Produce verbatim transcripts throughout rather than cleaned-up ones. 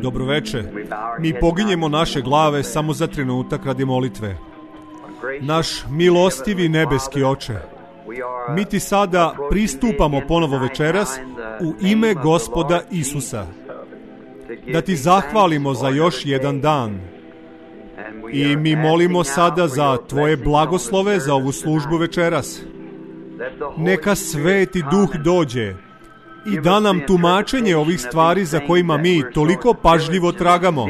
Dobroveče. Mi poginjemo naše glave samo za trenutak radi molitve. Naš milostivi nebeski Oče, mi ti sada pristupamo ponovo večeras u ime Gospoda Isusa, da ti zahvalimo za još jedan dan. I mi molimo sada za tvoje blagoslove za ovu službu večeras. Neka Sveti Duh dođe i da nam tumačenje ovih stvari za kojima mi toliko pažljivo tragamo.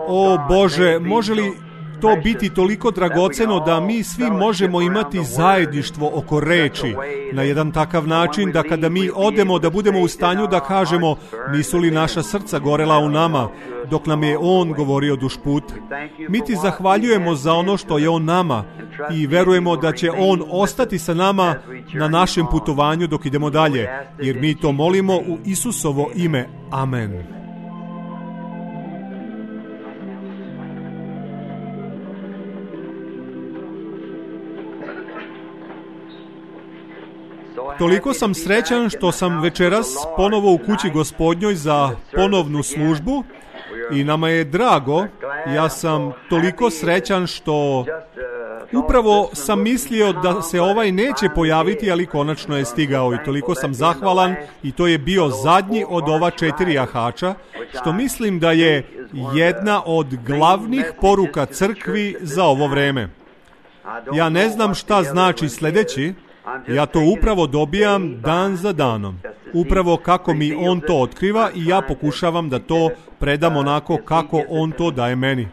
O Bože, može li to biti toliko dragoceno da mi svi možemo imati zajedništvo oko reči na jedan takav način da kada mi odemo da budemo u stanju da kažemo nisu li naša srca gorela u nama dok nam je On govorio duž puta. Mi ti zahvaljujemo za ono što je On nama i verujemo da će On ostati sa nama na našem putovanju dok idemo dalje, jer mi to molimo u Isusovo ime. Amen. Toliko sam srećan što sam večeras ponovo u kući Gospodnjoj za ponovnu službu i nama je drago. Ja sam toliko srećan što upravo sam mislio da se ovaj neće pojaviti, ali konačno je stigao i toliko sam zahvalan i to je bio zadnji od ova četiri jahača, što mislim da je jedna od glavnih poruka crkvi za ovo vreme. Ja ne znam šta znači sljedeći. Ja to upravo dobijam dan za danom. Upravo kako mi On to otkriva i ja pokušavam da to predam onako kako On to daje meni.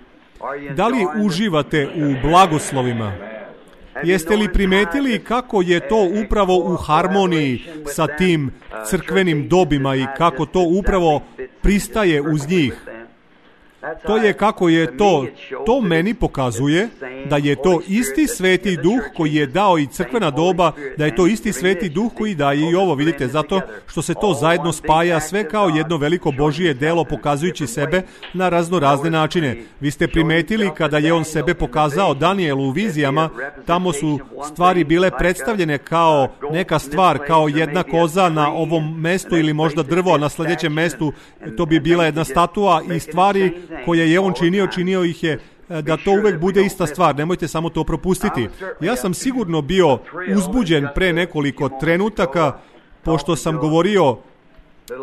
Da li uživate u blagoslovima? Jeste li primetili kako je to upravo u harmoniji sa tim crkvenim dobima i kako to upravo pristaje uz njih? To je kako je to, to meni pokazuje da je to isti Sveti Duh koji je dao i crkvena doba, da je to isti Sveti Duh koji daje i ovo, vidite, zato što se to zajedno spaja sve kao jedno veliko Božije delo pokazujući sebe na razno razne načine. Vi ste primetili kada je On sebe pokazao Danijelu u vizijama, tamo su stvari bile predstavljene kao neka stvar, kao jedna koza na ovom mestu ili možda drvo, a na sljedećem mestu to bi bila jedna statua i stvari koje je On činio, činio ih je da to uvek bude ista stvar, nemojte samo to propustiti. Ja sam sigurno bio uzbuđen pre nekoliko trenutaka, pošto sam govorio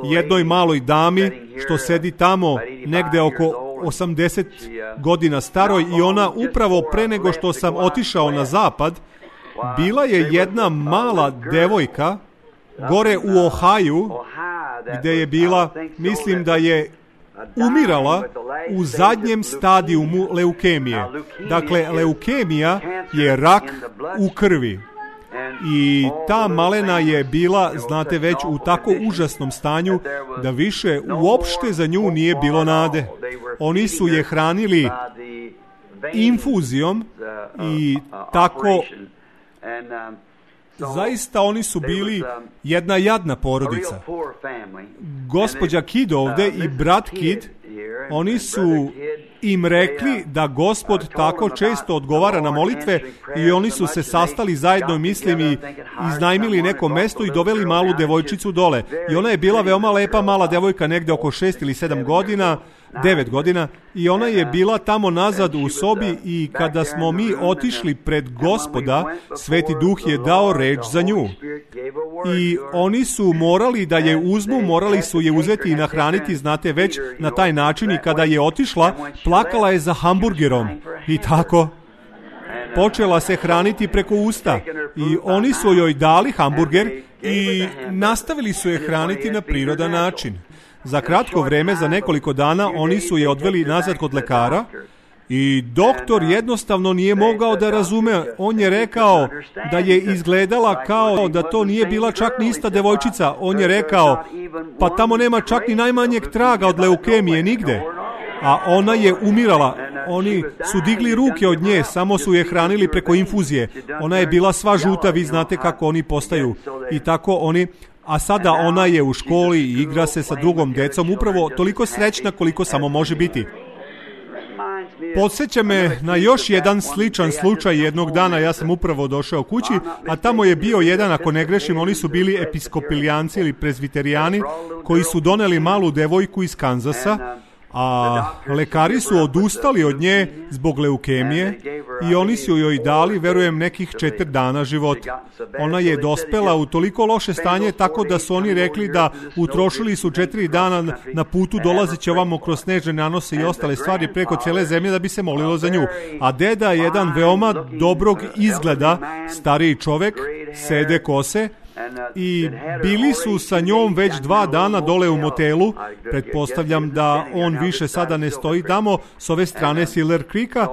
jednoj maloj dami što sedi tamo negde oko osamdeset godina staroj i ona upravo pre nego što sam otišao na zapad, bila je jedna mala devojka gore u Ohaju, gde je bila, mislim da je umirala u zadnjem stadijumu leukemije. Dakle, leukemija je rak u krvi. I ta malena je bila, znate, već u tako užasnom stanju da više uopšte za nju nije bilo nade. Oni su je hranili infuzijom i tako zaista oni su bili jedna jadna porodica. Gospođa Kid ovde i brat Kid, oni su im rekli da Gospod tako često odgovara na molitve i oni su se sastali zajedno, mislim, i iznajmili neko mesto i doveli malu devojčicu dole. I ona je bila veoma lepa mala devojka, negde oko šest ili sedam godina, devet godina, i ona je bila tamo nazad u sobi i kada smo mi otišli pred Gospoda, Sveti Duh je dao reč za nju. I oni su morali da je uzmu, morali su je uzeti i nahraniti, znate, već na taj način, i kada je otišla, plakala je za hamburgerom i tako počela se hraniti preko usta i oni su joj dali hamburger i nastavili su je hraniti na prirodan način. Za kratko vreme, za nekoliko dana, oni su je odveli nazad kod lekara i doktor jednostavno nije mogao da razume. On je rekao da je izgledala kao da to nije bila čak ni ista devojčica. On je rekao, pa tamo nema čak ni najmanjeg traga od leukemije nigde. A ona je umirala. Oni su digli ruke od nje, samo su je hranili preko infuzije. Ona je bila sva žuta, vi znate kako oni postaju. I tako oni... A sada ona je u školi i igra se sa drugom decom, upravo toliko srećna koliko samo može biti. podsjeća me na još jedan sličan slučaj. Jednog dana ja sam upravo došao kući, a tamo je bio jedan, ako ne grešim, oni su bili episkopilijanci ili prezviterijani koji su doneli malu devojku iz Kanzasa, a lekari su odustali od nje zbog leukemije i oni su joj dali, verujem, nekih četiri dana života. Ona je dospela u toliko loše stanje tako da su oni rekli da utrošili su četiri dana na putu dolazeći ovamo kroz snežne nanose i ostale stvari preko cijele zemlje da bi se molilo za nju. A deda je jedan veoma dobrog izgleda stariji čovek, sede kose, i bili su sa njom već dva dana dole u motelu. Pretpostavljam da on više sada ne stoji tamo s ove strane Silver Creeka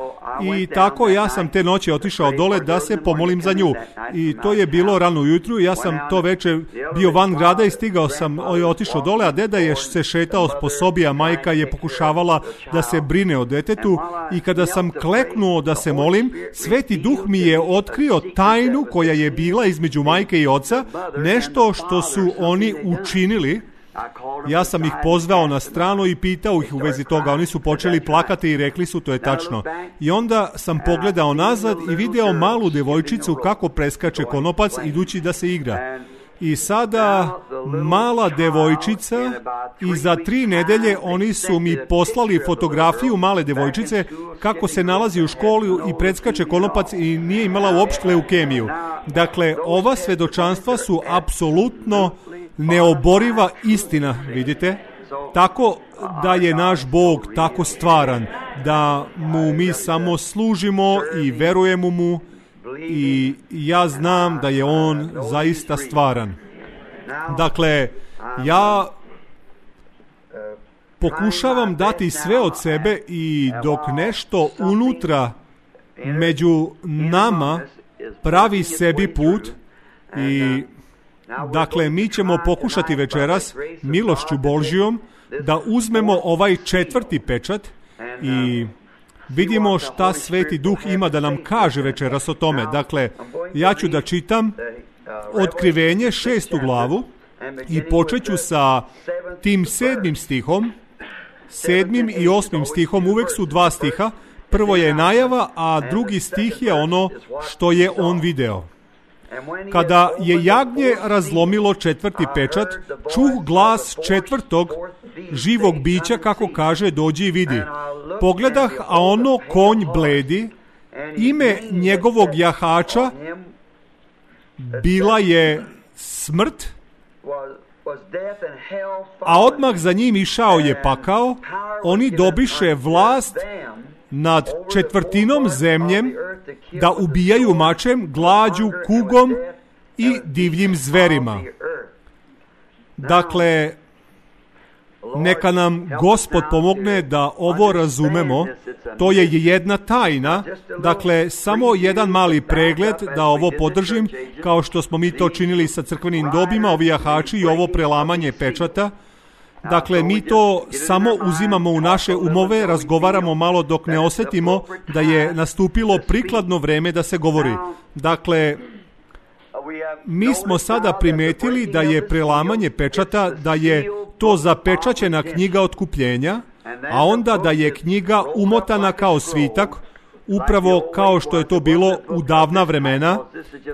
i tako ja sam te noći otišao dole da se pomolim za nju. I to je bilo rano ujutru, ja sam to veče bio van grada i stigao sam, otišao dole, a deda je se šetao po sobi, a majka je pokušavala da se brine o detetu i kada sam kleknuo da se molim, Sveti Duh mi je otkrio tajnu koja je bila između majke i oca, nešto što su oni učinili. Ja sam ih pozvao na stranu i pitao ih u vezi toga. Oni su počeli plakati i rekli su to je tačno. I onda sam pogledao nazad i video malu devojčicu kako preskače konopac idući da se igra. I sada mala devojčica i za tri nedelje oni su mi poslali fotografiju male devojčice kako se nalazi u školi i preskače konopac i nije imala uopšte leukemiju. Dakle, ova svedočanstva su apsolutno neoboriva istina, vidite? Tako da je naš Bog tako stvaran, da mu mi samo služimo i verujemo mu i ja znam da je on zaista stvaran. Dakle, ja pokušavam dati sve od sebe i dok nešto unutra među nama pravi sebi put i dakle, mi ćemo pokušati večeras milošću Božjom da uzmemo ovaj četvrti pečat i vidimo šta Sveti Duh ima da nam kaže večeras o tome. Dakle, ja ću da čitam Otkrivenje šestu glavu i počet ću sa tim sedmim stihom. Sedmim i osmim stihom uvek su dva stiha. Prvo je najava, a drugi stih je ono što je on video. Kada je jagnje razlomilo četvrti pečat, čuh glas četvrtog živog bića kako kaže dođi i vidi. Pogledah, a ono konj bledi, ime njegovog jahača bila je smrt, a odmah za njim išao je pakao, oni dobiše vlast nad četvrtinom zemljem da ubijaju mačem, glađu, kugom i divljim zverima. Dakle, neka nam Gospod pomogne da ovo razumemo. To je jedna tajna. Dakle, samo jedan mali pregled da ovo podržim, kao što smo mi to činili sa crkvenim dobima, ovi jahači i ovo prelamanje pečata. Dakle, mi to samo uzimamo u naše umove, razgovaramo malo dok ne osjetimo da je nastupilo prikladno vreme da se govori. Dakle, mi smo sada primetili da je prelamanje pečata, da je to zapečaćena knjiga otkupljenja, a onda da je knjiga umotana kao svitak, upravo kao što je to bilo u davna vremena.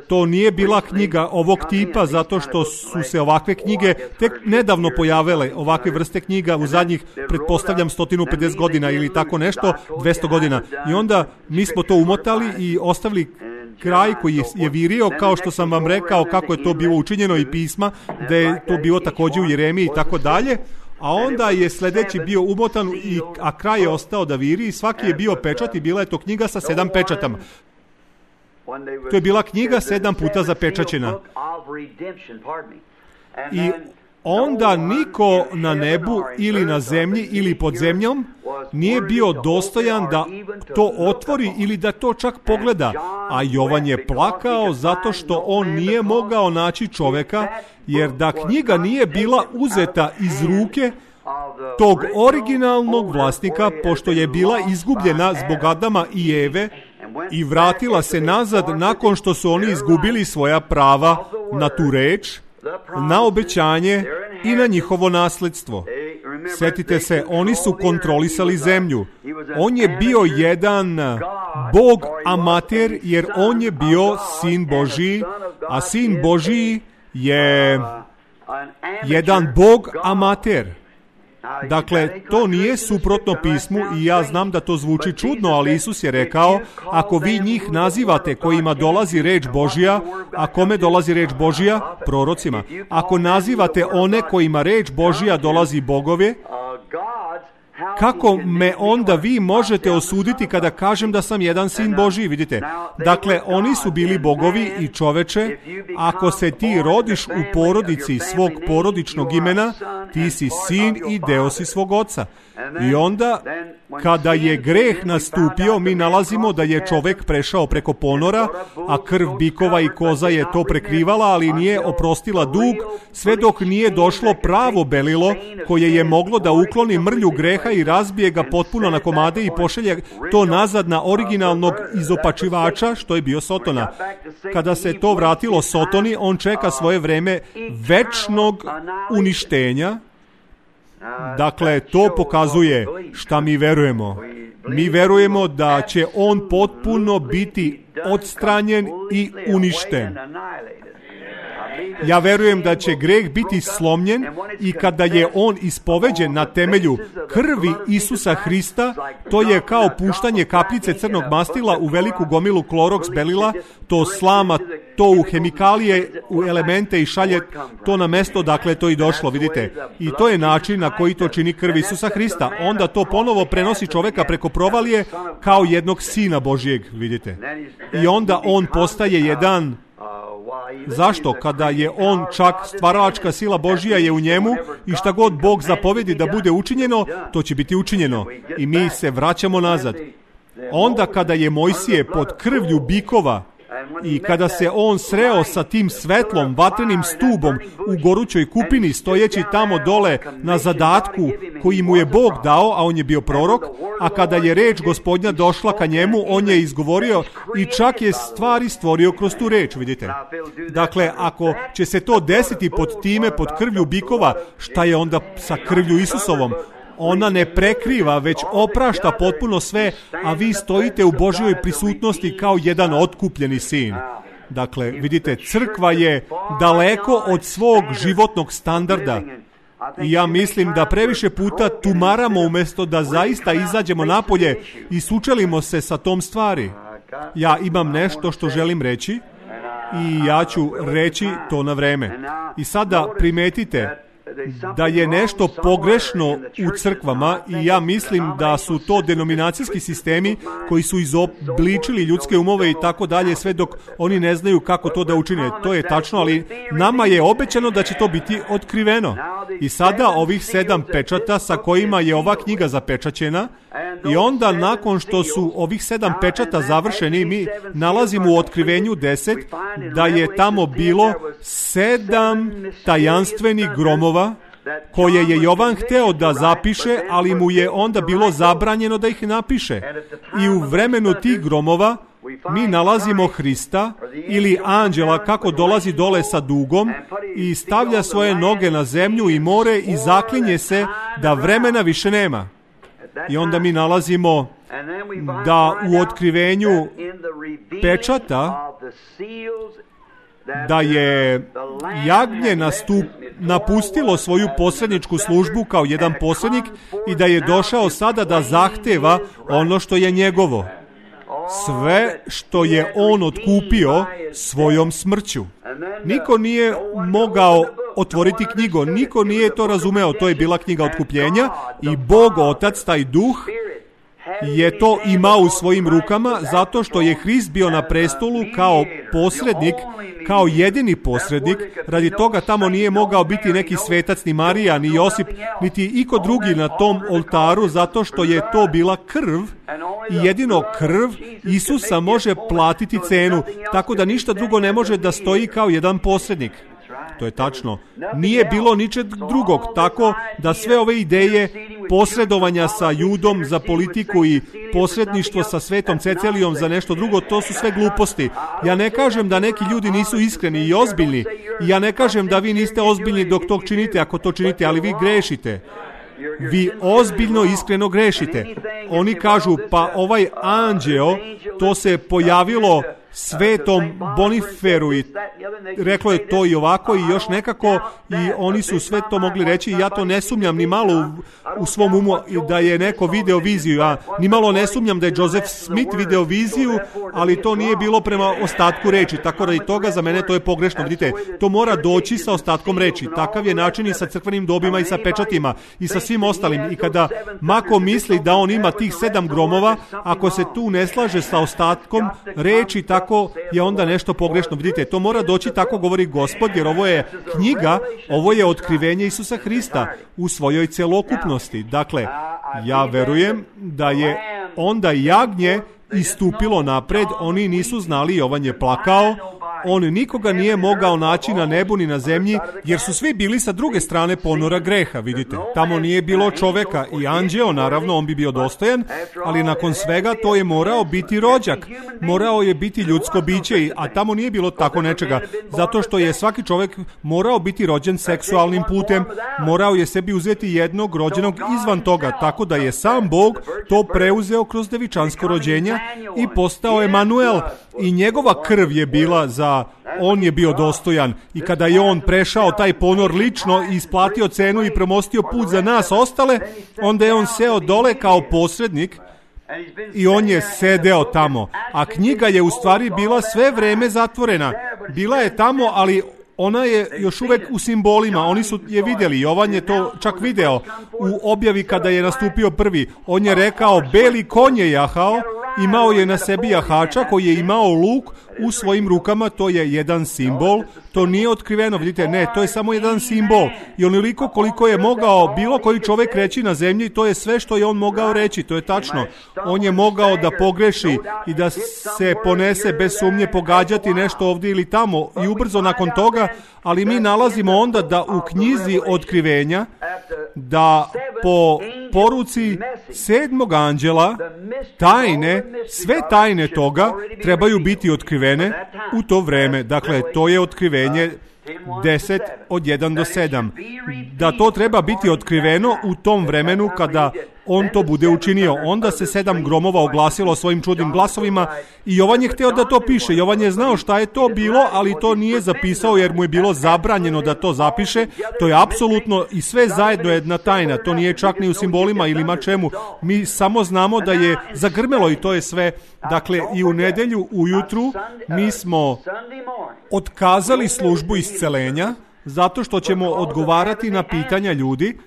To nije bila knjiga ovog tipa zato što su se ovakve knjige tek nedavno pojavile, ovakve vrste knjiga u zadnjih, pretpostavljam, sto pedeset godina ili tako nešto, dvesta godina. I onda mi smo to umotali i ostavili kraj koji je virio, kao što sam vam rekao kako je to bilo učinjeno i pisma, da je to bilo također u Jeremiji i tako dalje. A onda je sljedeći bio umotan, i, a kraj je ostao da viri i svaki je bio pečat i bila je to knjiga sa sedam pečatama. To je bila knjiga sedam puta zapečaćena. I onda niko na nebu ili na zemlji ili pod zemljom nije bio dostojan da to otvori ili da to čak pogleda. A Jovan je plakao zato što on nije mogao naći čoveka, jer da knjiga nije bila uzeta iz ruke tog originalnog vlasnika, pošto je bila izgubljena zbog Adama i Eve i vratila se nazad nakon što su oni izgubili svoja prava na tu reč, na obećanje i na njihovo nasledstvo. Setite se, oni su kontrolisali zemlju. On je bio jedan Bog amater, jer on je bio sin Božiji, a sin Božiji je jedan Bog amater. Dakle, to nije suprotno pismu i ja znam da to zvuči čudno, ali Isus je rekao, ako vi njih nazivate kojima dolazi reč Božja, a kome dolazi reč Božja? Prorocima. Ako nazivate one kojima reč Božja dolazi bogove, kako me onda vi možete osuditi kada kažem da sam jedan sin Božji, vidite? Dakle, oni su bili bogovi i čoveče, ako se ti rodiš u porodici svog porodičnog imena, ti si sin i deo si svog oca. I onda, kada je greh nastupio, mi nalazimo da je čovek prešao preko ponora, a krv bikova i koza je to prekrivala, ali nije oprostila dug, sve dok nije došlo pravo belilo, koje je moglo da ukloni mrlju greha i razbije ga potpuno na komade i pošalje to nazad na originalnog izopačivača, što je bio Sotona. Kada se to vratilo Sotoni, on čeka svoje vreme večnog uništenja. Dakle, to pokazuje šta mi verujemo. Mi verujemo da će on potpuno biti odstranjen i uništen. Ja verujem da će greh biti slomljen i kada je on ispoveđen na temelju krvi Isusa Hrista, to je kao puštanje kapljice crnog mastila u veliku gomilu kloroks belila, to slama to u hemikalije, u elemente i šalje to na mesto dakle to i došlo, vidite. I to je način na koji to čini krv Isusa Hrista. Onda to ponovo prenosi čoveka preko provalije kao jednog sina Božijeg, vidite. I onda on postaje jedan. Zašto? Kada je on čak stvaračka sila Božija je u njemu i šta god Bog zapovedi da bude učinjeno, to će biti učinjeno. I mi se vraćamo nazad. Onda kada je Mojsije pod krvlju bikova i kada se on sreo sa tim svetlom, vatrenim stubom u gorućoj kupini, stojeći tamo dole na zadatku koji mu je Bog dao, a on je bio prorok, a kada je reč Gospodnja došla ka njemu, on je izgovorio i čak je stvari stvorio kroz tu reč, vidite. Dakle, ako će se to desiti pod time, pod krvlju bikova, šta je onda sa krvlju Isusovom? Ona ne prekriva, već oprašta potpuno sve, a vi stojite u Božjoj prisutnosti kao jedan otkupljeni sin. Dakle, vidite, crkva je daleko od svog životnog standarda. I ja mislim da previše puta tumaramo umjesto da zaista izađemo napolje i sučelimo se sa tom stvari. Ja imam nešto što želim reći i ja ću reći to na vreme. I sada primetite da je nešto pogrešno u crkvama i ja mislim da su to denominacijski sistemi koji su izobličili ljudske umove i tako dalje, sve dok oni ne znaju kako to da učine. To je tačno, ali nama je obećano da će to biti otkriveno. I sada ovih sedam pečata sa kojima je ova knjiga zapečaćena, i onda nakon što su ovih sedam pečata završeni, mi nalazimo u otkrivenju deset da je tamo bilo sedam tajanstvenih gromova koje je Jovan hteo da zapiše, ali mu je onda bilo zabranjeno da ih napiše. I u vremenu tih gromova mi nalazimo Hrista ili anđela kako dolazi dole sa dugom i stavlja svoje noge na zemlju i more i zaklinje se da vremena više nema. I onda mi nalazimo da u otkrivenju pečata da je jagnje nastup, napustilo svoju posredničku službu kao jedan posrednik i da je došao sada da zahteva ono što je njegovo. Sve što je on otkupio svojom smrću. Niko nije mogao otvoriti knjigu, niko nije to razumeo, to je bila knjiga otkupljenja i Bog Otac, taj duh, je to imao u svojim rukama zato što je Hrist bio na prestolu kao posrednik, kao jedini posrednik. Radi toga tamo nije mogao biti neki svetac, ni Marija, ni Josip, niti iko drugi na tom oltaru, zato što je to bila krv i jedino krv Isusa može platiti cenu, tako da ništa drugo ne može da stoji kao jedan posrednik. To je tačno. Nije bilo ničeg drugog, tako da sve ove ideje posredovanja sa Judom za politiku i posredništvo sa Svetom Cecilijom za nešto drugo, to su sve gluposti. Ja ne kažem da neki ljudi nisu iskreni i ozbiljni. Ja ne kažem da vi niste ozbiljni dok to činite, ako to činite, ali vi grešite. vi ozbiljno iskreno grešite. Oni kažu, pa ovaj anđeo, to se pojavilo svetom Boniferu i reklo je to i ovako i još nekako i oni su sve to mogli reći i ja to ne sumnjam ni malo u, u svom umu da je neko video viziju. Ja ni malo ne sumnjam da je Joseph Smith video viziju, ali to nije bilo prema ostatku reči, tako da i toga za mene to je pogrešno. Vidite, to mora doći sa ostatkom reči. Takav je način i sa crkvenim dobima i sa pečatima i sa svim ostalim. I kada Mako misli da on ima tih sedam gromova, ako se tu ne slaže sa ostatkom reči, tako je onda nešto pogrešno. Vidite, to mora doći, tako govori Gospod, jer ovo je knjiga, ovo je otkrivenje Isusa Hrista u svojoj celokupnosti. Dakle, ja verujem da je onda jagnje istupilo napred, oni nisu znali, Jovan je plakao, on nikoga nije mogao naći na nebu ni na zemlji, jer su svi bili sa druge strane ponora greha, vidite. Tamo nije bilo čoveka i anđeo, naravno, on bi bio dostojan, ali nakon svega to je morao biti rođak, morao je biti ljudsko biće, a tamo nije bilo tako nečega, zato što je svaki čovek morao biti rođen seksualnim putem, morao je sebi uzeti jednog rođenog izvan toga, tako da je sam Bog to preuzeo kroz devičansko rođenje i postao Emanuel i njegova krv je bila za on je bio dostojan i kada je on prešao taj ponor lično i isplatio cenu i premostio put za nas ostale, onda je on seo dole kao posrednik i on je sedeo tamo, a knjiga je u stvari bila sve vreme zatvorena. Bila je tamo, ali ona je još uvek u simbolima, oni su je vidjeli, Jovan je to čak video u objavi kada je nastupio prvi. On je rekao, beli konj je jahao, imao je na sebi jahača koji je imao luk u svojim rukama, to je jedan simbol, to nije otkriveno, vidite, ne, to je samo jedan simbol i onoliko koliko je mogao bilo koji čovjek reći na zemlji, to je sve što je on mogao reći, to je tačno. On je mogao da pogreši i da se ponese bez sumnje pogađati nešto ovdje ili tamo i ubrzo nakon toga, ali mi nalazimo onda da u knjizi otkrivenja, da po poruci sedmog anđela tajne, sve tajne toga trebaju biti otkrivene u to vreme. Dakle, to je otkrivenje deset od jedan do sedam. Da to treba biti otkriveno u tom vremenu kada on to bude učinio. Onda se sedam gromova oglasilo svojim čudnim glasovima i Jovan je hteo da to piše. Jovan je znao šta je to bilo, ali to nije zapisao jer mu je bilo zabranjeno da to zapiše. To je apsolutno i sve zajedno jedna tajna. To nije čak ni u simbolima ili ma čemu. Mi samo znamo da je zagrmelo i to je sve. Dakle, i u nedelju ujutru mi smo otkazali službu iscelenja zato što ćemo odgovarati na pitanja ljudi.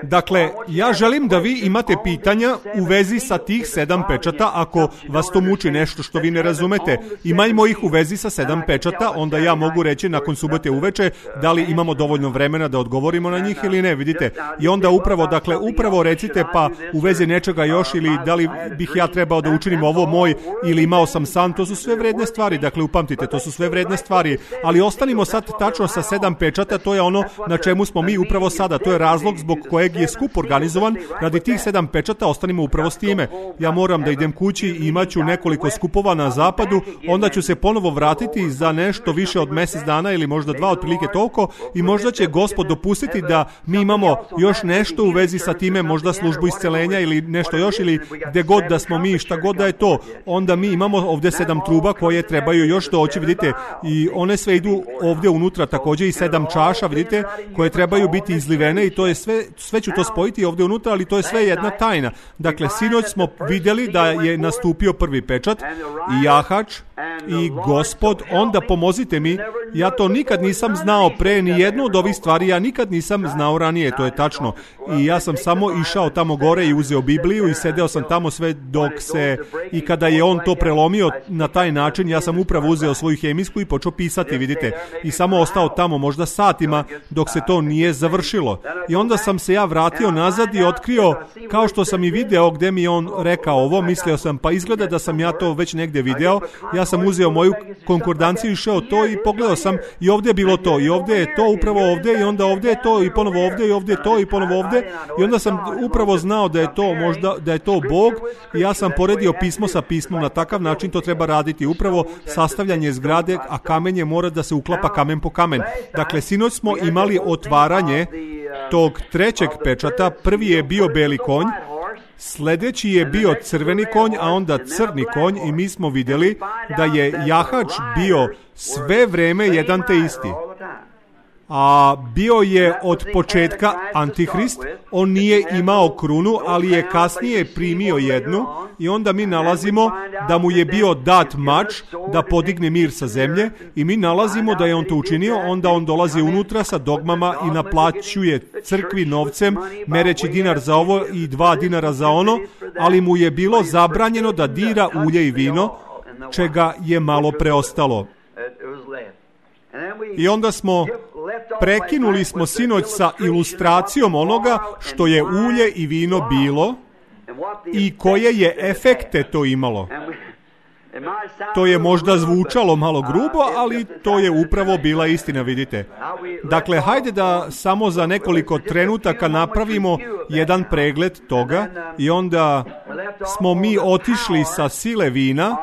Dakle, ja želim da vi imate pitanja u vezi sa tih sedam pečata, ako vas to muči nešto što vi ne razumete. Imajmo ih u vezi sa sedam pečata, onda ja mogu reći nakon subote uveče da li imamo dovoljno vremena da odgovorimo na njih ili ne, vidite. I onda upravo, dakle, upravo recite pa u vezi nečega još ili da li bih ja trebao da učinim ovo moj ili imao sam san, to su sve vredne stvari, dakle upamtite, to su sve vredne stvari, ali ostanimo sad tačno sa sedam pečata, to je ono na čemu smo mi upravo sada, to je razlog zbog kojeg je skup organizovan, radi tih sedam pečata ostanimo upravo s time. Ja moram da idem kući i imaću nekoliko skupova na zapadu, onda ću se ponovo vratiti za nešto više od mjesec dana ili možda dva, otprilike toliko, i možda će Gospod dopustiti da mi imamo još nešto u vezi sa time, možda službu iscelenja ili nešto još, ili gde god da smo mi, šta god da je to. Onda mi imamo ovdje sedam truba koje trebaju još doći, vidite, i one sve idu ovdje unutra, također i sedam čaša, vidite, koje trebaju biti izlivene i to je sve, sve ću to spojiti ovdje unutra, ali to je sve jedna tajna. Dakle, sinoć smo vidjeli da je nastupio prvi pečat i jahač i Gospod, onda pomozite mi, ja to nikad nisam znao pre ni jednu od ovih stvari, ja nikad nisam znao ranije, to je tačno. I ja sam samo išao tamo gore i uzeo Bibliju i sedeo sam tamo sve dok se, i kada je on to prelomio na taj način, ja sam upravo uzeo svoju hemijsku i počeo pisati, vidite, i samo ostao tamo možda satima dok se to nije završilo. I onda sam se ja vratio nazad i otkrio, kao što sam i video gdje mi on rekao ovo, mislio sam, pa izgleda da sam ja to već negdje video. Ja sam uzeo moju konkordanciju i išao to i pogledao sam i ovdje je bilo to i ovdje je to, upravo ovdje i onda ovdje je to i ponovo ovdje i ovdje je to i ponovo ovdje i onda sam upravo znao da je to možda, da je to Bog i ja sam poredio pismo sa pismom. Na takav način to treba raditi, upravo sastavljanje zgrade, a kamenje mora da se uklapa kamen po kamen. Dakle, sinoć smo imali otvaranje tog trećeg pečata. Prvi je bio beli konj, sljedeći je bio crveni konj, a onda crni konj i mi smo vidjeli da je jahač bio sve vrijeme jedan te isti. A bio je od početka Antihrist, on nije imao krunu, ali je kasnije primio jednu i onda mi nalazimo da mu je bio dat mač da podigne mir sa zemlje i mi nalazimo da je on to učinio, onda on dolazi unutra sa dogmama i naplaćuje crkvi novcem, mereći dinar za ovo i dva dinara za ono, ali mu je bilo zabranjeno da dira ulje i vino, čega je malo preostalo. I onda smo prekinuli smo sinoć sa ilustracijom onoga što je ulje i vino bilo i koje je efekte to imalo. To je možda zvučalo malo grubo, ali to je upravo bila istina, vidite. Dakle, hajde da samo za nekoliko trenutaka napravimo jedan pregled toga i onda smo mi otišli sa sile vina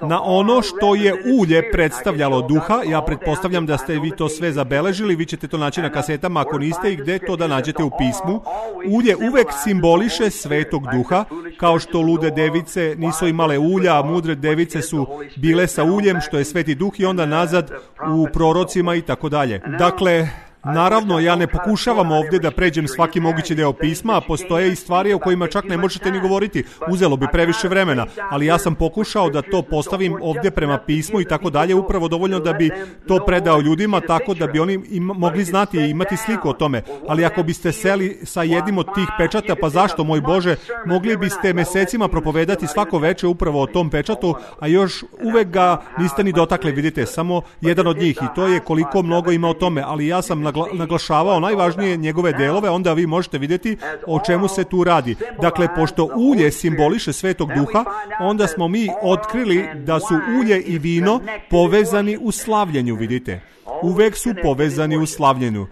na ono što je ulje predstavljalo duha. Ja pretpostavljam da ste vi to sve zabeležili, vi ćete to naći na kasetama, ako niste i gdje to da nađete u pismu. Ulje uvek simboliše svetog duha, kao što lude device nisu imale ulja, a mudre device su bile sa uljem, što je sveti duh, i onda nazad u prorocima i tako dalje. Dakle, naravno, ja ne pokušavam ovdje da pređem svaki mogući deo pisma, a postoje i stvari o kojima čak ne možete ni govoriti. Uzelo bi previše vremena, ali ja sam pokušao da to postavim ovdje prema pismu i tako dalje, upravo dovoljno da bi to predao ljudima, tako da bi oni im mogli znati i imati sliku o tome. Ali ako biste seli sa jednim od tih pečata, pa zašto, moj Bože, mogli biste mesecima propovedati svako veče upravo o tom pečatu, a još uvek ga niste ni dotakli, vidite, samo jedan od njih, i to je koliko mnogo ima o tome, ali ja sam naglašavao najvažnije njegove delove, onda vi možete vidjeti o čemu se tu radi. Dakle, pošto ulje simboliše svetog duha, onda smo mi otkrili da su ulje i vino povezani u slavljenju, vidite. Uvek su povezani u slavljenju.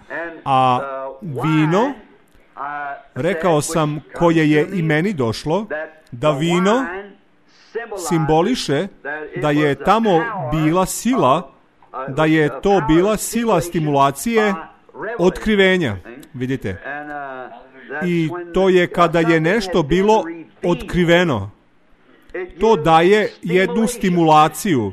A vino, rekao sam, koje je i meni došlo, da vino simboliše da je tamo bila sila, da je to bila sila stimulacije otkrivenja, vidite. I to je kada je nešto bilo otkriveno. To daje jednu stimulaciju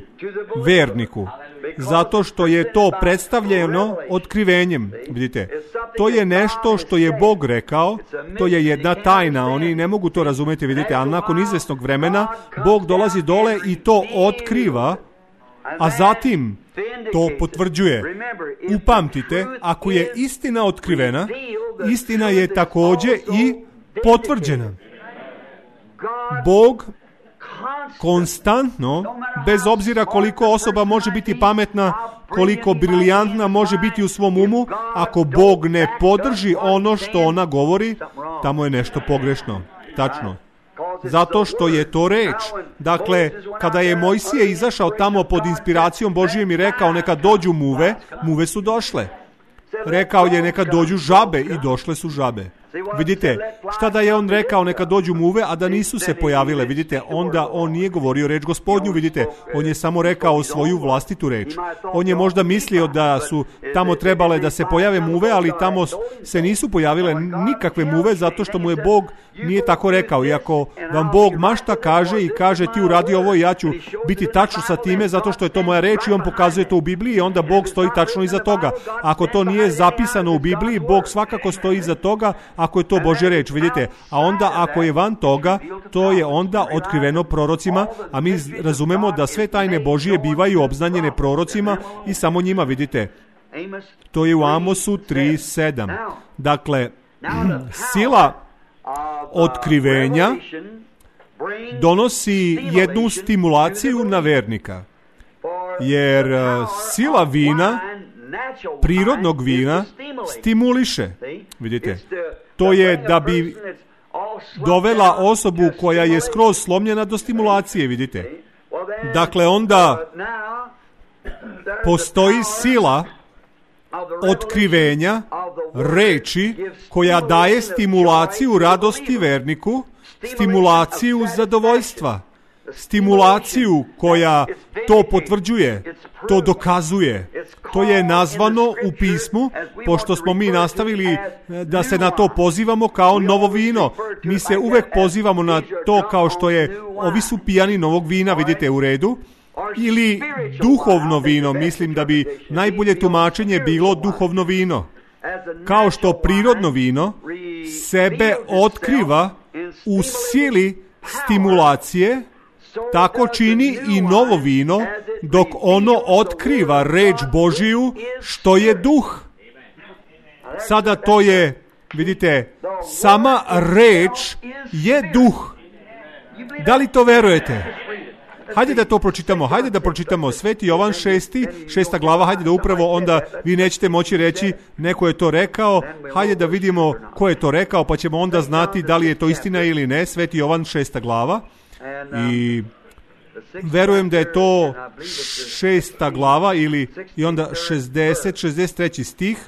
verniku, zato što je to predstavljeno otkrivenjem, vidite. To je nešto što je Bog rekao, to je jedna tajna, oni ne mogu to razumjeti, vidite, ali nakon izvesnog vremena Bog dolazi dole i to otkriva, a zatim to potvrđuje. Upamtite, ako je istina otkrivena, istina je također i potvrđena. Bog konstantno, bez obzira koliko osoba može biti pametna, koliko briljantna može biti u svom umu, ako Bog ne podrži ono što ona govori, tamo je nešto pogrešno. Tačno. Zato što je to reč. Dakle, kada je Mojsije izašao tamo pod inspiracijom Božijom i rekao neka dođu muve, muve su došle. Rekao je neka dođu žabe i došle su žabe. Vidite, šta da je on rekao neka dođu muve, a da nisu se pojavile, vidite, onda on nije govorio reč Gospodnju, vidite, on je samo rekao svoju vlastitu reč. On je možda mislio da su tamo trebale da se pojave muve, ali tamo se nisu pojavile nikakve muve, zato što mu je Bog nije tako rekao. Iako vam Bog mašta kaže i kaže ti uradi ovo i ja ću biti tačno sa time, zato što je to moja reč i on pokazuje to u Bibliji i onda Bog stoji tačno iza toga. Ako to nije zapisano u Bibliji, Bog svakako stoji iza toga, ako je to Božja reč, vidite. A onda ako je van toga, to je onda otkriveno prorocima, a mi razumemo da sve tajne Božije bivaju obznanjene prorocima i samo njima, vidite. To je u Amosu tri sedam. Dakle, sila otkrivenja donosi jednu stimulaciju na vernika. Jer sila vina prirodnog vina stimuliše. Vidite, to je da bi dovela osobu koja je skroz slomljena do stimulacije, vidite. Dakle, onda postoji sila otkrivenja reči koja daje stimulaciju radosti verniku, stimulaciju zadovoljstva, stimulaciju koja to potvrđuje, to dokazuje. To je nazvano u pismu, pošto smo mi nastavili da se na to pozivamo kao novo vino. Mi se uvek pozivamo na to kao što je, ovi su pijani novog vina, vidite, u redu. Ili duhovno vino, mislim da bi najbolje tumačenje bilo duhovno vino. Kao što prirodno vino sebe otkriva u sili stimulacije, tako čini i novo vino dok ono otkriva reč Božiju što je duh. Sada to je, vidite, sama reč je duh. Da li to verujete? Hajde da to pročitamo, hajde da pročitamo Sveti Jovan šesti, šesta glava, hajde da upravo onda vi nećete moći reći neko je to rekao, hajde da vidimo ko je to rekao, pa ćemo onda znati da li je to istina ili ne. Sveti Jovan šesta glava i verujem da je to šesta glava ili i onda šezdeset, šezdeset treći stih,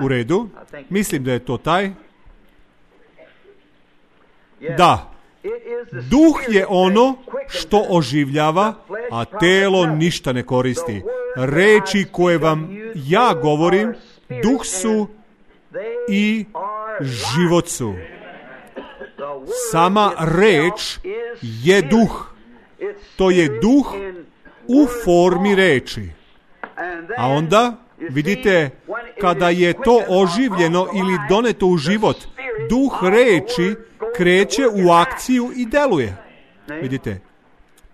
u redu, mislim da je to taj. Da. Duh je ono što oživljava, a telo ništa ne koristi. Reči koje vam ja govorim, duh su i život su. Sama reč je duh. To je duh u formi reči. A onda, vidite, kada je to oživljeno ili doneto u život, duh reči kreće u akciju i deluje. Vidite.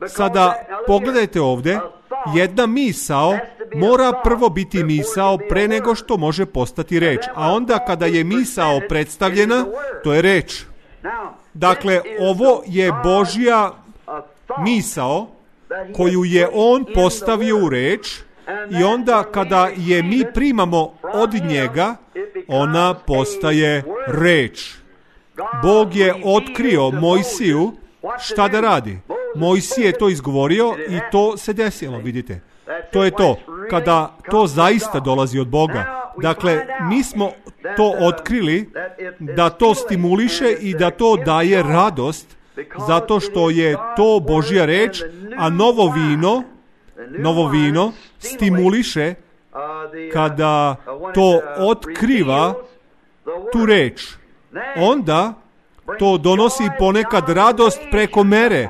Sada pogledajte ovdje, jedna misao mora prvo biti misao pre nego što može postati reč. A onda kada je misao predstavljena, to je reč. Dakle, ovo je Božja misao koju je On postavio u reč i onda kada je mi primamo od njega, ona postaje reč. Bog je otkrio Mojsiju šta da radi. Mojsije je to izgovorio i to se desilo, vidite. To je to, kada to zaista dolazi od Boga. Dakle, mi smo to otkrili da to stimuliše i da to daje radost, zato što je to Božja reč, a novo vino, novo vino stimuliše kada to otkriva tu reč. Onda to donosi ponekad radost preko mere.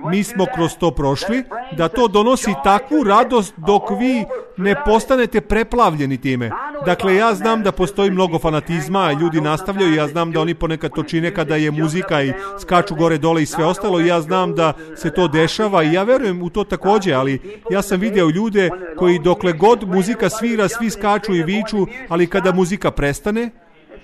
Mi smo kroz to prošli, da to donosi takvu radost dok vi ne postanete preplavljeni time. Dakle, ja znam da postoji mnogo fanatizma, ljudi nastavljaju, ja znam da oni ponekad to čine kada je muzika i skaču gore dole i sve ostalo, i ja znam da se to dešava i ja verujem u to također, ali ja sam vidio ljude koji dokle god muzika svira, svi skaču i viču, ali kada muzika prestane,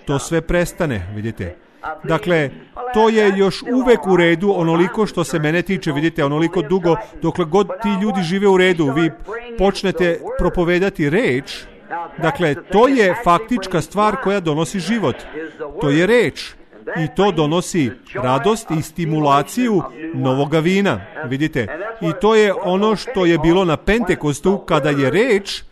to sve prestane, vidite. Dakle, to je još uvek u redu, onoliko što se mene tiče, vidite, onoliko dugo, dokle god ti ljudi žive u redu, vi počnete propovedati reč, dakle, to je faktička stvar koja donosi život. To je reč. I to donosi radost i stimulaciju novoga vina, vidite. I to je ono što je bilo na Pentekostu, kada je reč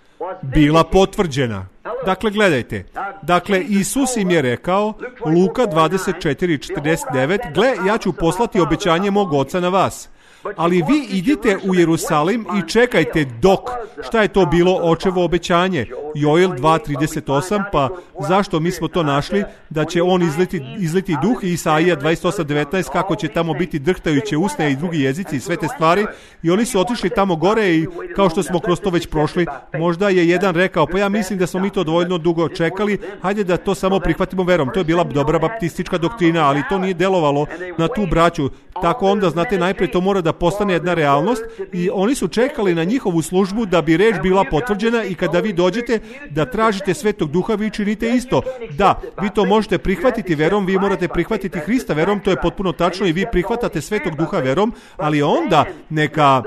bila potvrđena. Dakle, gledajte. Dakle, Isus im je rekao, Luka dvadeset četiri četrdeset devet, gle, ja ću poslati obećanje mog oca na vas. Ali vi idite u Jerusalim i čekajte dok. Šta je to bilo očevo obećanje? Joel dva trideset osam, pa zašto mi smo to našli? Da će on izliti, izliti duh, i Isaija dvadeset osam devetnaest, kako će tamo biti drhtajuće usne i drugi jezici i sve te stvari. I oni su otišli tamo gore i kao što smo kroz to već prošli, možda je jedan rekao, pa ja mislim da smo mi to dovoljno dugo čekali, hajde da to samo prihvatimo verom. To je bila dobra baptistička doktrina, ali to nije delovalo na tu braću. Tako onda, znate, najprije to mora da postane jedna realnost i oni su čekali na njihovu službu da bi reč bila potvrđena, i kada vi dođete da tražite Svetog Duha, vi činite isto. Da, vi to možete prihvatiti verom, vi morate prihvatiti Hrista verom, to je potpuno tačno, i vi prihvatate Svetog Duha verom, ali onda neka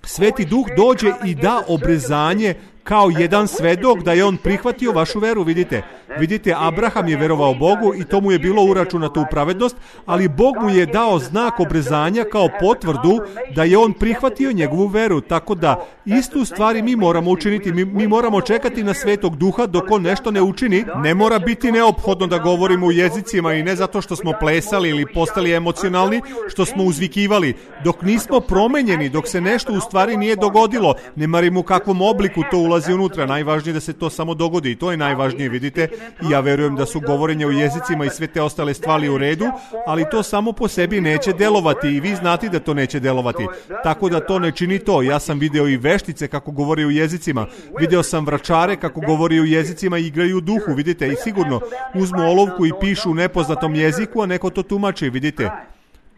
Sveti Duh dođe i da obrezanje kao jedan svedok da je on prihvatio vašu veru, vidite. Vidite, Abraham je verovao Bogu i to mu je bilo uračunato u pravednost, ali Bog mu je dao znak obrezanja kao potvrdu da je on prihvatio njegovu veru, tako da istu stvari mi moramo učiniti. Mi, mi moramo čekati na Svetog Duha dok on nešto ne učini. Ne mora biti neophodno da govorimo u jezicima i ne zato što smo plesali ili postali emocionalni, što smo uzvikivali. Dok nismo promenjeni, dok se nešto u stvari nije dogodilo, ne marimo u kakvom obliku to ulazi unutra. Najvažnije da se to samo dogodi i to je najvažnije, vidite. I ja verujem da su govorenja u jezicima i sve te ostale stvari u redu, ali to samo po sebi neće delovati i vi znate da to neće delovati. Tako da to ne čini to. Ja sam video i veštice kako govore u jezicima. Video sam vračare kako govore u jezicima i igraju u duhu, vidite. I sigurno uzmu olovku i pišu u nepoznatom jeziku, a neko to tumači, vidite.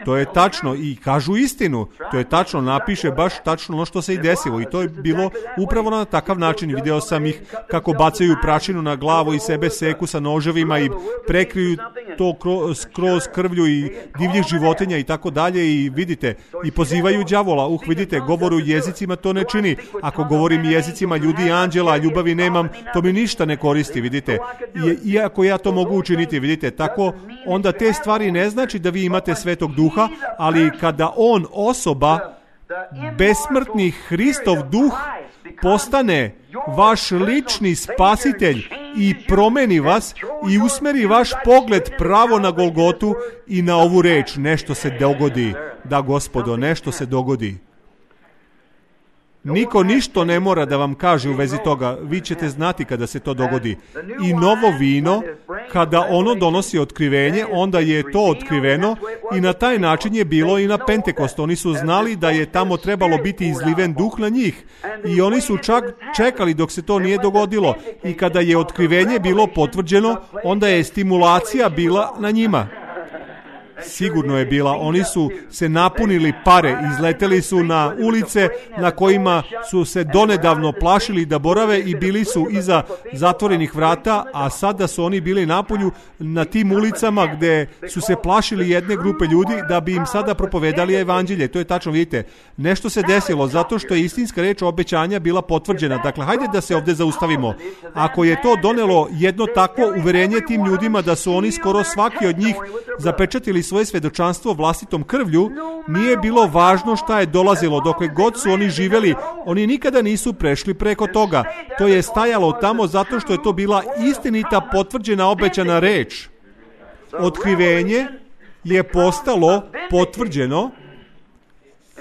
To je tačno i kažu istinu. To je tačno, napiše baš tačno ono što se i desilo. I to je bilo upravo na takav način. Video sam ih kako bacaju prašinu na glavu i sebe seku sa noževima i prekriju to skroz krvlju i divljih životinja i tako dalje. I vidite, i pozivaju đavola. Uh, vidite, govor u jezicima to ne čini. Ako govorim jezicima ljudi i anđela, a ljubavi nemam, to mi ništa ne koristi, vidite. I, iako ja to mogu učiniti, vidite, tako onda te stvari ne znači da vi imate Svetog Duha, ali kada on, osoba, besmrtni Hristov duh, postane vaš lični spasitelj i promeni vas i usmeri vaš pogled pravo na Golgotu i na ovu reč, nešto se dogodi. Da, Gospodo, nešto se dogodi. Niko ništa ne mora da vam kaže u vezi toga, vi ćete znati kada se to dogodi. I novo vino, kada ono donosi otkrivenje, onda je to otkriveno i na taj način je bilo i na Pentekostu. Oni su znali da je tamo trebalo biti izliven duh na njih i oni su čak čekali dok se to nije dogodilo. I kada je otkrivenje bilo potvrđeno, onda je stimulacija bila na njima. Sigurno je bila. Oni su se napunili pare, izleteli su na ulice na kojima su se donedavno plašili da borave i bili su iza zatvorenih vrata, a sada su oni bili napolju na tim ulicama gde su se plašili jedne grupe ljudi da bi im sada propovedali evanđelje. To je tačno, vidite. Nešto se desilo zato što je istinska reč obećanja bila potvrđena. Dakle, hajde da se ovde zaustavimo. Ako je to donelo jedno takvo uverenje tim ljudima da su oni skoro svaki od njih zapečatili svoje svedočanstvo vlastitom krvlju, nije bilo važno šta je dolazilo. Dokle god su oni živeli, oni nikada nisu prešli preko toga. To je stajalo tamo zato što je to bila istinita, potvrđena, obećana reč. Otkrivenje je postalo potvrđeno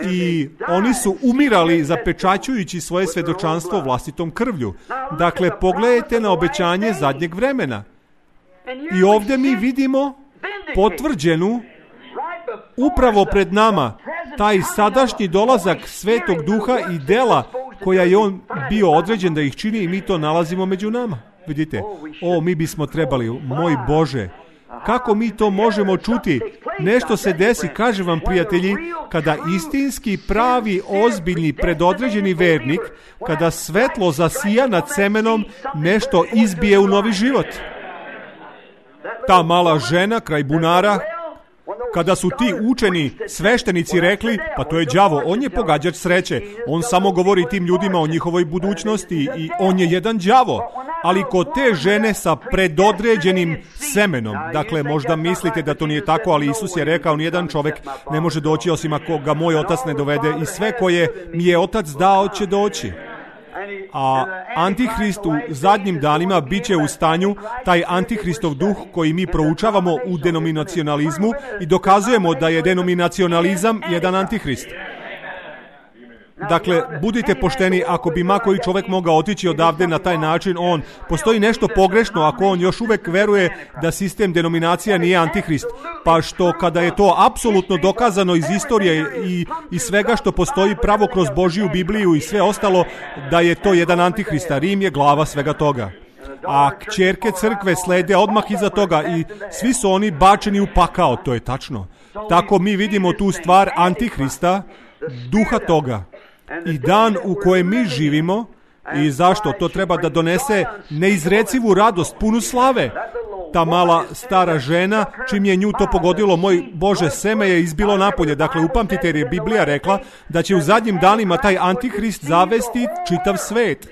i oni su umirali zapečaćujući svoje svedočanstvo vlastitom krvlju. Dakle, pogledajte na obećanje zadnjeg vremena. I ovdje mi vidimo potvrđenu upravo pred nama taj sadašnji dolazak Svetog Duha i dela koja je on bio određen da ih čini i mi to nalazimo među nama. Vidite, o, mi bismo trebali, moj Bože, kako mi to možemo čuti? Nešto se desi, kažem vam, prijatelji, kada istinski, pravi, ozbiljni, predodređeni vernik, kada svetlo zasija nad semenom, nešto izbije u novi život. Ta mala žena kraj bunara, kada su ti učeni sveštenici rekli, pa to je đavo, on je pogađač sreće, on samo govori tim ljudima o njihovoj budućnosti i on je jedan đavo. Ali kod te žene sa predodređenim semenom, dakle možda mislite da to nije tako, ali Isus je rekao, nijedan čovjek ne može doći osim ako ga moj otac ne dovede i sve koje mi je otac dao će doći. A Antihrist u zadnjim danima bit će u stanju, taj Antihristov duh koji mi proučavamo u denominacionalizmu i dokazujemo da je denominacionalizam jedan Antihrist. Dakle, budite pošteni, ako bi ma koji čovjek mogao otići odavde na taj način, on, postoji nešto pogrešno ako on još uvek veruje da sistem denominacija nije Antihrist. Pa što kada je to apsolutno dokazano iz istorije i, i svega što postoji pravo kroz Božiju Bibliju i sve ostalo, da je to jedan Antihrista. Rim je glava svega toga. A kćerke crkve slede odmah iza toga i svi su oni bačeni u pakao, to je tačno. Tako mi vidimo tu stvar Antihrista, duha toga. I dan u kojem mi živimo, i zašto to treba da donese neizrecivu radost, punu slave. Ta mala stara žena, čim je nju to pogodilo, moj Bože, seme je izbilo napolje. Dakle, upamtite jer je Biblija rekla da će u zadnjim danima taj Antihrist zavesti čitav svet.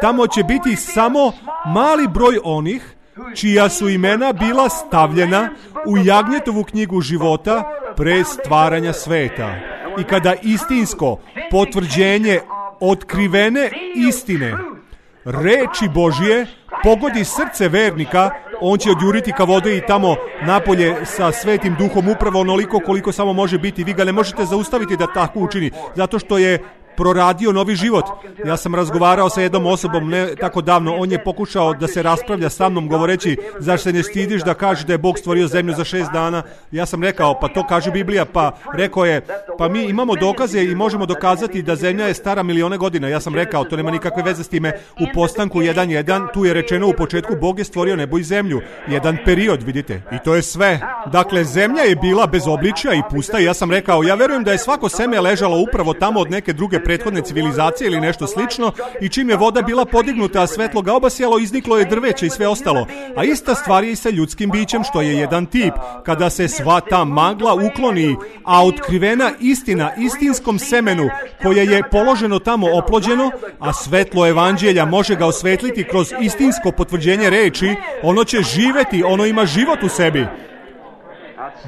tamo će biti samo mali broj onih čija su imena bila stavljena u Jagnjetovu knjigu života pre stvaranja sveta. I kada istinsko potvrđenje otkrivene istine, reči Božije, pogodi srce vernika, on će odjuriti ka vode i tamo napolje sa Svetim Duhom upravo onoliko koliko samo može biti. Vi ga ne možete zaustaviti da tako učini, zato što je proradio novi život. Ja sam razgovarao sa jednom osobom ne tako davno, on je pokušao da se raspravlja sa mnom govoreći zašto se ne stidiš da kažeš da je Bog stvorio zemlju za šest dana. Ja sam rekao, pa to kaže Biblija, pa rekao je, pa mi imamo dokaze i možemo dokazati da zemlja je stara milione godina. Ja sam rekao, to nema nikakve veze s time. U Postanku jedan jedan tu je rečeno u početku Bog je stvorio nebo i zemlju. Jedan period, vidite. I to je sve. Dakle, zemlja je bila bez obličja i pusta i ja sam rekao, ja verujem da je svako seme ležalo upravo tamo od neke druge prethodne civilizacije ili nešto slično i čim je voda bila podignuta, a svetlo ga obasjalo, izniklo je drveće i sve ostalo. A ista stvar je i sa ljudskim bićem, što je jedan tip. Kada se sva ta magla ukloni, a otkrivena istina istinskom semenu koje je položeno tamo oplođeno, a svetlo evanđelja može ga osvetliti kroz istinsko potvrđenje reči, ono će živeti, ono ima život u sebi.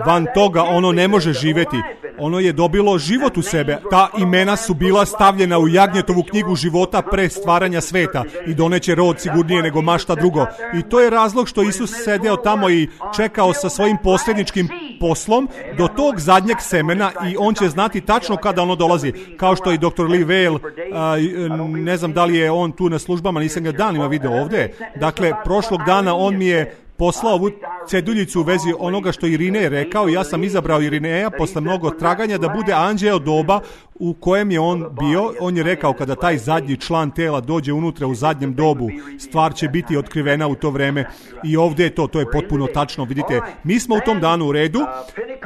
Van toga ono ne može živeti. Ono je dobilo život u sebe. Ta imena su bila stavljena u Jagnjetovu knjigu života pre stvaranja sveta i doneće rod sigurnije nego mašta drugo. I to je razlog što Isus sedeo tamo i čekao sa svojim posljedničkim poslom do tog zadnjeg semena i on će znati tačno kada ono dolazi. Kao što i doktor Lee Vail, ne znam da li je on tu na službama, nisam ga danima video ovdje. Dakle, prošlog dana on mi je poslao ovu ceduljicu u vezi onoga što Irinej je rekao i ja sam izabrao Irineja posle mnogo traganja da bude anđeo doba u kojem je on bio. On je rekao kada taj zadnji član tela dođe unutra u zadnjem dobu, stvar će biti otkrivena u to vreme i ovdje je to, to je potpuno tačno. Vidite, mi smo u tom danu u redu.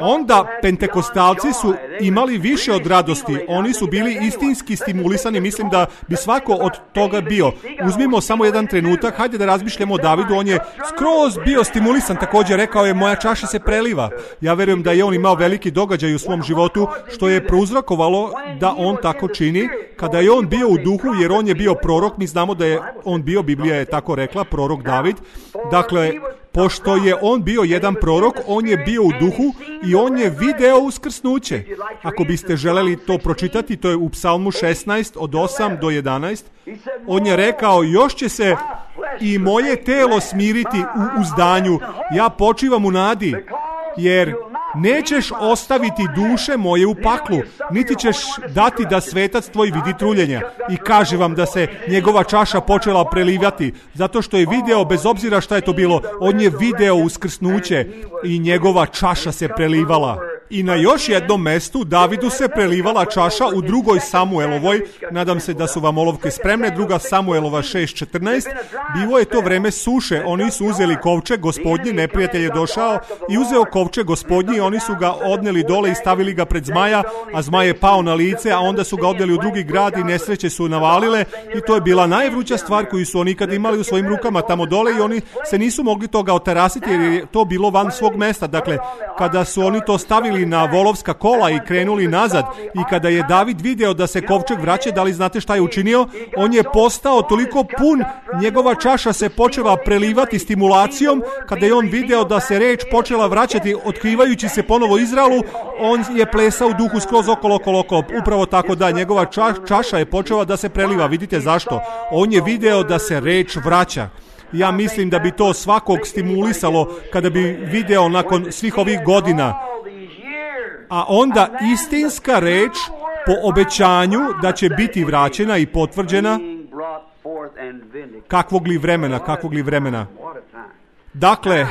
Onda pentekostalci su imali više od radosti, oni su bili istinski stimulisani, mislim da bi svako od toga bio. Uzmimo samo jedan trenutak, hajde da razmišljamo o Davidu, on je skroz bio stimulisan, također rekao je moja čaša se preliva. Ja verujem da je on imao veliki događaj u svom životu što je prouzrokovalo da on tako čini kada je on bio u duhu, jer on je bio prorok, mi znamo da je on bio, Biblija je tako rekla, prorok David. Dakle, pošto je on bio jedan prorok, on je bio u duhu i on je video uskrsnuće. Ako biste želeli to pročitati, to je u Psalmu šesnaest od osam do jedanaest. On je rekao, još će se i moje telo smiriti u uzdanju, ja počivam u nadi, jer nećeš ostaviti duše moje u paklu, niti ćeš dati da svetac tvoj vidi truljenja. I kaže vam da se njegova čaša počela prelivati, zato što je video, bez obzira šta je to bilo, on je video uskrsnuće i njegova čaša se prelivala. I na još jednom mestu Davidu se prelivala čaša u drugoj Samuelovoj, nadam se da su vam olovke spremne, druga Samuelova šest četrnaest, bilo je to vreme suše, oni su uzeli kovčeg gospodnji, neprijatelj je došao i uzeo kovčeg gospodnji, oni su ga odneli dole i stavili ga pred zmaja, a zmaj je pao na lice, a onda su ga odneli u drugi grad i nesreće su navalile i to je bila najvruća stvar koju su oni ikad imali u svojim rukama tamo dole i oni se nisu mogli toga otarasiti jer je to bilo van svog mesta. Dakle, kada su oni to stavili na volovska kola i krenuli nazad i kada je David video da se kovčeg vraća, da li znate šta je učinio? On je postao toliko pun, njegova čaša se počela prelivati stimulacijom, kada je on video da se reč počela vraćati, otkrivajući se ponovo Izraelu, on je plesao u duhu skroz okolo, okolo, okolo, upravo tako da njegova ča, čaša je počela da se preliva. Vidite zašto? On je video da se reč vraća. Ja mislim da bi to svakog stimulisalo kada bi video nakon svih ovih godina. A onda istinska reč po obećanju da će biti vraćena i potvrđena, kakvog li vremena, kakvog li vremena. Dakle,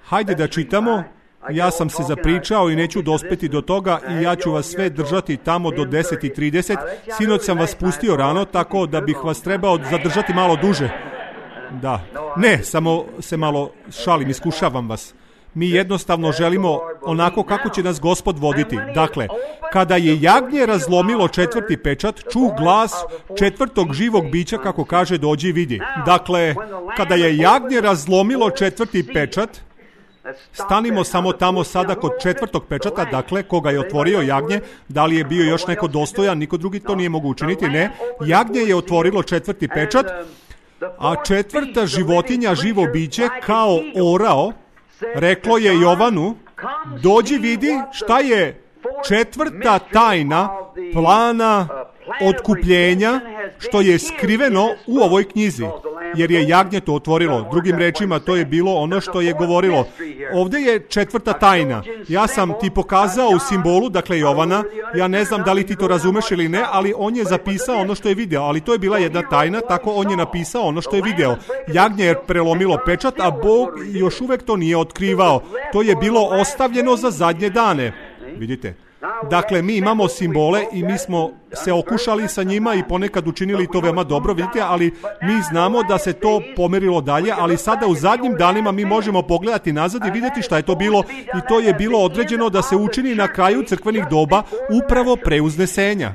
hajde da čitamo. Ja sam se zapričao i neću dospeti do toga i ja ću vas sve držati tamo do deset i trideset. Sinoć sam vas pustio rano, tako da bih vas trebao zadržati malo duže. Da, ne, samo se malo šalim, iskušavam vas. Mi jednostavno želimo onako kako će nas Gospod voditi. Dakle, kada je jagnje razlomilo četvrti pečat, čuh glas četvrtog živog bića kako kaže dođi vidi. Dakle, kada je jagnje razlomilo četvrti pečat, stanimo samo tamo sada kod četvrtog pečata, dakle, koga je otvorio jagnje. Da li je bio još neko dostojan, niko drugi to nije mogu učiniti, ne. Jagnje je otvorilo četvrti pečat, a četvrta životinja, živo biće, kao orao, reklo je Jovanu, dođi vidi šta je četvrta tajna plana otkupljenja, što je skriveno u ovoj knjizi, jer je jagnje to otvorilo. Drugim rečima, to je bilo ono što je govorilo. Ovdje je četvrta tajna. Ja sam ti pokazao u simbolu, dakle Jovana, ja ne znam da li ti to razumeš ili ne, ali on je zapisao ono što je video, ali to je bila jedna tajna, tako on je napisao ono što je video. Jagnje je prelomilo pečat, a Bog još uvek to nije otkrivao. To je bilo ostavljeno za zadnje dane. Vidite? Dakle, mi imamo simbole i mi smo se okušali sa njima i ponekad učinili to veoma dobro, vidite, ali mi znamo da se to pomerilo dalje, ali sada u zadnjim danima mi možemo pogledati nazad i vidjeti šta je to bilo, i to je bilo određeno da se učini na kraju crkvenih doba, upravo pre uznesenja.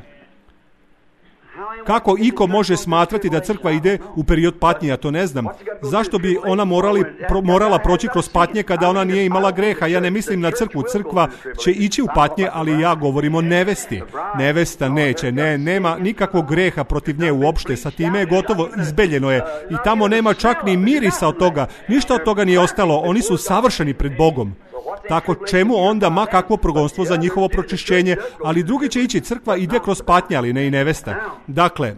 Kako iko može smatrati da crkva ide u period patnje, ja to ne znam. Zašto bi ona morali, pro, morala proći kroz patnje kada ona nije imala greha? Ja ne mislim na crkvu. Crkva će ići u patnje, ali ja govorim o nevesti. Nevesta neće, ne, nema nikakvog greha protiv nje uopšte. Sa time je gotovo, izbeljeno je. I tamo nema čak ni mirisa od toga. Ništa od toga nije ostalo. Oni su savršeni pred Bogom. Tako čemu onda ma kakvo progonstvo za njihovo pročišćenje, ali drugi će ići, crkva ide kroz patnje, ali ne i nevesta. Dakle, e,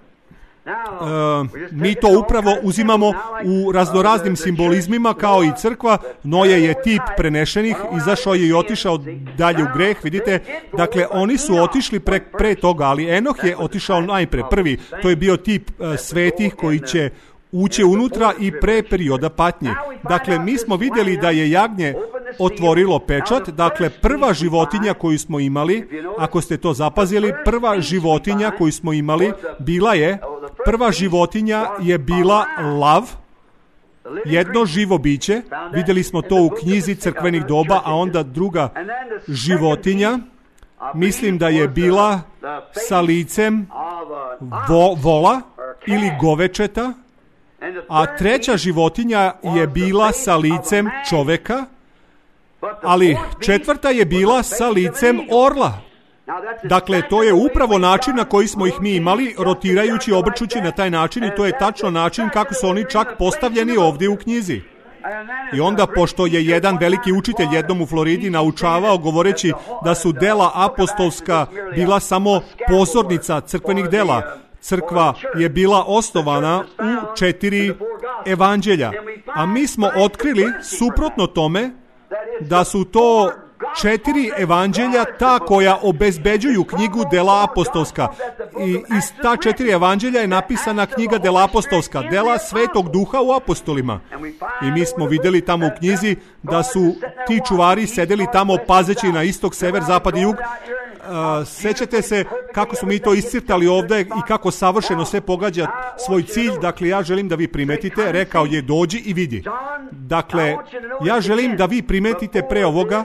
mi to upravo uzimamo u raznoraznim simbolizmima kao i crkva. Noje je tip prenešenih, izašao je i otišao dalje u greh, vidite. Dakle, oni su otišli pre, pre toga, ali Enoh je otišao najpre prvi. To je bio tip e, svetih koji će ući unutra i pre perioda patnje. Dakle, mi smo vidjeli da je jagnje otvorilo pečat. Dakle, prva životinja koju smo imali, ako ste to zapazili, prva životinja koju smo imali bila je, prva životinja je bila lav, jedno živo biće. Vidjeli smo to u knjizi crkvenih doba, a onda druga životinja, mislim da je bila sa licem vo, vola ili govečeta, a treća životinja je bila sa licem čoveka, ali četvrta je bila sa licem orla. Dakle, to je upravo način na koji smo ih mi imali, rotirajući, obrćući na taj način, i to je tačno način kako su oni čak postavljeni ovdje u knjizi. I onda, pošto je jedan veliki učitelj jednom u Floridi naučavao govoreći da su dela apostolska bila samo pozornica crkvenih dela, crkva je bila osnovana u četiri evanđelja, a mi smo otkrili suprotno tome da su to četiri evanđelja ta koja obezbeđuju knjigu dela apostolska. I iz ta četiri evanđelja je napisana knjiga dela apostolska, dela Svetog Duha u apostolima. I mi smo vidjeli tamo u knjizi da su ti čuvari sedeli tamo pazeći na istok, sever, zapad i jug. Uh, sećate se kako smo mi to iscrtali ovdje i kako savršeno sve pogađa svoj cilj. Dakle, ja želim da vi primetite, rekao je dođi i vidi. Dakle, ja želim da vi primetite pre ovoga,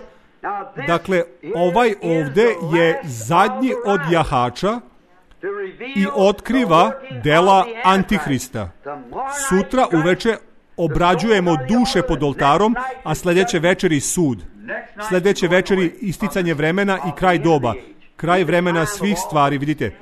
dakle, ovaj ovdje je zadnji od jahača i otkriva dela Antihrista. Sutra uveče obrađujemo duše pod oltarom, a sljedeće večeri sud. Sljedeće večeri isticanje vremena i kraj doba. Kraj vremena svih stvari, vidite.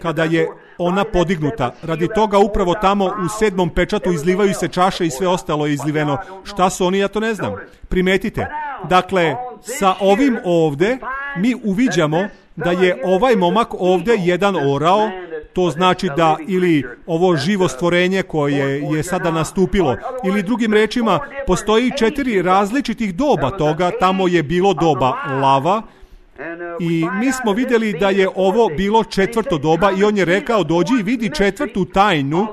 Kada je ona podignuta, radi toga upravo tamo u sedmom pečatu izlivaju se čaše i sve ostalo je izliveno. Šta su oni, ja to ne znam. Primetite. Dakle, sa ovim ovdje mi uviđamo da je ovaj momak ovdje jedan orao. To znači da ili ovo živo stvorenje koje je sada nastupilo, ili drugim rečima, postoji četiri različitih doba toga. Tamo je bilo doba lava i mi smo vidjeli da je ovo bilo četvrto doba i on je rekao dođi i vidi četvrtu tajnu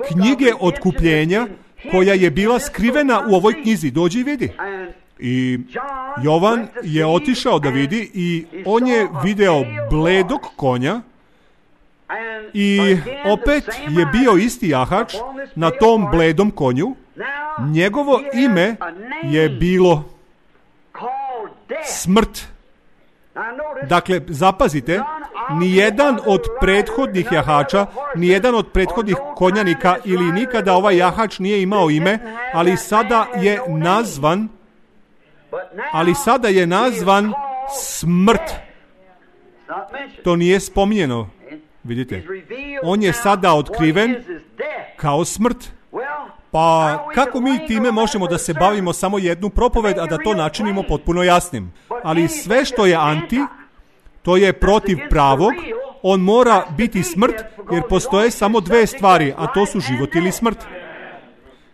knjige otkupljenja koja je bila skrivena u ovoj knjizi. Dođi i vidi. I Jovan je otišao da vidi i on je video bledog konja. I opet je bio isti jahač na tom bledom konju. Njegovo ime je bilo smrt. Dakle, zapazite, nijedan od prethodnih jahača, nijedan od prethodnih konjanika ili nikada ovaj jahač nije imao ime, ali sada je nazvan Ali sada je nazvan smrt. To nije spominjeno. Vidite, on je sada otkriven kao smrt. Pa kako mi time možemo da se bavimo samo jednu propoved, a da to načinimo potpuno jasnim? Ali sve što je anti, to je protiv pravog, on mora biti smrt, jer postoje samo dve stvari, a to su život ili smrt.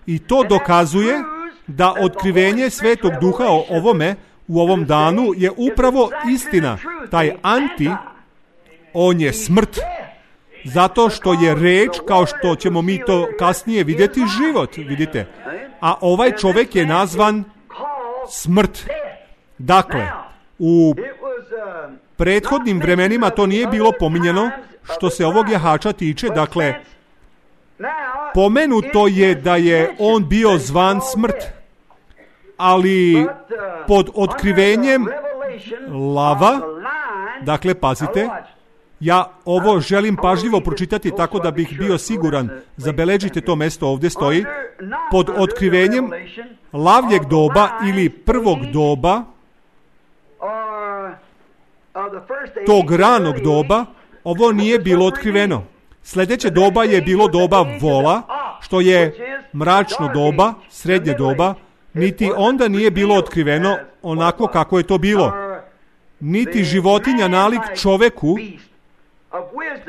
I to dokazuje da otkrivenje Svetog Duha o ovome u ovom danu je upravo istina. Taj anti, on je smrt. Zato što je reč, kao što ćemo mi to kasnije vidjeti, život, vidite. A ovaj čovjek je nazvan smrt. Dakle, u prethodnim vremenima to nije bilo pominjeno što se ovog jahača tiče. Dakle, pomenuto je da je on bio zvan smrt, ali pod otkrivenjem lava, dakle, pazite, ja ovo želim pažljivo pročitati tako da bih bio siguran. Zabeležite to mesto, ovdje stoji. Pod otkrivenjem lavljeg doba ili prvog doba, tog ranog doba, ovo nije bilo otkriveno. Sljedeće doba je bilo doba vola, što je mračno doba, srednje doba, niti onda nije bilo otkriveno onako kako je to bilo. Niti životinja nalik čoveku,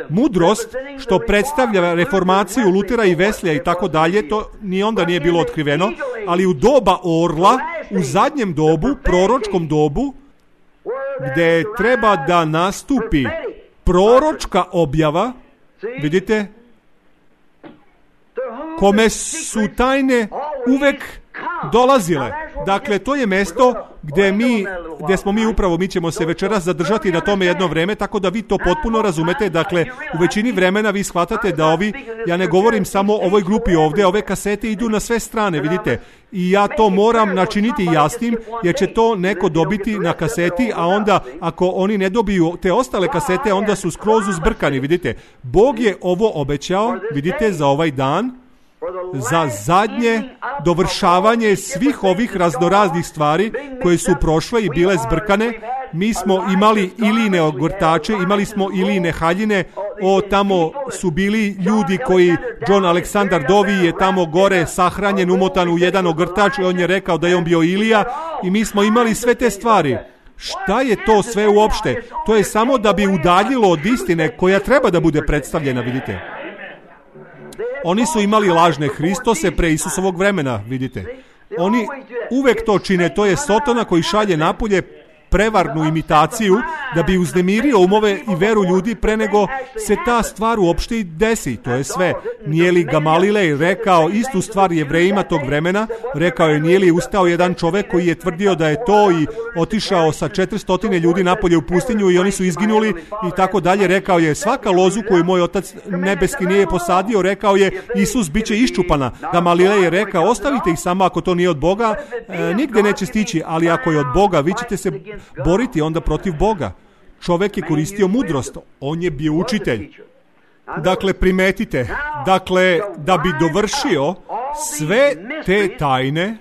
mudrost, što predstavlja reformaciju Lutera i Veslija i tako dalje, to ni onda nije bilo otkriveno, ali u doba orla, u zadnjem dobu, proročkom dobu, gdje treba da nastupi proročka objava, vidite, kome su tajne uvek dolazile. Dakle, to je mjesto gdje mi, gdje smo mi upravo, mi ćemo se večeras zadržati na tome jedno vreme, tako da vi to potpuno razumete. Dakle, u većini vremena vi shvatate da ovi, ja ne govorim samo o ovoj grupi ovdje, ove kasete idu na sve strane, vidite. I ja to moram načiniti jasnim, jer će to neko dobiti na kaseti, a onda ako oni ne dobiju te ostale kasete, onda su skroz uzbrkani, vidite. Bog je ovo obećao, vidite, za ovaj dan, za zadnje dovršavanje svih ovih raznoraznih stvari koje su prošle i bile zbrkane. Mi smo imali iline ogrtače, imali smo iline haljine, o tamo su bili ljudi koji, John Aleksandar Dovi je tamo gore sahranjen, umotan u jedan ogrtač i on je rekao da je on bio Ilija i mi smo imali sve te stvari. Šta je to sve uopšte? To je samo da bi udaljilo od istine koja treba da bude predstavljena, vidite. Oni su imali lažne Hristose pre Isusovog vremena, vidite. Oni uvek to čine, to je Sotona koji šalje napolje prevarnu imitaciju da bi uznemirio umove i veru ljudi pre nego se ta stvar uopšte i desi. To je sve. Nije li Gamalilej rekao istu stvar Jevrejima tog vremena? Rekao je, nije li ustao jedan čovek koji je tvrdio da je to i otišao sa četiristo ljudi napolje u pustinju i oni su izginuli i tako dalje. Rekao je, svaka lozu koju moj otac nebeski nije posadio, rekao je, Isus bit će iščupana. Gamalilej je rekao, ostavite ih samo, ako to nije od Boga, e, nigde neće stići, ali ako je od Boga, vi ćete se boriti onda protiv Boga. Čovjek je koristio mudrost, on je bio učitelj. Dakle, primetite, dakle, da bi dovršio sve te tajne,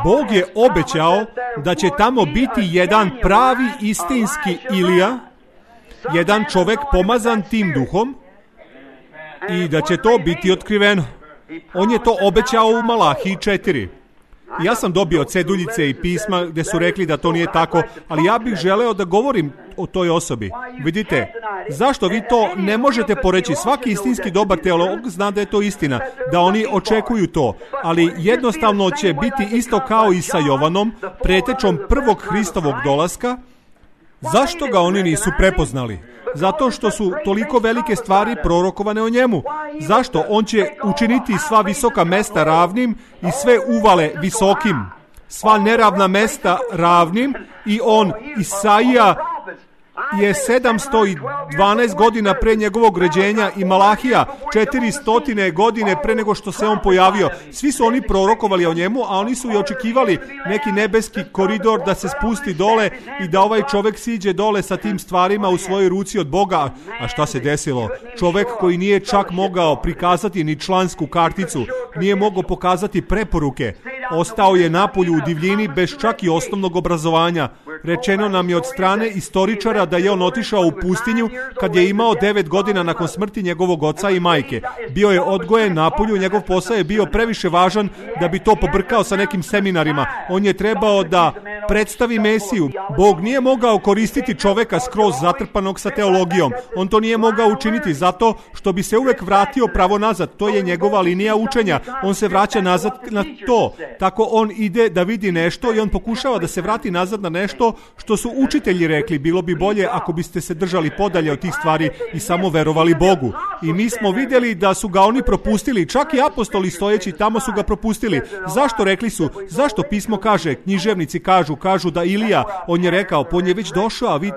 Bog je obećao da će tamo biti jedan pravi istinski Ilija, jedan čovjek pomazan tim duhom i da će to biti otkriveno. On je to obećao u Malahiji četiri. Ja sam dobio ceduljice i pisma gdje su rekli da to nije tako, ali ja bih želeo da govorim o toj osobi. Vidite, zašto vi to ne možete poreći? Svaki istinski dobar teolog zna da je to istina, da oni očekuju to, ali jednostavno će biti isto kao i sa Jovanom, pretečom prvog Hristovog dolaska. Zašto ga oni nisu prepoznali? Zato što su toliko velike stvari prorokovane o njemu. Zašto? On će učiniti sva visoka mesta ravnim i sve uvale visokim. Sva neravna mesta ravnim i on, Isaija, je sedamsto dvanaest godina pre njegovog rođenja i Malahija četiristo godine pre nego što se on pojavio. Svi su oni prorokovali o njemu, a oni su i očekivali neki nebeski koridor da se spusti dole i da ovaj čovjek siđe dole sa tim stvarima u svojoj ruci od Boga. A šta se desilo? Čovjek koji nije čak mogao prikazati ni člansku karticu, nije mogao pokazati preporuke. Ostao je napolju u divljini bez čak i osnovnog obrazovanja. Rečeno nam je od strane istoričara da je on otišao u pustinju kad je imao devet godina nakon smrti njegovog oca i majke. Bio je odgojen napolju, njegov posao je bio previše važan da bi to pobrkao sa nekim seminarima. On je trebao da predstavi Mesiju. Bog nije mogao koristiti čoveka skroz zatrpanog sa teologijom. On to nije mogao učiniti zato što bi se uvek vratio pravo nazad. To je njegova linija učenja. On se vraća nazad na to. Tako on ide da vidi nešto i on pokušava da se vrati nazad na nešto što su učitelji rekli. Bilo bi bolje ako biste se držali podalje od tih stvari i samo verovali Bogu. I mi smo vidjeli da su ga oni propustili. Čak i apostoli stojeći tamo su ga propustili. Zašto, rekli su? Zašto pismo kaže? Književnici kažu, kažu da Ilija, on je rekao, on je već došao, a vi,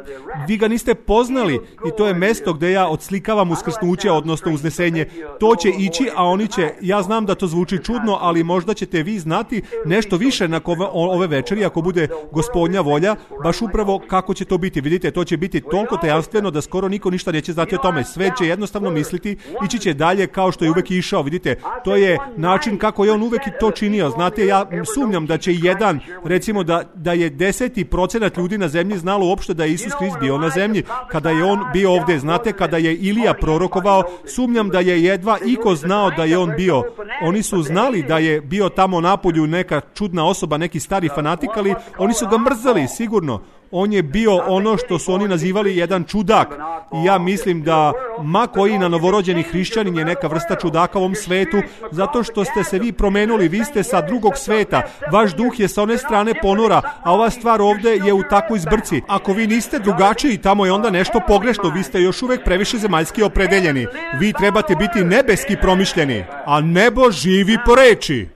vi ga niste poznali. I to je mesto gdje ja odslikavam uskrsnuće, odnosno uznesenje. To će ići, a oni će, ja znam da to zvuči čudno, ali možda ćete vi znati nešto više nakon ove, ove večeri, ako bude Gospodnja volja, baš upravo kako će to biti. Vidite, to će biti toliko tajanstveno da skoro niko ništa neće znati o tome. Sve će jednostavno misliti, ići će dalje kao što je uvek išao. Vidite, to je način kako je on uvek i to činio. Znate, ja sumnjam da će jedan, recimo da, da je deseti procenat ljudi na zemlji znalo uopšte da je Isus Krist bio na zemlji kada je on bio ovdje. Znate, kada je Ilija prorokovao, sumnjam da je jedva iko znao da je on bio. Oni su znali da je bio tamo napolju neka čudna osoba, neki stari fanatik, ali oni su ga mrzali, sigurno. On je bio ono što su oni nazivali jedan čudak. I ja mislim da ma koji na novorođeni hrišćanin je neka vrsta čudaka u ovom svetu, zato što ste se vi promenuli, vi ste sa drugog sveta, vaš duh je sa one strane ponora, a ova stvar ovdje je u takvoj zbrci. Ako vi niste drugačiji, tamo je onda nešto pogrešno, vi ste još uvek previše zemaljski opredeljeni. Vi trebate biti nebeski promišljeni, a nebo živi po reči.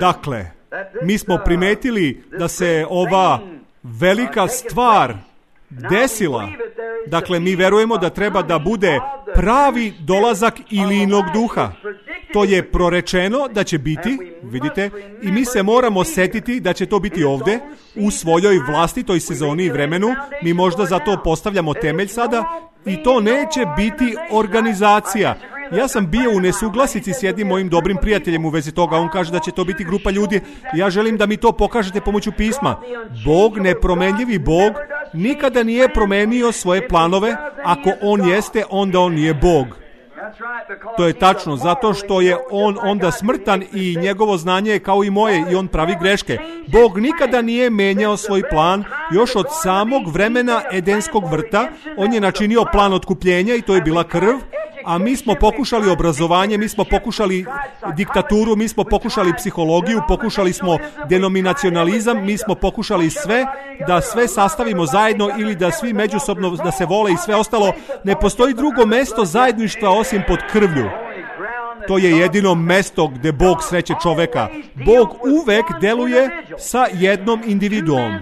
Dakle, mi smo primetili da se ova velika stvar desila. Dakle, mi verujemo da treba da bude pravi dolazak Ilijinog duha. To je prorečeno da će biti, vidite, i mi se moramo setiti da će to biti ovdje, u svojoj vlastitoj sezoni i vremenu. Mi možda za to postavljamo temelj sada i to neće biti organizacija. Ja sam bio u nesuglasici s jednim mojim dobrim prijateljem u vezi toga. On kaže da će to biti grupa ljudi. Ja želim da mi to pokažete pomoću pisma. Bog, nepromenljivi Bog, nikada nije promenio svoje planove. Ako on jeste, onda on nije Bog. To je tačno, zato što je on onda smrtan i njegovo znanje je kao i moje i on pravi greške. Bog nikada nije menjao svoj plan, još od samog vremena Edenskog vrta. On je načinio plan otkupljenja i to je bila krv. A mi smo pokušali obrazovanje, mi smo pokušali diktaturu, mi smo pokušali psihologiju, pokušali smo denominacionalizam, mi smo pokušali sve, da sve sastavimo zajedno ili da svi međusobno da se vole i sve ostalo. Ne postoji drugo mesto zajedništva osim pod krvlju. To je jedino mesto gdje Bog sreće čoveka. Bog uvek deluje sa jednom individuom.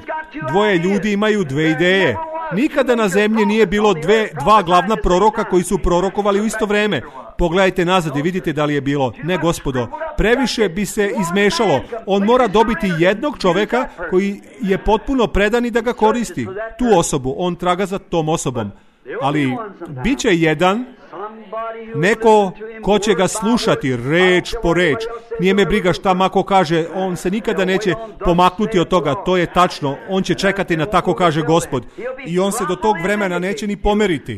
Dvoje ljudi imaju dve ideje. Nikada na zemlji nije bilo dve, dva glavna proroka koji su prorokovali u isto vreme. Pogledajte nazad i vidite da li je bilo. Ne, gospodo, previše bi se izmešalo. On mora dobiti jednog čoveka koji je potpuno predan i da ga koristi. Tu osobu, on traga za tom osobom. Ali bit će jedan, neko ko će ga slušati reč po reč. Nije me briga šta mako kaže, on se nikada neće pomaknuti od toga, to je tačno. On će čekati na tako kaže Gospod. I on se do tog vremena neće ni pomeriti.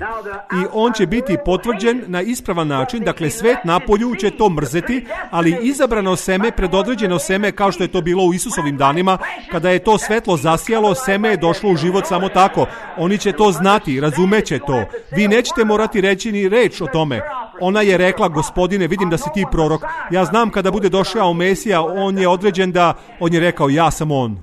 I on će biti potvrđen na ispravan način, dakle svet napolju će to mrzeti, ali izabrano seme, predodređeno seme, kao što je to bilo u Isusovim danima, kada je to svetlo zasijalo, seme je došlo u život samo tako. Oni će to znati, razumeće to. Vi nećete morati reći ni reč o tome. Ona je rekla, Gospodine, vidim da si ti prorok. Ja znam kada bude došao Mesija, on je određen da, on je rekao, ja sam on.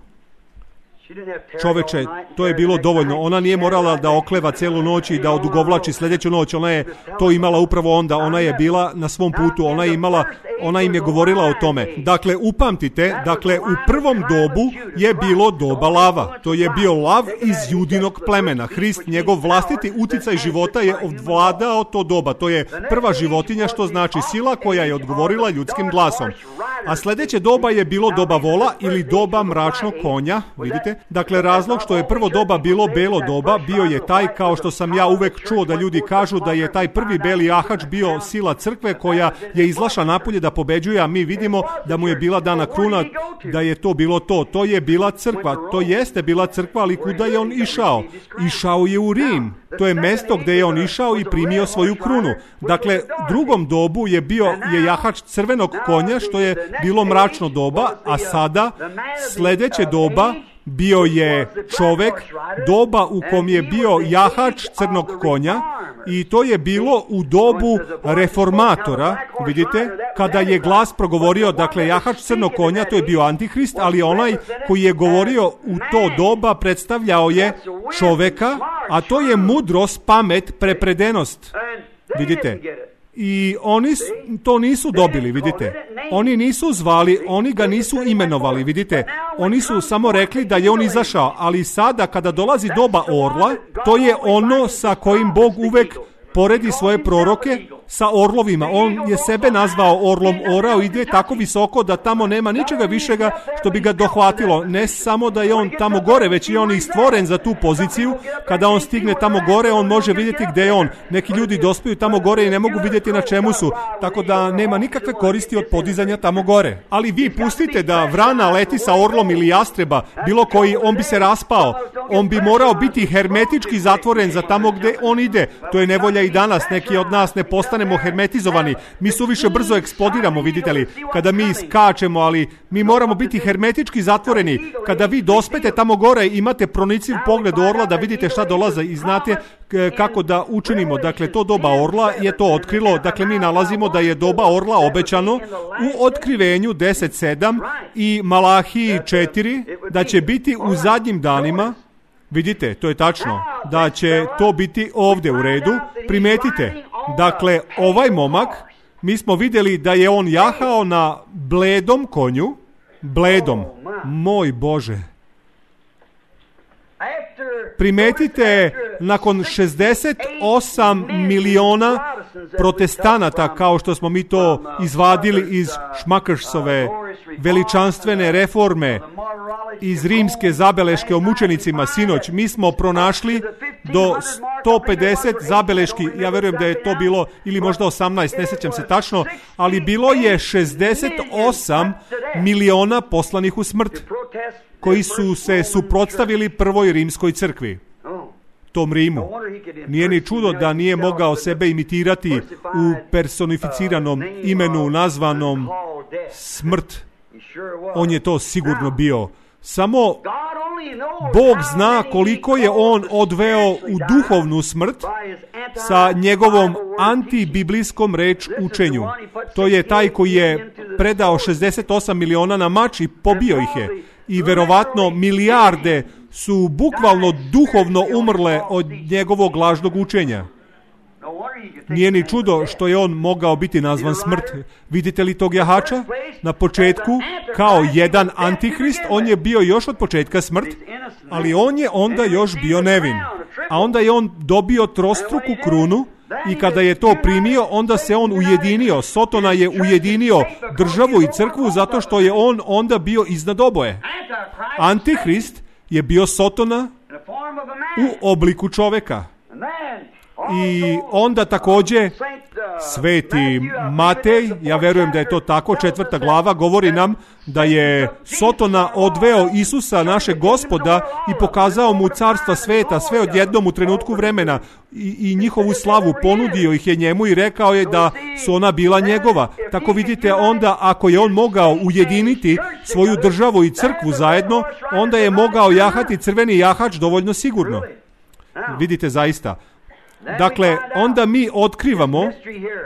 Čoveče, to je bilo dovoljno. Ona nije morala da okleva celu noć i da odugovlači sljedeću noć. Ona je to imala upravo onda. Ona je bila na svom putu. Ona je imala, ona im je govorila o tome. Dakle, upamtite, dakle, u prvom dobu je bilo doba lava. To je bio lav iz Judinog plemena. Hrist, njegov vlastiti uticaj života je ovladao to doba. To je prva životinja, što znači sila koja je odgovorila ljudskim glasom. A sljedeće doba je bilo doba vola ili doba mračnog konja, vidite? Dakle, razlog što je prvo doba bilo belo doba bio je taj, kao što sam ja uvek čuo da ljudi kažu da je taj prvi beli jahač bio sila crkve koja je izlašla napolje da pobeđuje, a mi vidimo da mu je bila dana kruna, da je to bilo to. To je bila crkva, to jeste bila crkva, ali kuda je on išao? Išao je u Rim. To je mesto gdje je on išao i primio svoju krunu. Dakle, drugom dobu je bio je jahač crvenog konja, što je bilo mračno doba, a sada sljedeće doba bio je čovek, doba u kom je bio jahač crnog konja, i to je bilo u dobu reformatora, vidite, kada je glas progovorio, dakle jahač crnog konja, to je bio Antihrist, ali onaj koji je govorio u to doba predstavljao je čoveka, a to je mudrost, pamet, prepredenost, vidite. I oni to nisu dobili, vidite. Oni nisu zvali, oni ga nisu imenovali, vidite. Oni su samo rekli da je on izašao, ali sada kada dolazi doba orla, to je ono sa kojim Bog uvek poredi svoje proroke sa orlovima. On je sebe nazvao orlom, orao, ide tako visoko da tamo nema ničega višega što bi ga dohvatilo. Ne samo da je on tamo gore, već je on i stvoren za tu poziciju. Kada on stigne tamo gore, on može vidjeti gdje je on. Neki ljudi dospiju tamo gore i ne mogu vidjeti na čemu su, tako da nema nikakve koristi od podizanja tamo gore. Ali vi pustite da vrana leti sa orlom ili jastreba, bilo koji, on bi se raspao. On bi morao biti hermetički zatvoren za tamo gdje on ide. To je nevolja i danas. Neki od nas ne postanemo hermetizovani. Mi suviše brzo eksplodiramo, vidite li, kada mi skačemo, ali mi moramo biti hermetički zatvoreni. Kada vi dospete tamo gore, imate pronicljiv pogled orla da vidite šta dolaze i znate kako da učinimo. Dakle, to doba orla je to otkrilo. Dakle, mi nalazimo da je doba orla obećano u Otkrivenju deset sedam i Malahiji četiri, da će biti u zadnjim danima. Vidite, to je tačno, da će to biti ovdje u redu. Primetite, dakle, ovaj momak, mi smo vidjeli da je on jahao na bledom konju, bledom, moj Bože. Primetite, nakon šezdeset osam miliona protestanata, kao što smo mi to izvadili iz Šmakersove veličanstvene reforme, iz rimske zabeleške o mučenicima sinoć, mi smo pronašli do sto pedeset zabeleški, ja verujem da je to bilo, ili možda osamnaest, ne sjećam se tačno, ali bilo je šezdeset osam miliona poslanih u smrt, koji su se suprotstavili prvoj rimskoj crkvi, tom Rimu. Nije ni čudo da nije mogao sebe imitirati u personificiranom imenu nazvanom smrt. On je to sigurno bio. Samo Bog zna koliko je on odveo u duhovnu smrt sa njegovom antibiblijskom reč učenju. To je taj koji je predao šezdeset osam miliona na mač i pobio ih je. I verovatno milijarde su bukvalno duhovno umrle od njegovog lažnog učenja. Nije ni čudo što je on mogao biti nazvan smrt. Vidite li tog jahača? Na početku, kao jedan antihrist, on je bio još od početka smrt, ali on je onda još bio nevin. A onda je on dobio trostruku krunu i kada je to primio, onda se on ujedinio. Sotona je ujedinio državu i crkvu zato što je on onda bio iznad oboje. Antihrist je bio Sotona u obliku čoveka. I onda također Sveti Matej, ja verujem da je to tako, četvrta glava, govori nam da je Sotona odveo Isusa, našeg Gospoda, i pokazao mu carstva sveta, sve odjednom u trenutku vremena, i, i njihovu slavu, ponudio ih je njemu i rekao je da su ona bila njegova. Tako vidite, onda ako je on mogao ujediniti svoju državu i crkvu zajedno, onda je mogao jahati crveni jahač dovoljno sigurno. Vidite, zaista. Dakle, onda mi otkrivamo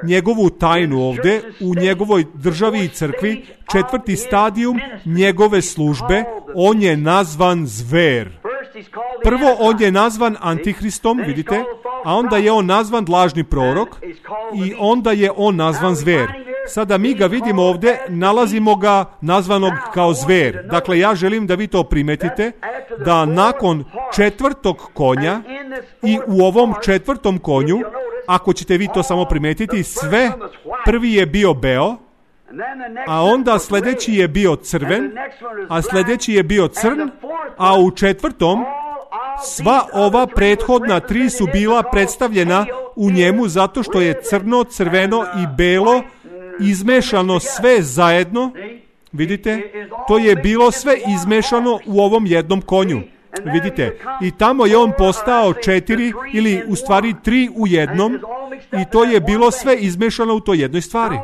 njegovu tajnu ovdje u njegovoj državi i crkvi, četvrti stadijum njegove službe. On je nazvan zver. Prvo on je nazvan Antihristom, vidite, a onda je on nazvan lažni prorok i onda je on nazvan zver. Sada mi ga vidimo ovdje, nalazimo ga nazvanog kao zver. Dakle, ja želim da vi to primetite, da nakon četvrtog konja i u ovom četvrtom konju, ako ćete vi to samo primetiti, sve, prvi je bio beo, a onda sljedeći je bio crven, a sljedeći je bio crn, a u četvrtom sva ova prethodna tri su bila predstavljena u njemu zato što je crno, crveno i belo izmešano sve zajedno. Vidite, to je bilo sve izmešano u ovom jednom konju. Vidite, i tamo je on postao četiri ili u stvari tri u jednom i to je bilo sve izmešano u toj jednoj stvari.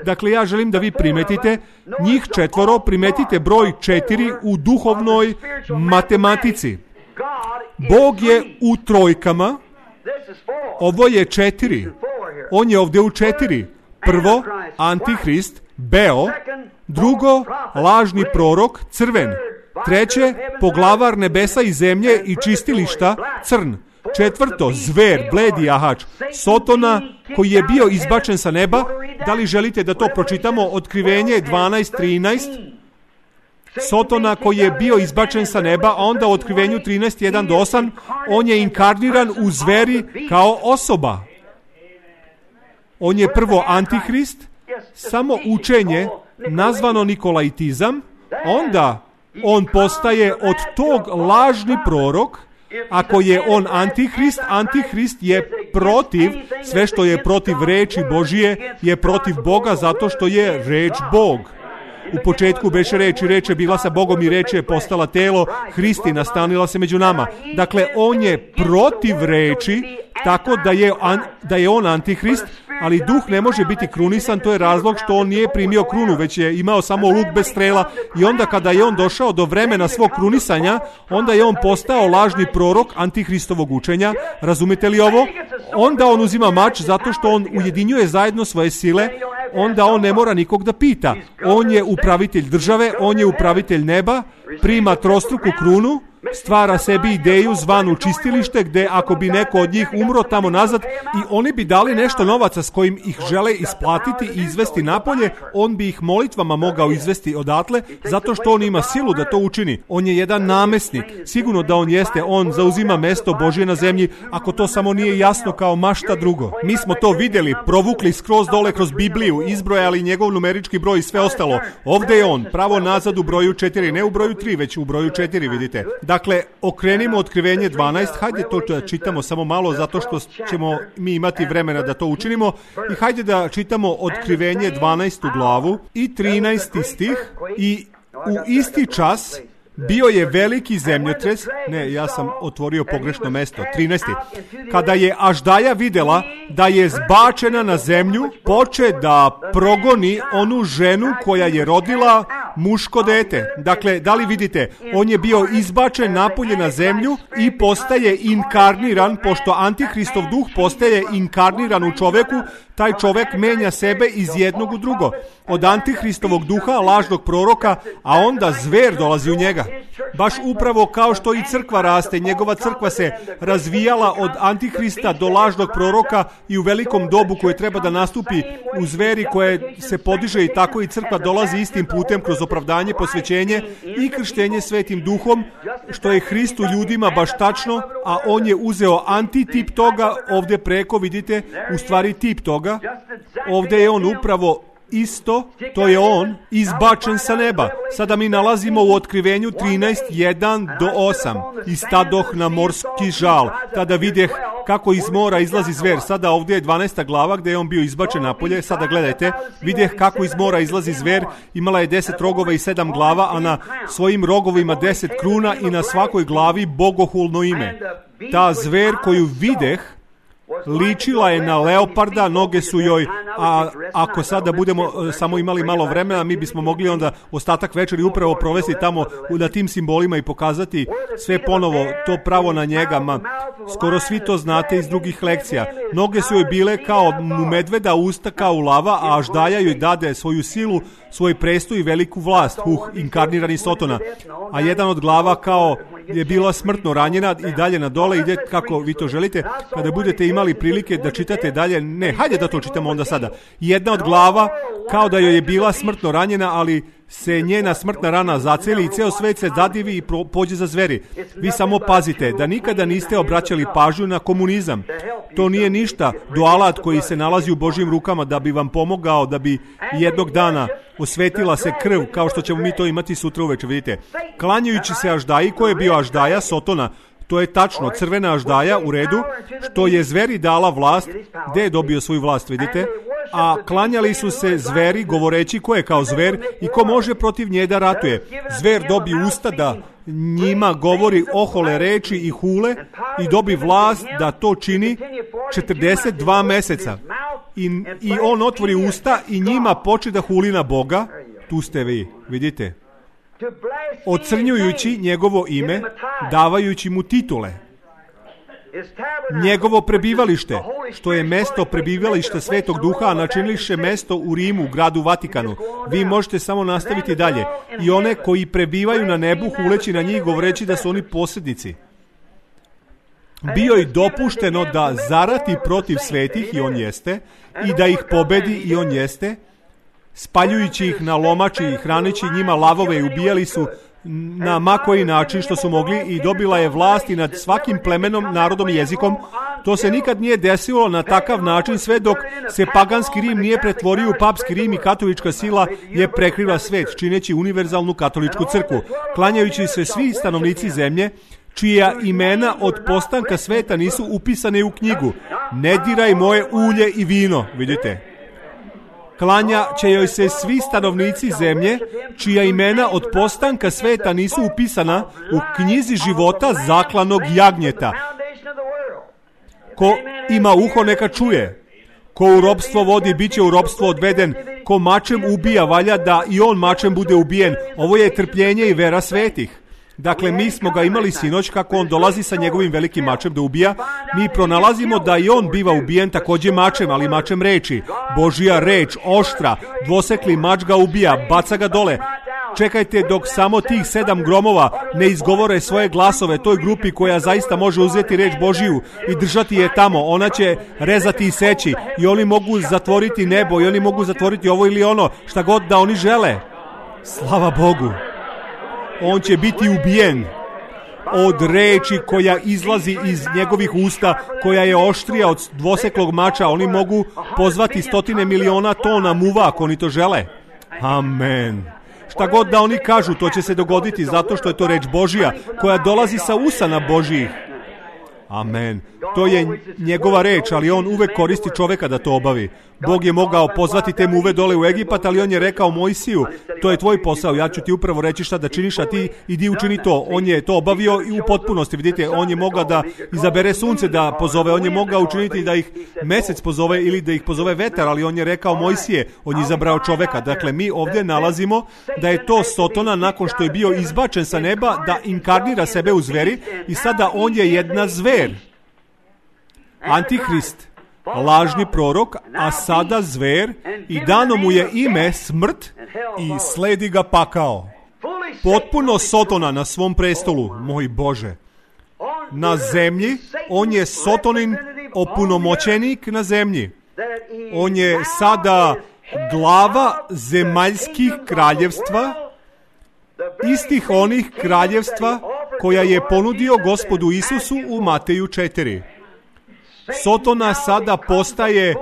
Dakle, ja želim da vi primetite njih četvoro, primetite broj četiri u duhovnoj matematici. Bog je u trojkama, ovo je četiri, on je ovdje u četiri. Prvo, Antihrist, beo, drugo, lažni prorok, crven, treće, poglavar nebesa i zemlje i čistilišta, crn, četvrto, zver, bledi jahač, Sotona koji je bio izbačen sa neba. Da li želite da to pročitamo? Otkrivenje dvanaest trinaest. Sotona koji je bio izbačen sa neba, a onda u Otkrivenju trinaest jedan do osam on je inkarniran u zveri kao osoba. On je prvo Antihrist, samo učenje nazvano Nikolaitizam, onda on postaje od tog lažni prorok. Ako je on Antihrist, Antihrist je protiv, sve što je protiv reči Božije je protiv Boga, zato što je reč Bog. U početku beše reč i reč je bila sa Bogom i reč je postala telo, Hristi nastanila se među nama. Dakle, on je protiv reči, tako da je, an, da je on Antihrist, ali duh ne može biti krunisan, to je razlog što on nije primio krunu, već je imao samo luk bez strela i onda kada je on došao do vremena svog krunisanja, onda je on postao lažni prorok Antihristovog učenja. Razumite li ovo? Onda on uzima mač zato što on ujedinjuje zajedno svoje sile, onda on ne mora nikog da pita. On je upravitelj države, on je upravitelj neba, prima trostruku krunu, stvara sebi ideju zvanu čistilište, gde ako bi neko od njih umro tamo nazad i oni bi dali nešto novaca s kojim ih žele isplatiti i izvesti napolje, on bi ih molitvama mogao izvesti odatle, zato što on ima silu da to učini. On je jedan namesnik, sigurno da on jeste, on zauzima mesto Božje na zemlji, ako to samo nije jasno kao mašta drugo. Mi smo to vidjeli, provukli skroz dole kroz Bibliju, izbrojali njegov numerički broj i sve ostalo. Ovdje je on, pravo nazad u broju četiri, ne u broju tri, već u broju četiri, vidite. Dakle, okrenimo Otkrivenje dvanaest, hajde to čitamo samo malo zato što ćemo mi imati vremena da to učinimo i hajde da čitamo Otkrivenje dvanaestu glavu i trinaesti stih i u isti čas bio je veliki zemljotres, ne, ja sam otvorio pogrešno mesto, trinaesti. Kada je Aždaja videla da je zbačena na zemlju, poče da progoni onu ženu koja je rodila muško dete. Dakle, da li vidite, on je bio izbačen napolje na zemlju i postaje inkarniran, pošto Antihristov duh postaje inkarniran u čoveku, taj čovek menja sebe iz jednog u drugo. Od Antihristovog duha, lažnog proroka, a onda zver dolazi u njega. Baš upravo kao što i crkva raste, njegova crkva se razvijala od Antihrista do lažnog proroka i u velikom dobu koje treba da nastupi u zveri koje se podiže i tako i crkva dolazi istim putem kroz opravdanje, posvećenje i krštenje svetim duhom, što je Hristu ljudima baš tačno, a on je uzeo antitip toga, ovdje preko vidite, u stvari tip toga, ovdje je on upravo isto, to je on izbačen sa neba. Sada mi nalazimo u Otkrivenju trinaest jedan do osam. I stadoh na morski žal, tada vidjeh kako iz mora izlazi zver. Sada ovdje je dvanaesta glava gdje je on bio izbačen napolje. Sada gledajte, vidjeh kako iz mora izlazi zver. Imala je deset rogova i sedam glava, a na svojim rogovima deset kruna i na svakoj glavi bogohulno ime. Ta zver koju videh ličila je na leoparda, noge su joj, a ako sada budemo samo imali malo vremena, mi bismo mogli onda ostatak večeri upravo provesti tamo na tim simbolima i pokazati sve ponovo to pravo na njega. Ma, skoro svi to znate iz drugih lekcija. Noge su joj bile kao u medveda, usta kao u lava, a Aždaja joj dade svoju silu, svoj prestoj i veliku vlast, uh, inkarnirani Sotona. A jedan od glava kao je bila smrtno ranjena i dalje na dole ide kako vi to želite. Kada budete imali prilike da čitate dalje, ne, hajde da to čitamo onda sada. Jedna od glava kao da joj je bila smrtno ranjena, ali se njena smrtna rana zaceli i ceo svet se zadivi i pođe za zveri. Vi samo pazite da nikada niste obraćali pažnju na komunizam. To nije ništa do alat koji se nalazi u Božjim rukama da bi vam pomogao, da bi jednog dana osvetila se krv, kao što ćemo mi to imati sutra uveče, vidite. Klanjajući se Aždaji, ko je bio Aždaja, Sotona, to je tačno, crvena Aždaja, u redu, što je zveri dala vlast. Gde je dobio svoju vlast, vidite? a klanjali su se zveri, govoreći ko je kao zver i ko može protiv nje da ratuje. Zver dobi usta da njima govori ohole reči i hule i dobi vlast da to čini četrdeset dva meseca. I, i on otvori usta i njima počne da huli na Boga. Tu ste vi, vidite. Ocrnjujući njegovo ime, davajući mu titule. Njegovo prebivalište, što je mesto prebivališta Svetog Duha, a načiniliše mesto u Rimu, gradu Vatikanu. Vi možete samo nastaviti dalje. I one koji prebivaju na nebu, huleći na njih, govoreći da su oni posrednici. Bio je dopušteno da zarati protiv svetih, i on jeste, i da ih pobedi, i on jeste, spaljujući ih na lomači i hranići njima lavove i ubijali su na ma koji način što su mogli i dobila je vlast i nad svakim plemenom, narodom i jezikom. To se nikad nije desilo na takav način sve dok se paganski Rim nije pretvorio u papski Rim i katolička sila je prekrila svet, čineći univerzalnu katoličku crkvu. Klanjajući se svi stanovnici zemlje, čija imena od postanka sveta nisu upisane u knjigu. Ne diraj moje ulje i vino, vidite. Klanja će joj se svi stanovnici zemlje, čija imena od postanka sveta nisu upisana u knjizi života zaklanog jagnjeta. Ko ima uho neka čuje. Ko u ropstvo vodi, bit će u ropstvo odveden. Ko mačem ubija, valja da i on mačem bude ubijen. Ovo je trpljenje i vera svetih. Dakle, mi smo ga imali sinoć kako on dolazi sa njegovim velikim mačem da ubija. Mi pronalazimo da i on biva ubijen također mačem, ali mačem reči. Božja reč, oštra, dvosekli mač ga ubija, baca ga dole. Čekajte dok samo tih sedam gromova ne izgovore svoje glasove toj grupi koja zaista može uzeti reč Božiju i držati je tamo. Ona će rezati i seći i oni mogu zatvoriti nebo i oni mogu zatvoriti ovo ili ono, šta god da oni žele. Slava Bogu. On će biti ubijen od reči koja izlazi iz njegovih usta, koja je oštrija od dvoseklog mača. Oni mogu pozvati stotine miliona tona muva ako oni to žele. Amen. Šta god da oni kažu, to će se dogoditi zato što je to reč Božija koja dolazi sa usana Božijih. Amen. To je njegova reč, ali on uvek koristi čoveka da to obavi. Bog je mogao pozvati te muve dole u Egipat, ali on je rekao Mojsiju, to je tvoj posao, ja ću ti upravo reći šta da činiš, a ti idi učini to. On je to obavio i u potpunosti, vidite, on je mogao da izabere sunce da pozove, on je mogao učiniti da ih mesec pozove ili da ih pozove vetar, ali on je rekao Mojsije, on je izabrao čoveka. Dakle, mi ovdje nalazimo da je to Sotona nakon što je bio izbačen sa neba da inkarnira sebe u zveri i sada on je jedna zver. Antihrist, lažni prorok, a sada zver i dano mu je ime smrt i sledi ga pakao. Potpuno Sotona na svom prestolu, moj Bože. Na zemlji, on je Sotonin opunomoćenik na zemlji. On je sada glava zemaljskih kraljevstva, istih onih kraljevstva koja je ponudio Gospodu Isusu u Mateju četiri. Sotona sada postaje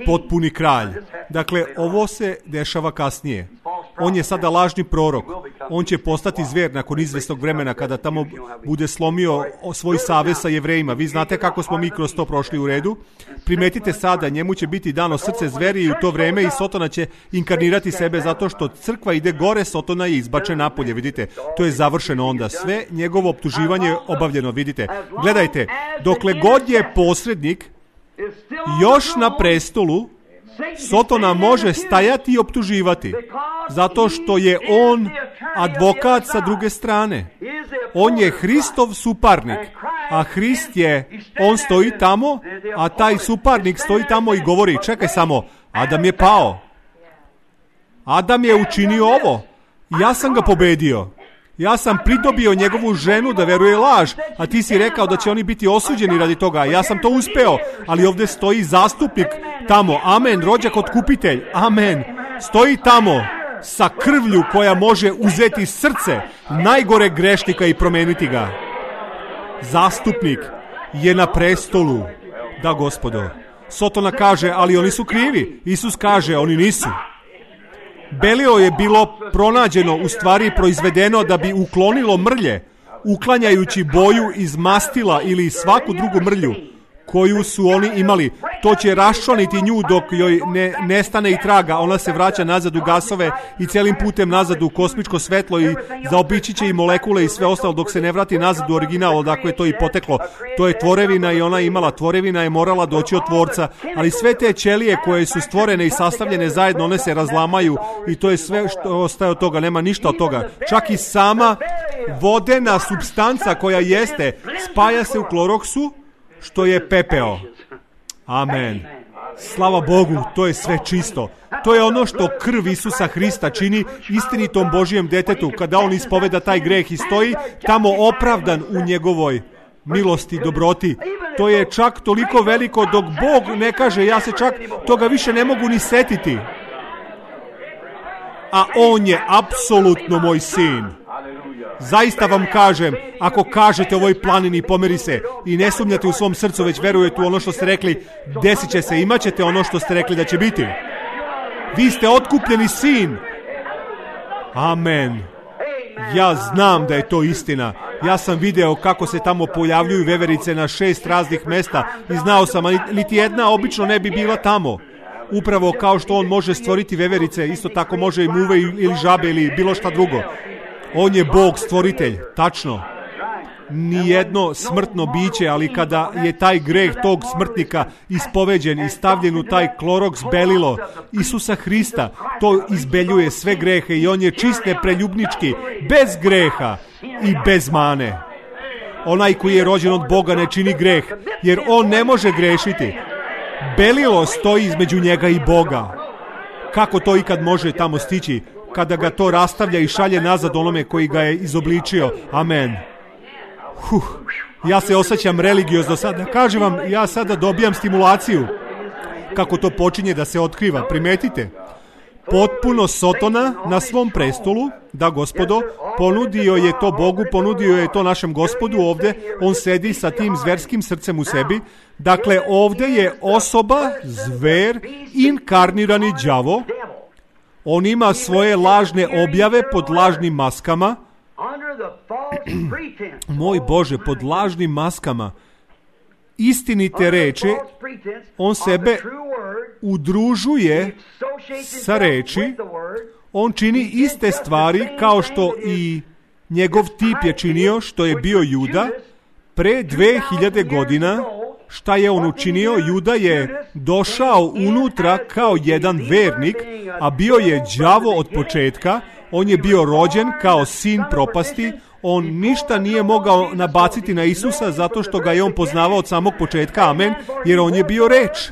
potpuni kralj. Dakle, ovo se dešava kasnije. On je sada lažni prorok. On će postati zver nakon izvesnog vremena kada tamo bude slomio svoj savez sa Jevrejima. Vi znate kako smo mi kroz to prošli u redu. Primetite sada, njemu će biti dano srce zveri i u to vreme i Sotona će inkarnirati sebe zato što crkva ide gore, Sotona je izbačen napolje. Vidite, to je završeno onda. Sve njegovo optuživanje je obavljeno. Vidite, gledajte, dokle god je posrednik još na prestolu, Sotona može stajati i optuživati, zato što je on advokat sa druge strane. On je Hristov suparnik, a Hrist je, on stoji tamo, a taj suparnik stoji tamo i govori, čekaj samo, Adam je pao. Adam je učinio ovo, ja sam ga pobedio. Ja sam pridobio njegovu ženu da veruje laž, a ti si rekao da će oni biti osuđeni radi toga. Ja sam to uspeo, ali ovdje stoji zastupnik tamo. Amen, rođak otkupitelj. Amen. Stoji tamo sa krvlju koja može uzeti srce najgore grešnika i promeniti ga. Zastupnik je na prestolu. Da, Gospodo. Sotona kaže, ali oni su krivi. Isus kaže, oni nisu. Belio je bilo pronađeno, u stvari proizvedeno da bi uklonilo mrlje, uklanjajući boju iz mastila ili svaku drugu mrlju. koju su oni imali. To će raščlaniti nju dok joj ne nestane i traga. Ona se vraća nazad u gasove i celim putem nazad u kosmičko svetlo i zaobići će i molekule i sve ostalo dok se ne vrati nazad u original odakle je to i poteklo. To je tvorevina i ona je imala. Tvorevina je morala doći od tvorca, ali sve te ćelije koje su stvorene i sastavljene zajedno, one se razlamaju i to je sve što ostaje od toga. Nema ništa od toga. Čak i sama vodena supstanca koja jeste spaja se u kloroksu, što je pepeo. Amen. Slava Bogu, to je sve čisto. To je ono što krv Isusa Hrista čini istinitom Božijem detetu kada on ispoveda taj greh i stoji tamo opravdan u njegovoj milosti, dobroti. To je čak toliko veliko dok Bog ne kaže, ja se čak toga više ne mogu ni setiti. A on je apsolutno moj sin. Zaista vam kažem, ako kažete ovoj planini pomeri se i ne sumnjate u svom srcu, već verujete u ono što ste rekli, desit će se, imat ćete ono što ste rekli da će biti. Vi ste otkupljeni sin. Amen. Ja znam da je to istina. Ja sam video kako se tamo pojavljuju veverice na šest raznih mesta i znao sam, a niti jedna obično ne bi bila tamo. Upravo kao što on može stvoriti veverice, isto tako može i muve ili žabe ili bilo šta drugo. On je Bog stvoritelj, tačno. Nijedno smrtno biće, ali kada je taj greh tog smrtnika ispoveđen i stavljen u taj kloroks belilo Isusa Hrista, to izbeljuje sve grehe i on je čist nepreljubnički, bez greha i bez mane. Onaj koji je rođen od Boga ne čini greh, jer on ne može grešiti. Belilo stoji između njega i Boga. Kako to ikad može tamo stići? Kada ga to rastavlja i šalje nazad onome koji ga je izobličio. Amen. Huh. Ja se osjećam religiozno sada. Kažem vam, ja sada dobijam stimulaciju. Kako to počinje da se otkriva. Primetite. Potpuno Sotona na svom prestolu, da Gospodo, ponudio je to Bogu, ponudio je to našem Gospodu ovde. On sedi sa tim zverskim srcem u sebi. Dakle, ovde je osoba, zver, inkarnirani đavo. On ima svoje lažne objave pod lažnim maskama. Moj Bože, pod lažnim maskama. Istinite reči, on sebe udružuje sa reči, on čini iste stvari kao što i njegov tip je činio, što je bio Juda, pre dve hiljade godina. Šta je on učinio? Juda je došao unutra kao jedan vernik, a bio je đavo od početka. On je bio rođen kao sin propasti. On ništa nije mogao nabaciti na Isusa zato što ga je on poznavao od samog početka. Amen. Jer on je bio reč.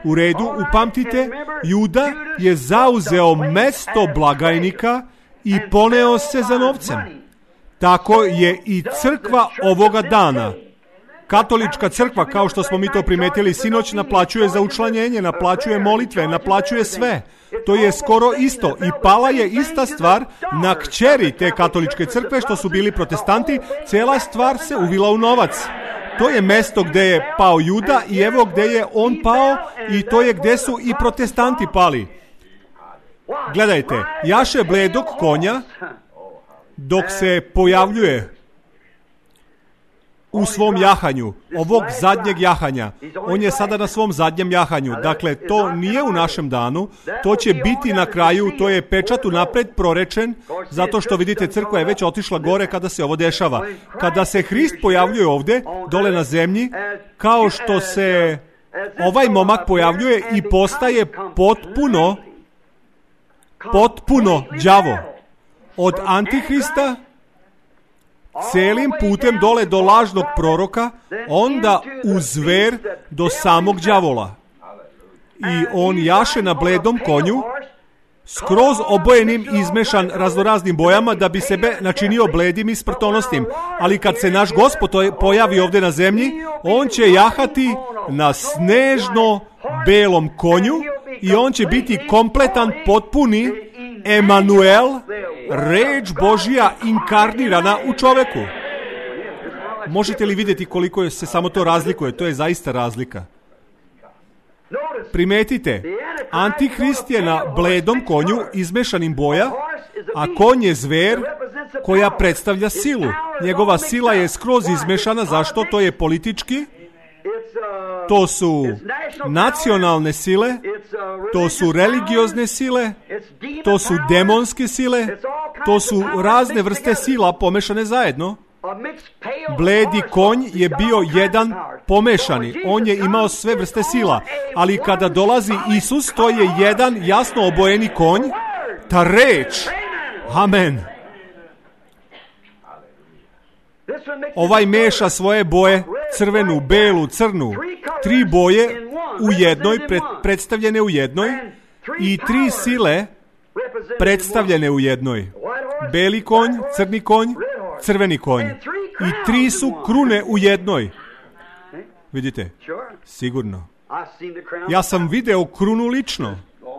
U redu, upamtite, Juda je zauzeo mesto blagajnika i poneo se za novcem. Tako je i crkva ovoga dana. Katolička crkva, kao što smo mi to primetili sinoć, naplaćuje za učlanjenje, naplaćuje molitve, naplaćuje sve. To je skoro isto i pala je ista stvar na kćeri te katoličke crkve što su bili protestanti. Cijela stvar se uvila u novac. To je mesto gde je pao Juda i evo gde je on pao i to je gde su i protestanti pali. Gledajte, jaše bledog konja dok se pojavljuje u svom jahanju, ovog zadnjeg jahanja. On je sada na svom zadnjem jahanju. Dakle, to nije u našem danu, to će biti na kraju, to je pečat unapred prorečen, zato što vidite, crkva je već otišla gore kada se ovo dešava. Kada se Hrist pojavljuje ovde, dole na zemlji, kao što se ovaj momak pojavljuje i postaje potpuno, potpuno đavo. Od Antihrista celim putem dole do lažnog proroka, onda u zver do samog đavola. I on jaše na bledom konju, skroz obojenim, izmešan raznoraznim bojama, da bi sebe načinio bledim i smrtonosnim. Ali kad se naš Gospod pojavi ovde na zemlji, on će jahati na snežno belom konju i on će biti kompletan, potpuni Emanuel, reč Božija inkarnirana u čoveku. Možete li vidjeti koliko se samo to razlikuje? To je zaista razlika. Primetite, Antihrist je na bledom konju izmešanim boja, a konj je zver koja predstavlja silu. Njegova sila je skroz izmešana. Zašto? To je politički. to su nacionalne sile, to su religiozne sile, to su demonske sile, to su razne vrste sila pomešane zajedno. Bledi konj je bio jedan pomešani, on je imao sve vrste sila, ali kada dolazi Isus, to je jedan jasno obojeni konj, ta reč. Amen. Ovaj meša svoje boje, crvenu, belu, crnu, tri boje u jednoj, pred, predstavljene u jednoj, i tri sile predstavljene u jednoj. Beli konj, crni konj, crveni konj. I tri su krune u jednoj. Vidite? Sigurno. Ja sam video krunu lično.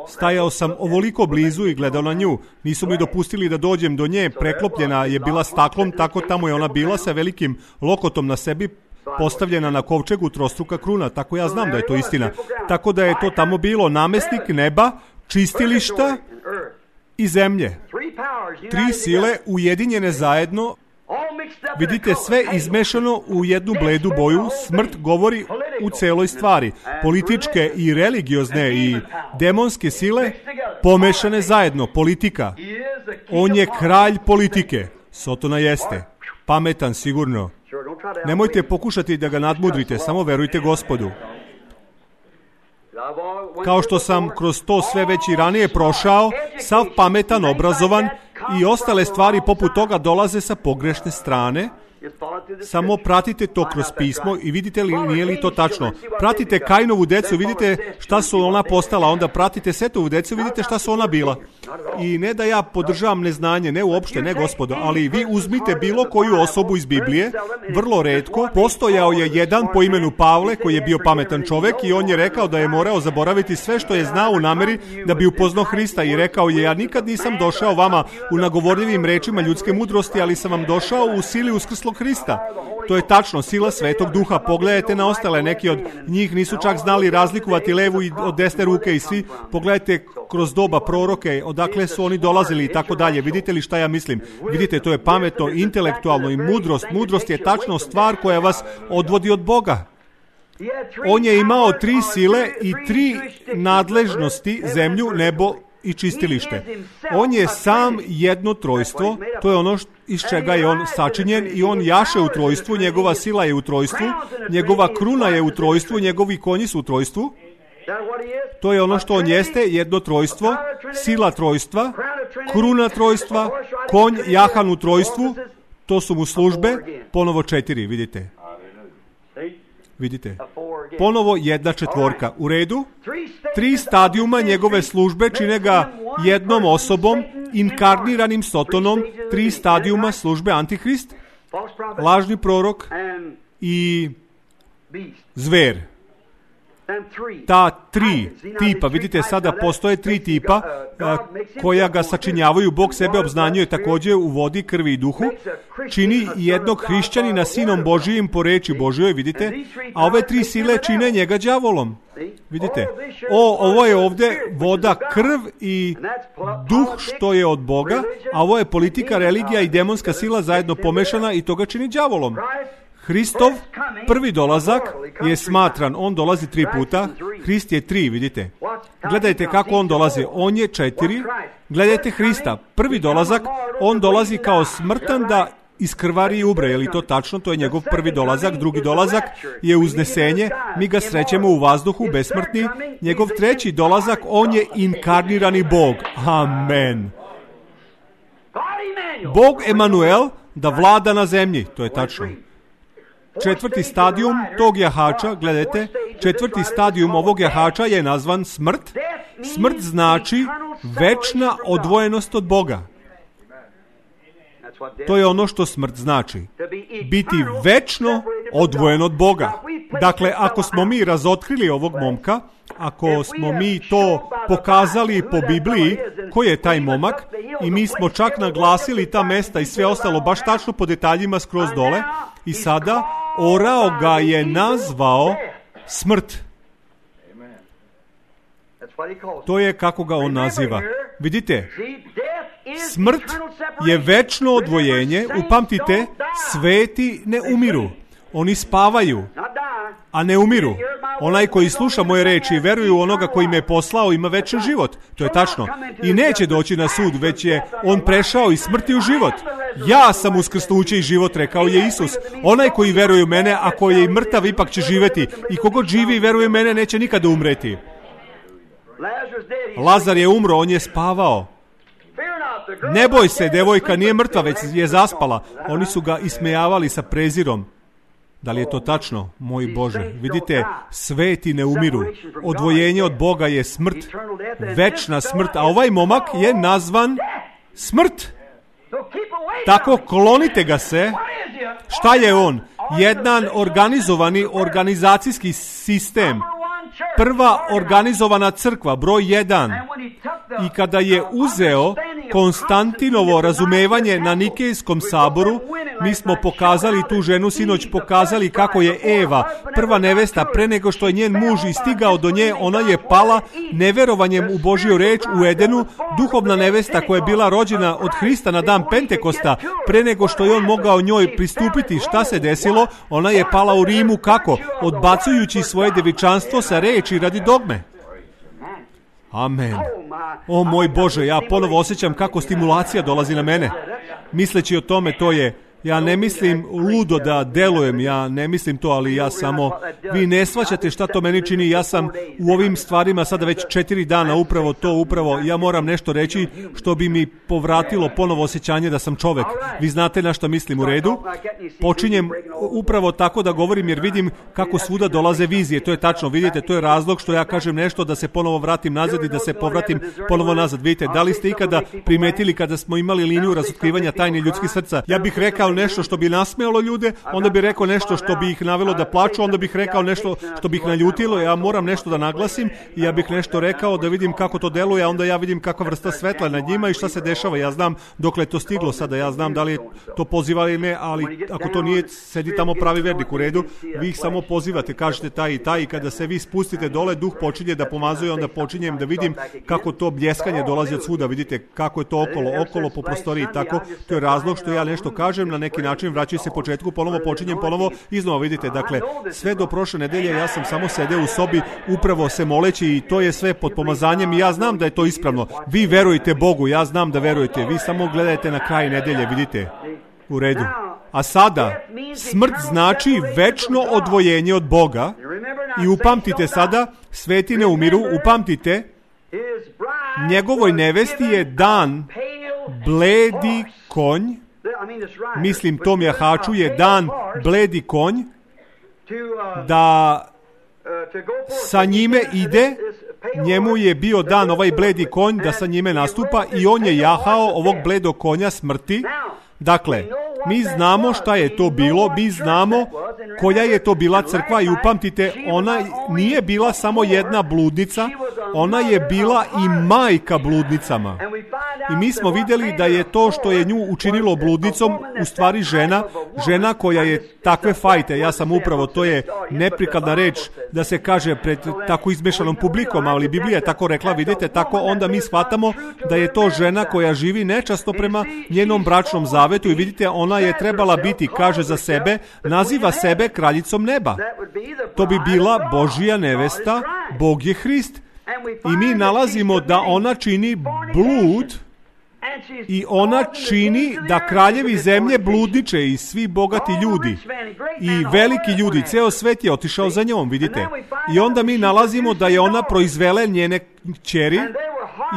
Stajao sam ovoliko blizu i gledao na nju. Nisu mi dopustili da dođem do nje. Preklopljena je bila staklom, tako tamo je ona bila sa velikim lokotom na sebi, postavljena na kovčegu trostruka kruna. Tako ja znam da je to istina. Tako da je to tamo bilo namestnik neba, čistilišta i zemlje. Tri sile ujedinjene zajedno. Vidite, sve izmešano u jednu bledu boju. Smrt govori u celoj stvari. Političke i religiozne i demonske sile pomešane zajedno. Politika. On je kralj politike. Sotona jeste. Pametan, sigurno. Nemojte pokušati da ga nadmudrite, samo verujte Gospodu. Kao što sam kroz to sve već i ranije prošao, sav pametan, obrazovan i ostale stvari poput toga dolaze sa pogrešne strane. Samo pratite to kroz pismo i vidite li nije li to tačno. Pratite Kainovu decu, vidite šta su ona postala, onda pratite Setovu decu, vidite šta su ona bila. I ne da ja podržavam neznanje, ne uopšte, ne Gospodo, ali vi uzmite bilo koju osobu iz Biblije, vrlo retko, postojao je jedan po imenu Pavle koji je bio pametan čovek i on je rekao da je morao zaboraviti sve što je znao u nameri da bi upoznao Hrista i rekao je: ja nikad nisam došao vama u nagovorljivim rečima ljudske mudrosti, ali sam vam došao u sili uskrslog Hrista. To je tačno, sila Svetog Duha. Pogledajte na ostale, neki od njih nisu čak znali razlikovati levu i od desne ruke i svi. Pogledajte kroz doba proroke, odakle su oni dolazili i tako dalje. Vidite li šta ja mislim? Vidite, to je pametno, intelektualno i mudrost. Mudrost je tačno stvar koja vas odvodi od Boga. On je imao tri sile i tri nadležnosti, zemlju, nebo i čistilište. On je sam jedno trojstvo, to je ono iz čega je on sačinjen i on jaše u trojstvu, njegova sila je u trojstvu, njegova kruna je u trojstvu, njegovi konji su u trojstvu. To je ono što on jeste, jedno trojstvo, sila trojstva, kruna trojstva, konj jahan u trojstvu, to su mu službe, ponovo četiri, vidite. Vidite, ponovo jedna četvorka. U redu, tri stadijuma njegove službe čine ga jednom osobom, inkarniranim Sotonom, tri stadijuma službe Antihrist, lažni prorok i zver. Ta tri tipa, vidite sada postoje tri tipa a, koja ga sačinjavaju. Bog sebe obznanjuje također u vodi, krvi i duhu. Čini jednog hrišćanina sinom Božijim po reči Božijoj, vidite. A ove tri sile čine njega đavolom. Vidite. O, ovo je ovdje voda, krv i duh što je od Boga, a ovo je politika, religija i demonska sila zajedno pomešana i to ga čini đavolom. Hristov prvi dolazak je smatran, on dolazi tri puta, Hrist je tri, vidite. Gledajte kako on dolazi, on je četiri. Gledajte Hrista, prvi dolazak, on dolazi kao smrtan da iskrvari i ubre, je li to tačno? To je njegov prvi dolazak. Drugi dolazak je uznesenje, mi ga srećemo u vazduhu, besmrtni. Njegov treći dolazak, on je inkarnirani Bog. Amen. Bog Emanuel da vlada na zemlji, to je tačno. Četvrti stadijum tog jahača, gledajte, četvrti stadijum ovog jahača je nazvan smrt. Smrt znači večna odvojenost od Boga. To je ono što smrt znači. Biti večno odvojen od Boga. Dakle, ako smo mi razotkrili ovog momka, ako smo mi to pokazali po Bibliji, ko je taj momak, i mi smo čak naglasili ta mesta i sve ostalo baš tačno po detaljima skroz dole, i sada orao ga je nazvao smrt. To je kako ga on naziva. Vidite, smrt je večno odvojenje. Upamtite, sveti ne umiru. Oni spavaju, a ne umiru. Onaj koji sluša moje reči i veruje u onoga koji me je poslao ima večni život. To je tačno. I neće doći na sud, već je on prešao iz smrti u život. Ja sam uskrsnuće i život, rekao je Isus. Onaj koji veruje u mene, a koji je i mrtav, ipak će živjeti. I kogod živi i veruje u mene, neće nikada umreti. Lazar je umro, on je spavao. Ne boj se, devojka nije mrtva, već je zaspala. Oni su ga ismejavali sa prezirom. Da li je to tačno, moj Bože? Vidite, sveti ne umiru. Odvojenje od Boga je smrt, večna smrt, a ovaj momak je nazvan smrt. Tako klonite ga se. Šta je on? Jedan organizovani organizacijski sistem. Prva organizovana crkva, broj jedan. I kada je uzeo Konstantinovo razumevanje na Nikejskom saboru, mi smo pokazali tu ženu sinoć, pokazali kako je Eva, prva nevesta, pre nego što je njen muž istigao do nje, ona je pala neverovanjem u Božju reč u Edenu, duhovna nevesta koja je bila rođena od Hrista na dan Pentekosta, pre nego što je on mogao njoj pristupiti. Šta se desilo? Ona je pala u Rimu kako? Odbacujući svoje devičanstvo sa reči radi dogme. Amen. O moj Bože, ja ponovo osjećam kako stimulacija dolazi na mene. Misleći o tome, to je, ja ne mislim ludo da delujem, ja ne mislim to, ali ja samo, vi ne shvaćate šta to meni čini, ja sam u ovim stvarima sada već četiri dana, upravo to, upravo, ja moram nešto reći što bi mi povratilo ponovo osjećanje da sam čovek. Vi znate na šta mislim, u redu? Počinjem upravo tako da govorim jer vidim kako svuda dolaze vizije, to je tačno, vidite, to je razlog što ja kažem nešto da se ponovo vratim nazad i da se povratim ponovo nazad. Vidite, da li ste ikada primetili kada smo imali liniju razotkrivanja tajne ljudskih srca? Ja bih rekao nešto što bi nasmejalo ljude, onda bih rekao nešto što bi ih navelo da plaču, onda bih rekao nešto što bi ih naljutilo, ja moram nešto da naglasim i ja bih nešto rekao da vidim kako to deluje, a onda ja vidim kakva vrsta svetla nad njima i šta se dešava. Ja znam dokle je to stiglo sada, ja znam da li je to poziva ili ne, ali ako to nije, sedi tamo pravi vernik, u redu, vi ih samo pozivate, kažete taj i taj i kada se vi spustite dole, duh počinje da pomazuje, onda počinjem da vidim kako to bljeskanje dolazi od svuda, vidite kako je to okolo, okolo po prostoriji, tako, to je razlog što ja nešto kažem, na neki način vraćaju se početku, ponovo počinjem, ponovo iznova, vidite, dakle, sve do prošle nedelje ja sam samo sedeo u sobi, upravo se moleći i to je sve pod pomazanjem i ja znam da je to ispravno. Vi verujete Bogu, ja znam da verujete, vi samo gledajte na kraj nedelje, vidite, u redu. A sada, smrt znači večno odvojenje od Boga i upamtite sada, sveti ne umiru, upamtite, njegovoj nevesti je dan bledi konj, mislim tom jahaču je dan bledi konj, da sa njime ide, njemu je bio dan ovaj bledi konj da sa njime nastupa i on je jahao ovog bledog konja smrti. Dakle, mi znamo šta je to bilo, mi znamo koja je to bila crkva i upamtite, ona nije bila samo jedna bludnica, ona je bila i majka bludnicama. I mi smo vidjeli da je to što je nju učinilo bludnicom u stvari žena, žena koja je takve fajte, ja sam upravo, to je neprikladna reč da se kaže pred tako izmešanom publikom, ali Biblija je tako rekla, vidite, tako onda mi shvatamo da je to žena koja živi nečasno prema njenom bračnom zavetu i vidite, ona je trebala biti, kaže za sebe, naziva sebe kraljicom neba. To bi bila Božja nevesta, Bog je Hrist. I mi nalazimo da ona čini blud i ona čini da kraljevi zemlje bludniče i svi bogati ljudi i veliki ljudi, ceo svet je otišao za njom, vidite. I onda mi nalazimo da je ona proizvele njene kćeri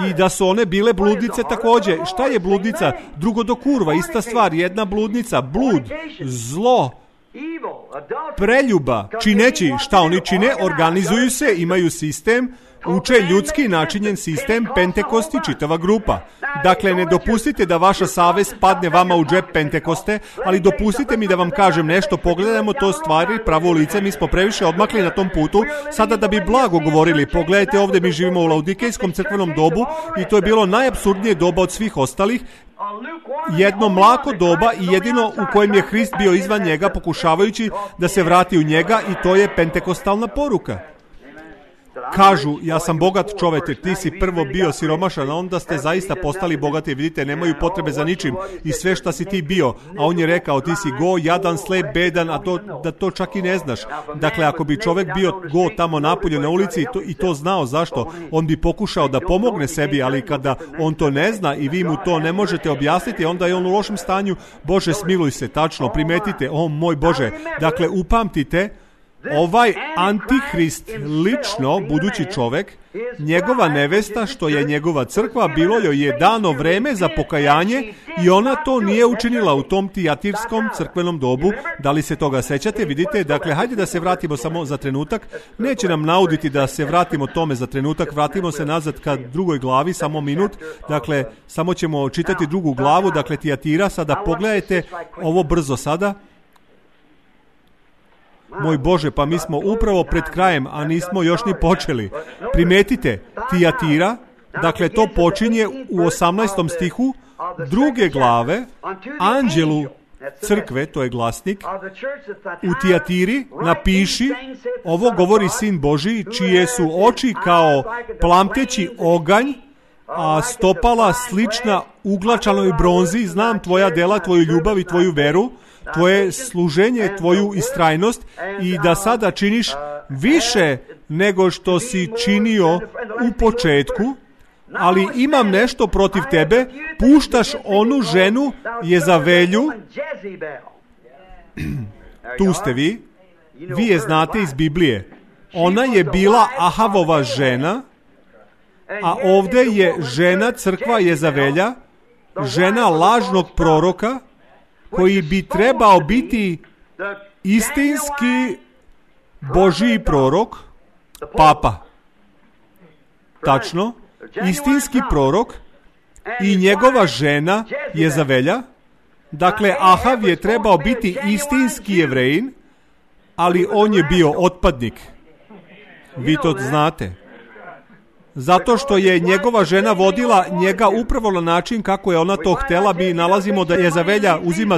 i da su one bile bludnice također. Šta je bludnica? Drugo do kurva, ista stvar, jedna bludnica, blud, zlo, preljuba, čineći šta oni čine, organizuju se, imaju sistem, uče ljudski načinjen sistem, Pentekosti, čitava grupa. Dakle, ne dopustite da vaša savest padne vama u džep Pentekoste, ali dopustite mi da vam kažem nešto, pogledajmo to stvari pravo lice, mi smo previše odmakli na tom putu, sada da bi blago govorili, pogledajte ovdje, mi živimo u laudikejskom crkvenom dobu i to je bilo najapsurdnije doba od svih ostalih, jedno mlako doba i jedino u kojem je Hrist bio izvan njega pokušavajući da se vrati u njega i to je pentekostalna poruka. kažu, ja sam bogat čovete, ti si prvo bio siromašan, a onda ste zaista postali bogati, vidite, nemaju potrebe za ničim i sve šta si ti bio, a on je rekao, ti si go, jadan, slep, bedan, a to, da to čak i ne znaš. Dakle, ako bi čovjek bio go tamo napolje na ulici i to, i to znao zašto, on bi pokušao da pomogne sebi, ali kada on to ne zna i vi mu to ne možete objasniti, onda je on u lošem stanju. Bože, smiluj se, tačno, primetite, o moj Bože, dakle, upamtite, ovaj antihrist lično, budući čovjek, njegova nevesta, što je njegova crkva, bilo joj je dano vreme za pokajanje i ona to nije učinila u tom tijatirskom crkvenom dobu. Da li se toga sećate? Vidite, dakle, hajde da se vratimo samo za trenutak. Neće nam nauditi da se vratimo tome za trenutak. Vratimo se nazad ka drugoj glavi, samo minut. Dakle, samo ćemo čitati drugu glavu, dakle, Tijatira. Sada pogledajte ovo brzo sada. Moj Bože, pa mi smo upravo pred krajem, a nismo još ni počeli. Primetite, Tijatira, dakle to počinje u osamnaestom stihu druge glave, anđelu crkve, to je glasnik, u Tijatiri napiši, ovo govori Sin Božji, čije su oči kao plamteći oganj, a stopala slična uglačanoj bronzi, znam tvoja dela, tvoju ljubav i tvoju veru, tvoje služenje, tvoju istrajnost i da sada činiš više nego što si činio u početku, ali imam nešto protiv tebe, puštaš onu ženu Jezavelju, tu ste vi, vi je znate iz Biblije, ona je bila Ahavova žena, a ovdje je žena crkva Jezavelja, žena lažnog proroka, koji bi trebao biti istinski Božji prorok, papa. Tačno, istinski prorok i njegova žena Jezavelja. Dakle, Ahav je trebao biti istinski Jevrejin, ali on je bio otpadnik. Vi to znate. Zato što je njegova žena vodila njega upravo na način kako je ona to htjela, mi nalazimo da Jezavelja uzima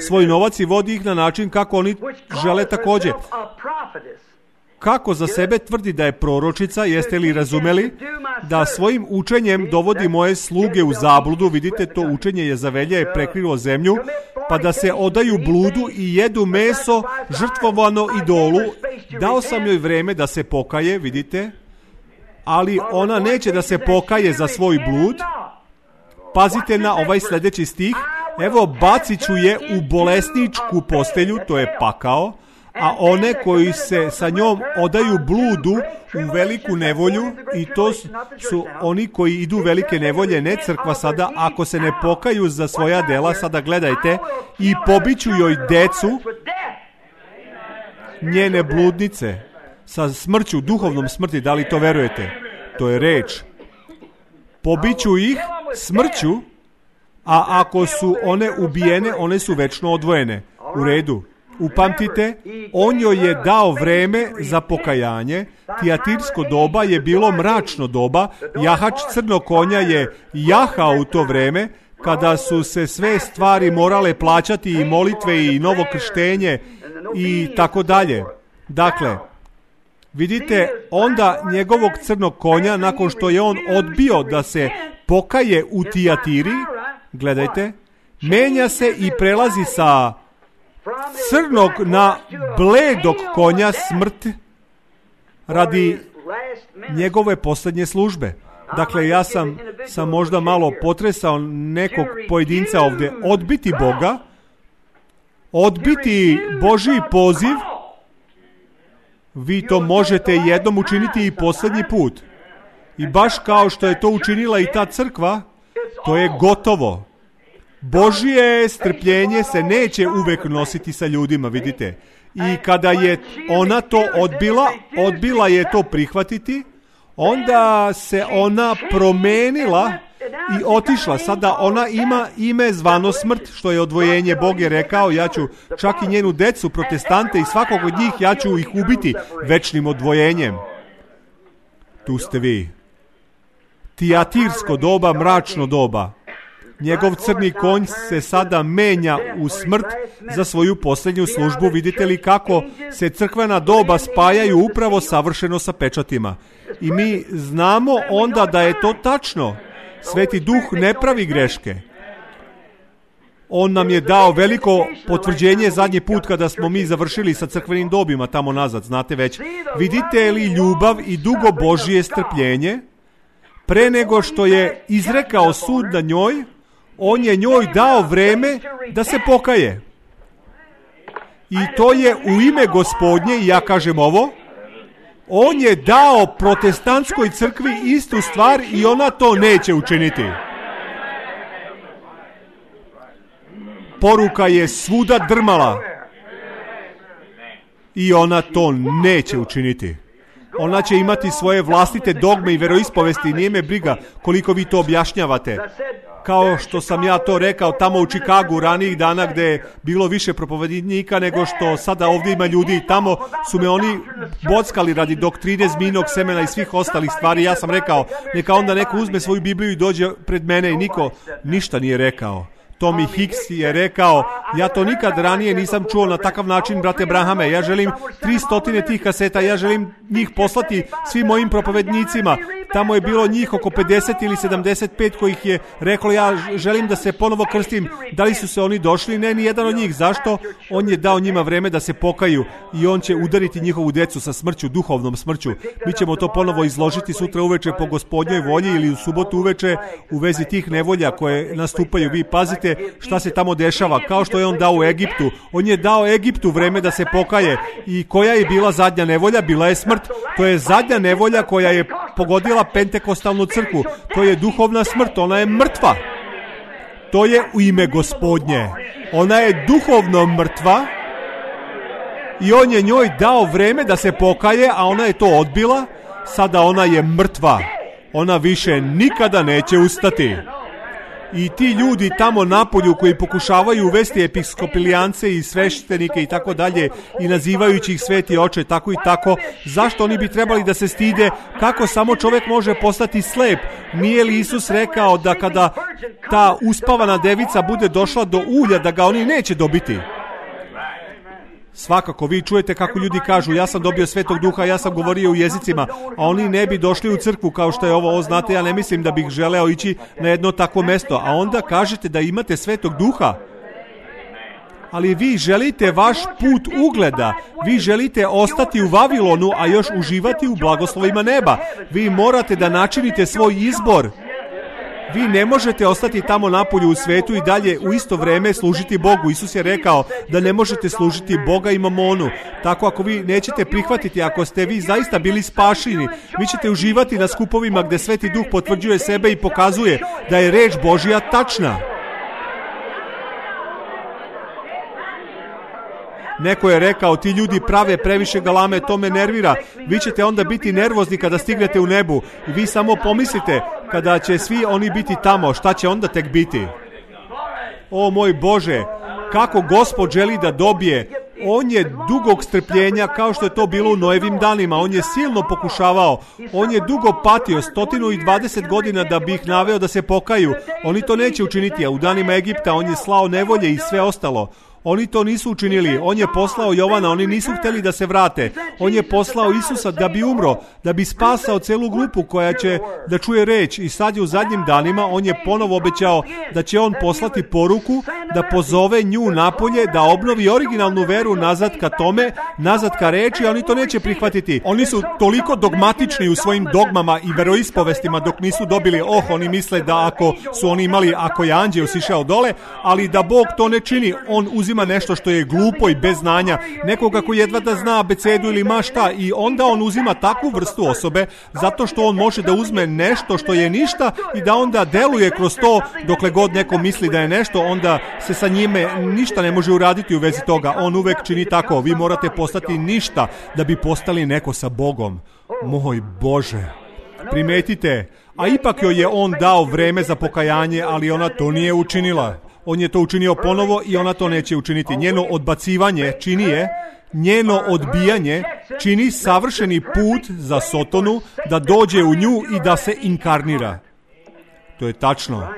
svoj novac i vodi ih na način kako oni žele također. Kako za sebe tvrdi da je proročica, jeste li razumeli? Da svojim učenjem dovodi moje sluge u zabludu, vidite to učenje Jezavelja je prekrilo zemlju, pa da se odaju bludu i jedu meso žrtvovano idolu. Dao sam joj vreme da se pokaje, vidite, ali ona neće da se pokaje za svoj blud. Pazite na ovaj sljedeći stih. Evo, bacit ću je u bolesničku postelju, to je pakao, a one koji se sa njom odaju bludu u veliku nevolju, i to su oni koji idu velike nevolje, ne crkva sada, ako se ne pokaju za svoja dela, sada gledajte, i pobiću joj decu, njene bludnice, sa smrću, duhovnom smrti, da li to verujete? To je reč. Pobiću ih smrću, a ako su one ubijene, one su večno odvojene. U redu. Upamtite, on joj je dao vreme za pokajanje. Tijatirsko doba je bilo mračno doba. Jahač crnog konja je jahao u to vreme, kada su se sve stvari morale plaćati, i molitve i novo krštenje i tako dalje. Dakle, vidite, onda njegovog crnog konja, nakon što je on odbio da se pokaje u Tijatiri, gledajte, menja se i prelazi sa crnog na bledog konja, smrt, radi njegove posljednje službe. Dakle, ja sam, sam možda malo potresao nekog pojedinca ovdje. Odbiti Boga, odbiti Božji poziv, vi to možete jednom učiniti i posljednji put. I baš kao što je to učinila i ta crkva, to je gotovo. Božje strpljenje se neće uvek nositi sa ljudima, vidite. I kada je ona to odbila, odbila je to prihvatiti, onda se ona promenila i otišla. Sada ona ima ime zvano smrt, što je odvojenje. Bog je rekao, ja ću čak i njenu decu, protestante i svakog od njih, ja ću ih ubiti večnim odvojenjem. Tu ste vi. Tijatirsko doba, mračno doba. Njegov crni konj se sada menja u smrt za svoju posljednju službu. Vidite li kako se crkvena doba spajaju upravo savršeno sa pečatima. I mi znamo onda da je to tačno. Sveti Duh ne pravi greške. On nam je dao veliko potvrđenje zadnji put kada smo mi završili sa crkvenim dobima tamo nazad, znate već. Vidite li ljubav i dugo Božje strpljenje? Pre nego što je izrekao sud na njoj, on je njoj dao vreme da se pokaje. I to je u ime Gospodnje, i ja kažem ovo, on je dao protestantskoj crkvi istu stvar i ona to neće učiniti. Poruka je svuda drmala i ona to neće učiniti. Ona će imati svoje vlastite dogme i veroispovesti. Nije me briga koliko vi to objašnjavate. Kao što sam ja to rekao tamo u Čikagu ranijih dana gdje je bilo više propovednika nego što sada ovdje ima ljudi i tamo su me oni bockali radi doktrine zmijnog semena i svih ostalih stvari. Ja sam rekao neka onda neko uzme svoju Bibliju i dođe pred mene i niko ništa nije rekao. Tommy Hicks je rekao, ja to nikad ranije nisam čuo na takav način, brate Brahame, ja želim tristotine tih kaseta, ja želim njih poslati svim mojim propovednicima. Tamo je bilo njih oko pedeset ili sedamdeset pet kojih je reklo, ja želim da se ponovo krstim. Da li su se oni došli? Ne, ni jedan od njih. Zašto? On je dao njima vreme da se pokaju i on će udariti njihovu decu sa smrću, duhovnom smrću. Mi ćemo to ponovo izložiti sutra uveče po Gospodnjoj volji ili u subotu uveče u vezi tih nevolja koje nastupaju. Vi pazite šta se tamo dešava, kao što je on dao u Egiptu. On je dao Egiptu vreme da se pokaje. I koja je bila zadnja nevolja? Bila je smrt. To je zadnja nevolja koja je pogodila pentekostalnu crkvu. To je duhovna smrt. Ona je mrtva. To je u ime Gospodnje. Ona je duhovno mrtva i on je njoj dao vreme da se pokaje, a ona je to odbila. Sada ona je mrtva. Ona više nikada neće ustati. I ti ljudi tamo napolju koji pokušavaju uvesti episkopilijance i sveštenike i tako dalje i nazivajući ih sveti oče tako i tako, zašto oni bi trebali da se stide? Kako samo čovjek može postati slep? Nije li Isus rekao da kada ta uspavana devica bude došla do ulja da ga oni neće dobiti? Svakako, vi čujete kako ljudi kažu, ja sam dobio Svetog Duha, ja sam govorio u jezicima, a oni ne bi došli u crkvu kao što je ovo, ovo znate, ja ne mislim da bih želeo ići na jedno takvo mesto, a onda kažete da imate Svetog Duha. Ali vi želite vaš put ugleda, vi želite ostati u Vavilonu, a još uživati u blagoslovima neba. Vi morate da načinite svoj izbor. Vi ne možete ostati tamo napolju u svetu i dalje u isto vrijeme služiti Bogu. Isus je rekao da ne možete služiti Boga i mamonu. Tako ako vi nećete prihvatiti, ako ste vi zaista bili spašeni, vi ćete uživati na skupovima gdje Sveti Duh potvrđuje sebe i pokazuje da je reč Božja tačna. Neko je rekao, ti ljudi prave previše galame, to me nervira. Vi ćete onda biti nervozni kada stignete u nebu. I vi samo pomislite, kada će svi oni biti tamo, šta će onda tek biti? O moj Bože, kako Gospod želi da dobije. On je dugog strpljenja kao što je to bilo u Noevim danima. On je silno pokušavao. On je dugo patio, stotinu i dvadeset godina da bi ih naveo da se pokaju. Oni to neće učiniti, a u danima Egipta on je slao nevolje i sve ostalo. Oni to nisu učinili. On je poslao Jovana, oni nisu htjeli da se vrate. On je poslao Isusa da bi umro, da bi spasao celu grupu koja će da čuje reč. I sad je u zadnjim danima, on je ponovo obećao da će on poslati poruku, da pozove nju napolje, da obnovi originalnu veru nazad ka tome, nazad ka reči, a oni to neće prihvatiti. Oni su toliko dogmatični u svojim dogmama i veroispovestima dok nisu dobili, oh, oni misle da ako su oni imali, ako je anđeo sišao dole, ali da Bog to ne čini, on uzima nešto što je glupo i bez znanja, nekoga koji jedva da zna abecedu ili ma šta, i onda on uzima takvu vrstu osobe zato što on može da uzme nešto što je ništa i da onda deluje kroz to dokle god neko misli da je nešto, onda se sa njime ništa ne može uraditi u vezi toga. On uvek čini tako, vi morate postati ništa da bi postali neko sa Bogom. Moj Bože, primetite, a ipak joj je on dao vreme za pokajanje, ali ona to nije učinila. On je to učinio ponovo i ona to neće učiniti. Njeno odbacivanje čini je, njeno odbijanje čini savršeni put za Sotonu da dođe u nju i da se inkarnira. To je tačno.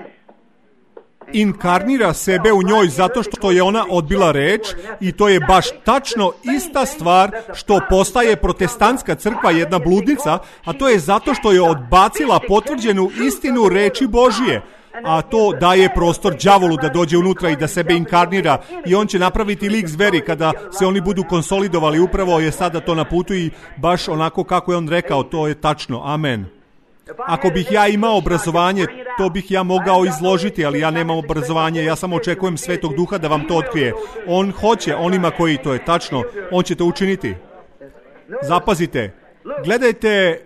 inkarnira sebe u njoj zato što je ona odbila reč i to je baš tačno ista stvar što postaje protestantska crkva jedna bludnica, a to je zato što je odbacila potvrđenu istinu reči Božije. A to daje prostor đavolu da dođe unutra i da sebe inkarnira i on će napraviti lik zveri kada se oni budu konsolidovali. Upravo je sada to na putu i baš onako kako je on rekao, to je tačno. Amen. Ako bih ja imao obrazovanje, to bih ja mogao izložiti, ali ja nemam obrazovanje, ja samo očekujem Svetog Duha da vam to otkrije. On hoće, onima koji to je tačno, on će to učiniti. Zapazite, gledajte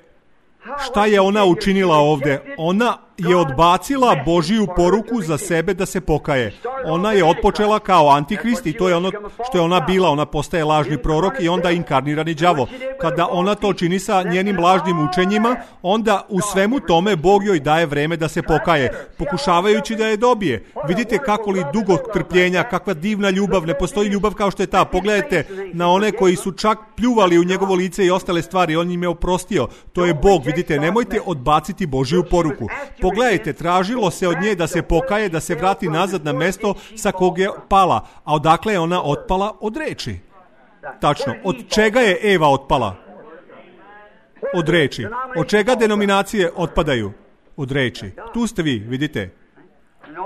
šta je ona učinila ovdje. Ona je odbacila Božiju poruku za sebe da se pokaje. Ona je otpočela kao antikrist i to je ono što je ona bila. Ona postaje lažni prorok i onda inkarnirani đavo. Kada ona to čini sa njenim lažnim učenjima, onda u svemu tome Bog joj daje vreme da se pokaje, pokušavajući da je dobije. Vidite kako li dugo trpljenja, kakva divna ljubav, ne postoji ljubav kao što je ta. Pogledajte na one koji su čak pljuvali u njegovo lice i ostale stvari, on im je oprostio. To je Bog, vidite, nemojte odbaciti Božiju poruku. Pogledajte, tražilo se od nje da se pokaje, da se vrati nazad na mesto sa kog je pala. A odakle je ona otpala? Od reči. Tačno. Od čega je Eva otpala? Od reči. Od čega denominacije otpadaju? Od reči. Tu ste vi, vidite.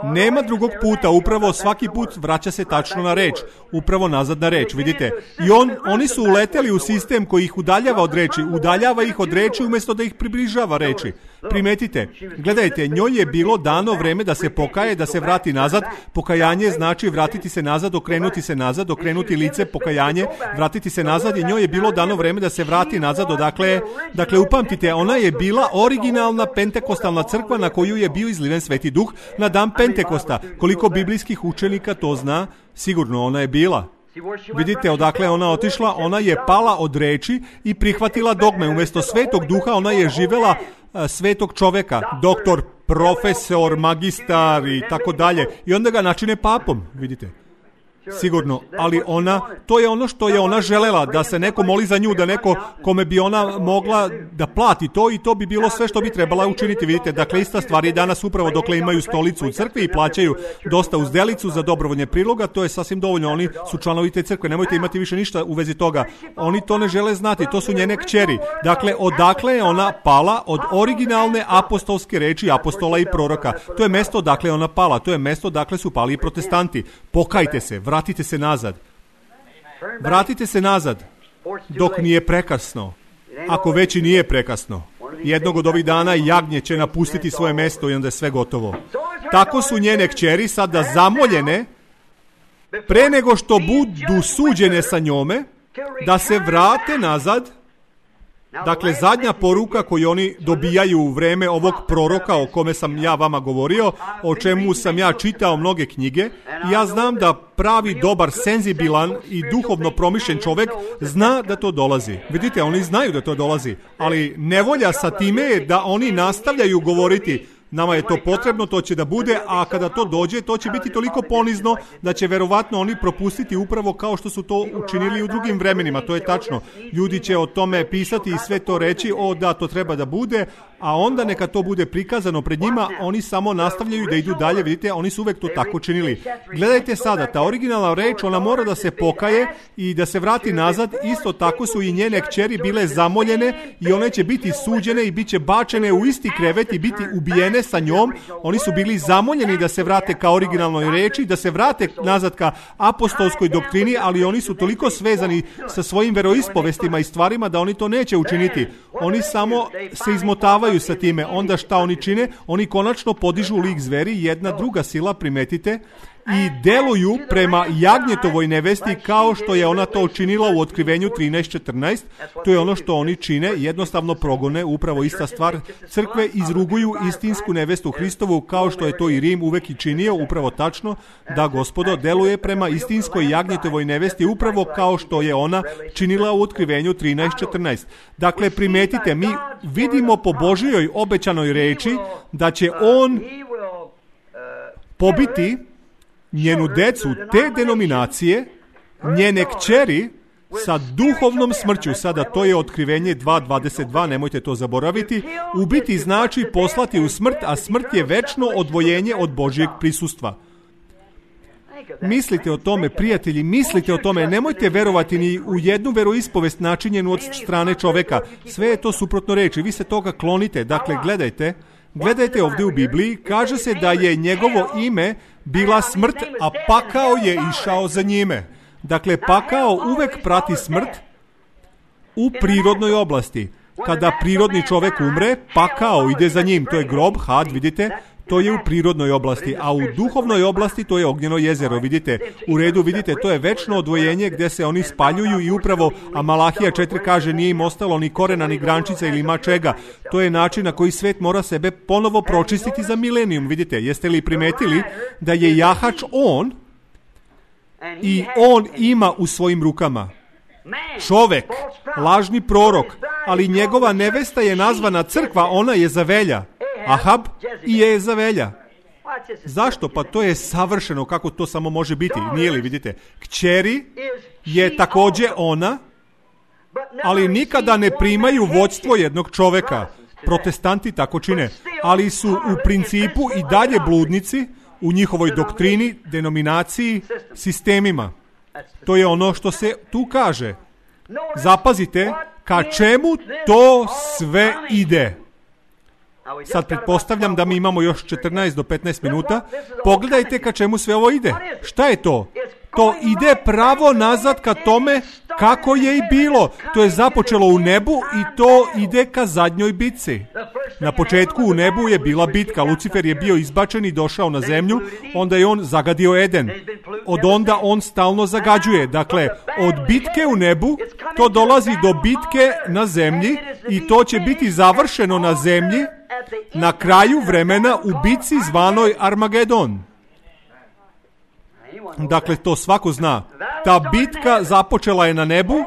Nema drugog puta, upravo svaki put vraća se tačno na reč, upravo nazad na reč, vidite. I on, oni su uleteli u sistem koji ih udaljava od reči, udaljava ih od reči umjesto da ih približava reči. Primetite, gledajte, njoj je bilo dano vreme da se pokaje, da se vrati nazad. Pokajanje znači vratiti se nazad, okrenuti se nazad, okrenuti lice, pokajanje, vratiti se nazad i njoj je bilo dano vreme da se vrati nazad odakle. Dakle, upamtite, ona je bila originalna pentekostalna crkva na koju je bio izliven Sveti Duh na dan Pentekosta. Koliko biblijskih učenika to zna? Sigurno ona je bila. Vidite odakle je ona otišla? Ona je pala od reči i prihvatila dogme. Umjesto Svetog Duha ona je živela a, svetog čoveka, doktor, profesor, magistar i tako dalje. I onda ga načine papom, vidite. Sigurno, ali ona, to je ono što je ona želela, da se neko moli za nju, da neko kome bi ona mogla da plati to i to bi bilo sve što bi trebala učiniti, vidite. Dakle, ista stvar je danas upravo dokle imaju stolicu u crkvi i plaćaju dosta uzdelicu za dobrovoljne priloga, to je sasvim dovoljno, oni su članovi te crkve, nemojte imati više ništa u vezi toga. Oni to ne žele znati, to su njene kćeri. Dakle, odakle je ona pala? Od originalne apostolske reči apostola i proroka. To je mesto odakle je ona pala, to je mesto odakle su pali i protestanti. Pokajte se, vratite se nazad. Vratite se nazad dok nije prekasno. Ako već i nije prekasno. Jednog od ovih dana jagnje će napustiti svoje mesto i onda je sve gotovo. Tako su njene kćeri sada zamoljene pre nego što budu suđene sa njome da se vrate nazad. Dakle, zadnja poruka koju oni dobijaju u vreme ovog proroka o kome sam ja vama govorio, o čemu sam ja čitao mnoge knjige, i ja znam da pravi, dobar, senzibilan i duhovno promišljen čovjek zna da to dolazi. Vidite, oni znaju da to dolazi, ali nevolja sa time je da oni nastavljaju govoriti nama je to potrebno, to će da bude, a kada to dođe, to će biti toliko ponizno da će verovatno oni propustiti upravo kao što su to učinili u drugim vremenima. To je tačno. Ljudi će o tome pisati i sve to reći, o da, to treba da bude, a onda neka to bude prikazano pred njima, oni samo nastavljaju da idu dalje, vidite, oni su uvek to tako činili. Gledajte sada, ta originalna reč, ona mora da se pokaje i da se vrati nazad, isto tako su i njene kćeri bile zamoljene i one će biti suđene i bit će bačene u isti krevet i biti ubijene sa njom. Oni su bili zamoljeni da se vrate ka originalnoj reči, da se vrate nazad ka apostolskoj doktrini, ali oni su toliko svezani sa svojim veroispovestima i stvarima da oni to neće učiniti. Oni samo se izmotavaju sa time. Onda šta oni čine? Oni konačno podižu lik zveri, jedna druga sila, primetite, i deluju prema jagnjetovoj nevesti kao što je ona to učinila u Otkrivenju trinaest četrnaest. To je ono što oni čine, jednostavno progone, upravo ista stvar. Crkve izruguju istinsku nevestu Hristovu kao što je to i Rim uvek i činio, upravo tačno, da Gospodo deluje prema istinskoj jagnjetovoj nevesti upravo kao što je ona činila u Otkrivenju trinaest četrnaest. Dakle, primetite, mi vidimo po Božijoj obećanoj reči da će on pobiti njenu decu te denominacije, njene kćeri, sa duhovnom smrću. Sada to je Otkrivenje dva dvadeset dva, nemojte to zaboraviti. Ubiti znači poslati u smrt, a smrt je večno odvojenje od Božijeg prisustva. Mislite o tome, prijatelji, mislite o tome. Nemojte verovati ni u jednu veroispovest načinjenu od strane čoveka. Sve je to suprotno reči. Vi se toga klonite. Dakle, gledajte. Gledajte ovdje u Bibliji. Kaže se da je njegovo ime bila smrt, a pakao je išao za njime. Dakle, pakao uvek prati smrt u prirodnoj oblasti. Kada prirodni čovjek umre, pakao ide za njim. To je grob, had, vidite. To je u prirodnoj oblasti, a u duhovnoj oblasti to je ognjeno jezero, vidite. U redu, vidite, to je večno odvojenje gdje se oni spaljuju i upravo, a Malahija četiri kaže, nije im ostalo ni korena, ni grančica ili ima čega. To je način na koji svet mora sebe ponovo pročistiti za milenijum, vidite. Jeste li primetili da je jahač on i on ima u svojim rukama čovek, lažni prorok, ali njegova nevesta je nazvana crkva, ona je Zavelja. Ahab i Jezavelja. Zašto? Pa to je savršeno, kako to samo može biti, nije li, vidite? Kćeri je također ona, ali nikada ne primaju vođstvo jednog čoveka. Protestanti tako čine, ali su u principu i dalje bludnici u njihovoj doktrini, denominaciji, sistemima. To je ono što se tu kaže. Zapazite, ka čemu to sve ide. Sad pretpostavljam da mi imamo još četrnaest do petnaest minuta. Pogledajte ka čemu sve ovo ide. Šta je to? To ide pravo nazad ka tome kako je i bilo. To je započelo u nebu i to ide ka zadnjoj bitci. Na početku u nebu je bila bitka. Lucifer je bio izbačen i došao na zemlju. Onda je on zagadio Eden. Od onda on stalno zagađuje. Dakle, od bitke u nebu to dolazi do bitke na zemlji i to će biti završeno na zemlji na kraju vremena u bitci zvanoj Armagedon. Dakle, to svako zna. Ta bitka započela je na nebu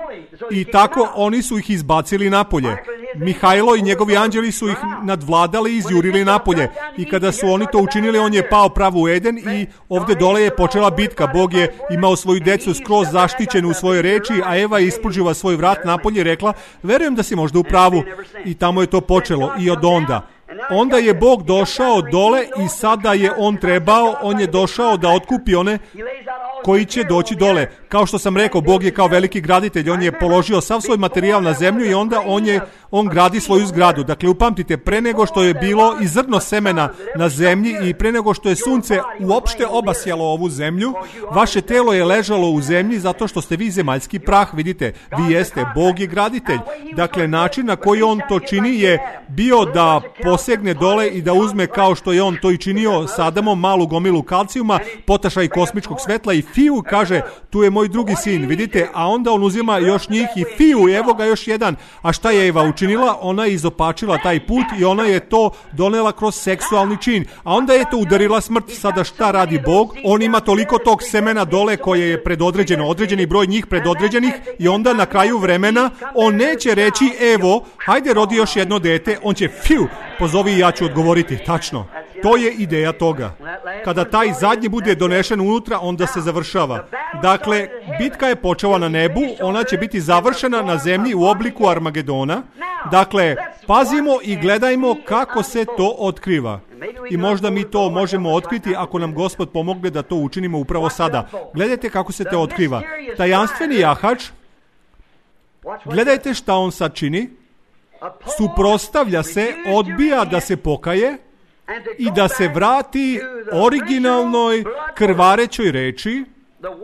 i tako oni su ih izbacili napolje. Mihajlo i njegovi anđeli su ih nadvladali i izjurili napolje. I kada su oni to učinili, on je pao pravo u Eden i ovdje dole je počela bitka. Bog je imao svoju decu skroz zaštićenu u svojoj reči, a Eva je ispružila svoj vrat napolje i rekla, verujem da si možda u pravu. I tamo je to počelo i od onda. Onda je Bog došao dole i sada je on trebao, on je došao da otkupi one koji će doći dole. Kao što sam rekao, Bog je kao veliki graditelj, on je položio sav svoj materijal na zemlju i onda on je on gradi svoju zgradu. Dakle, upamtite, pre nego što je bilo i zrno semena na zemlji i pre nego što je sunce uopšte obasjalo ovu zemlju, vaše telo je ležalo u zemlji zato što ste vi zemaljski prah, vidite, vi jeste, Bog je graditelj. Dakle, način na koji on to čini je bio da posegne dole i da uzme, kao što je on to i činio s Adamom, malu gomilu kalcijuma, potašaj kosmičkog svetla i fiju, kaže, tu je moj drugi sin, vidite, a onda on uzima još njih i fiju, evo ga još jedan. A šta je Eva učinila? Ona je izopačila taj put i ona je to donela kroz seksualni čin. A onda je to udarila smrt. Sada šta radi Bog? On ima toliko tog semena dole koje je predodređeno, određeni broj njih predodređenih i onda na kraju vremena on neće reći, evo, hajde rodi još jedno dete, on će fiu, pozovi i ja ću odgovoriti, tačno. To je ideja toga. Kada taj zadnji bude donešen unutra, onda se završava. Dakle, bitka je počela na nebu, ona će biti završena na zemlji u obliku Armagedona. Dakle, pazimo i gledajmo kako se to otkriva. I možda mi to možemo otkriti ako nam Gospod pomogne da to učinimo upravo sada. Gledajte kako se to otkriva. Tajanstveni jahač, gledajte šta on sad čini. Suprotstavlja se, odbija da se pokaje i da se vrati originalnoj krvarećoj reči.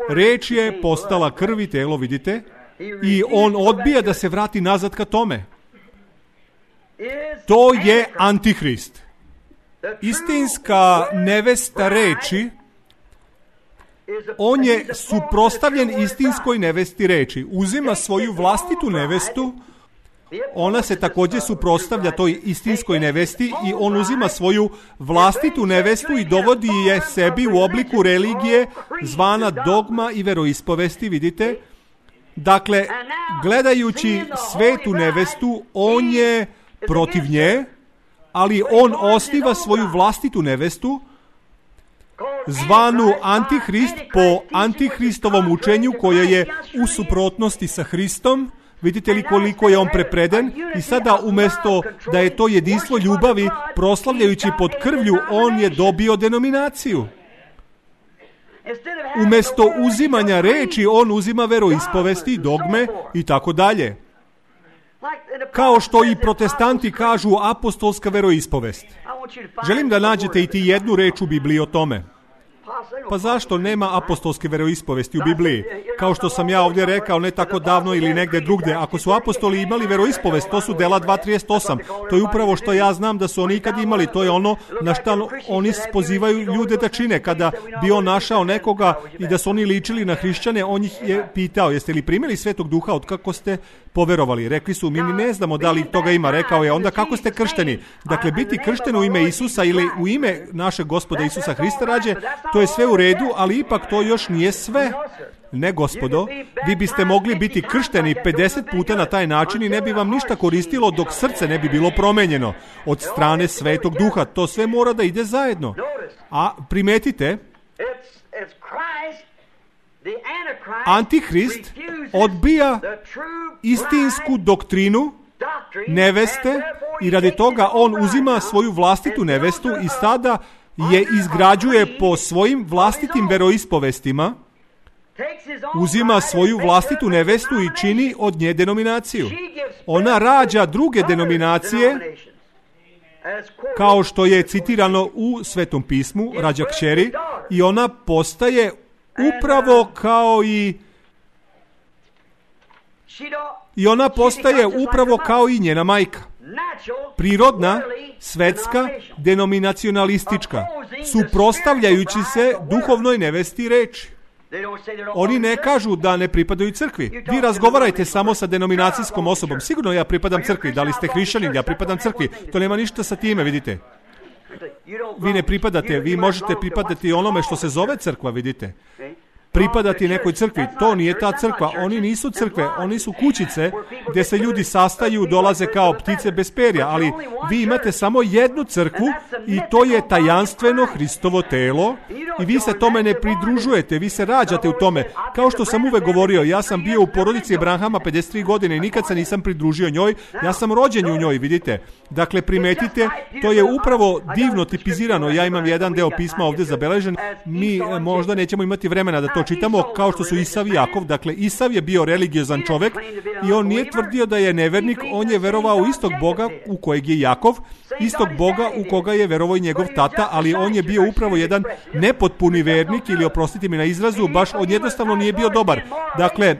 Reč je postala krv i telo, vidite, i on odbija da se vrati nazad ka tome. To je Antihrist. Istinska nevesta reči, on je suprotstavljen istinskoj nevesti reči. Uzima svoju vlastitu nevestu, ona se također suprotstavlja toj istinskoj nevesti i on uzima svoju vlastitu nevestu i dovodi je sebi u obliku religije zvana dogma i veroispovesti, vidite. Dakle, gledajući svetu nevestu, on je protiv nje, ali on osniva svoju vlastitu nevestu zvanu Antihrist po Antihristovom učenju koje je u suprotnosti sa Hristom. Vidite li koliko je on prepreden? I sada umjesto da je to jedinstvo ljubavi, proslavljajući pod krvlju, on je dobio denominaciju. Umjesto uzimanja reči, on uzima veroispovesti, dogme i tako dalje. Kao što i protestanti kažu apostolska veroispovest. Želim da nađete i ti jednu reč u Bibliji o tome. Pa zašto nema apostolske veroispovesti u Bibliji? Kao što sam ja ovdje rekao, ne tako davno ili negdje drugdje, ako su apostoli imali veroispovest, to su dela dva trideset osam. To je upravo što ja znam da su oni ikad imali. To je ono na što oni pozivaju ljude da čine. Kada bi on našao nekoga i da su oni ličili na hrišćane, on ih je pitao, jeste li primili Svetog Duha od kako ste poverovali? Rekli su, mi ne znamo da li toga ima. Rekao je, onda kako ste kršteni? Dakle, biti kršten u ime Isusa ili u ime našeg Gospoda Isusa Hrista rađe, to je sve u redu, ali ipak to još nije sve. Ne, gospodo, vi biste mogli biti kršteni pedeset puta na taj način i ne bi vam ništa koristilo dok srce ne bi bilo promenjeno od strane Svetog Duha. To sve mora da ide zajedno. A primetite, Antihrist odbija istinsku doktrinu neveste i radi toga on uzima svoju vlastitu nevestu i sada je izgrađuje po svojim vlastitim veroispovestima, uzima svoju vlastitu nevestu i čini od nje denominaciju. Ona rađa druge denominacije, kao što je citirano u Svetom pismu, rađa kćeri, i ona postaje upravo kao i i ona postaje upravo kao i njena majka. Prirodna, svetska, denominacionalistička, suprotstavljajući se duhovnoj nevesti reči. Oni ne kažu da ne pripadaju crkvi. Vi razgovarajte samo sa denominacijskom osobom. Sigurno ja pripadam crkvi. Da li ste hrišćanin? Ja pripadam crkvi. To nema ništa sa time, vidite. Vi ne pripadate. Vi možete pripadati onome što se zove crkva, vidite. Pripadati nekoj crkvi. To nije ta crkva. Oni nisu crkve. Oni su kućice gdje se ljudi sastaju, dolaze kao ptice bez perja. Ali vi imate samo jednu crkvu i to je tajanstveno Hristovo telo i vi se tome ne pridružujete. Vi se rađate u tome. Kao što sam uvek govorio, ja sam bio u porodici Abrahama pedeset tri godine i nikad se nisam pridružio njoj. Ja sam rođen u njoj, vidite. Dakle, primetite, to je upravo divno tipizirano. Ja imam jedan deo pisma ovdje zabeležen. Mi možda nećemo imati vremena da to čitamo, kao što su Isav i Jakov. Dakle, Isav je bio religiozan čovjek i on nije tvrdio da je nevernik, on je verovao u istog Boga u kojeg je Jakov, istog Boga u koga je verovao i njegov tata, ali on je bio upravo jedan nepotpuni vernik, ili oprostite mi na izrazu, baš on jednostavno nije bio dobar. Dakle,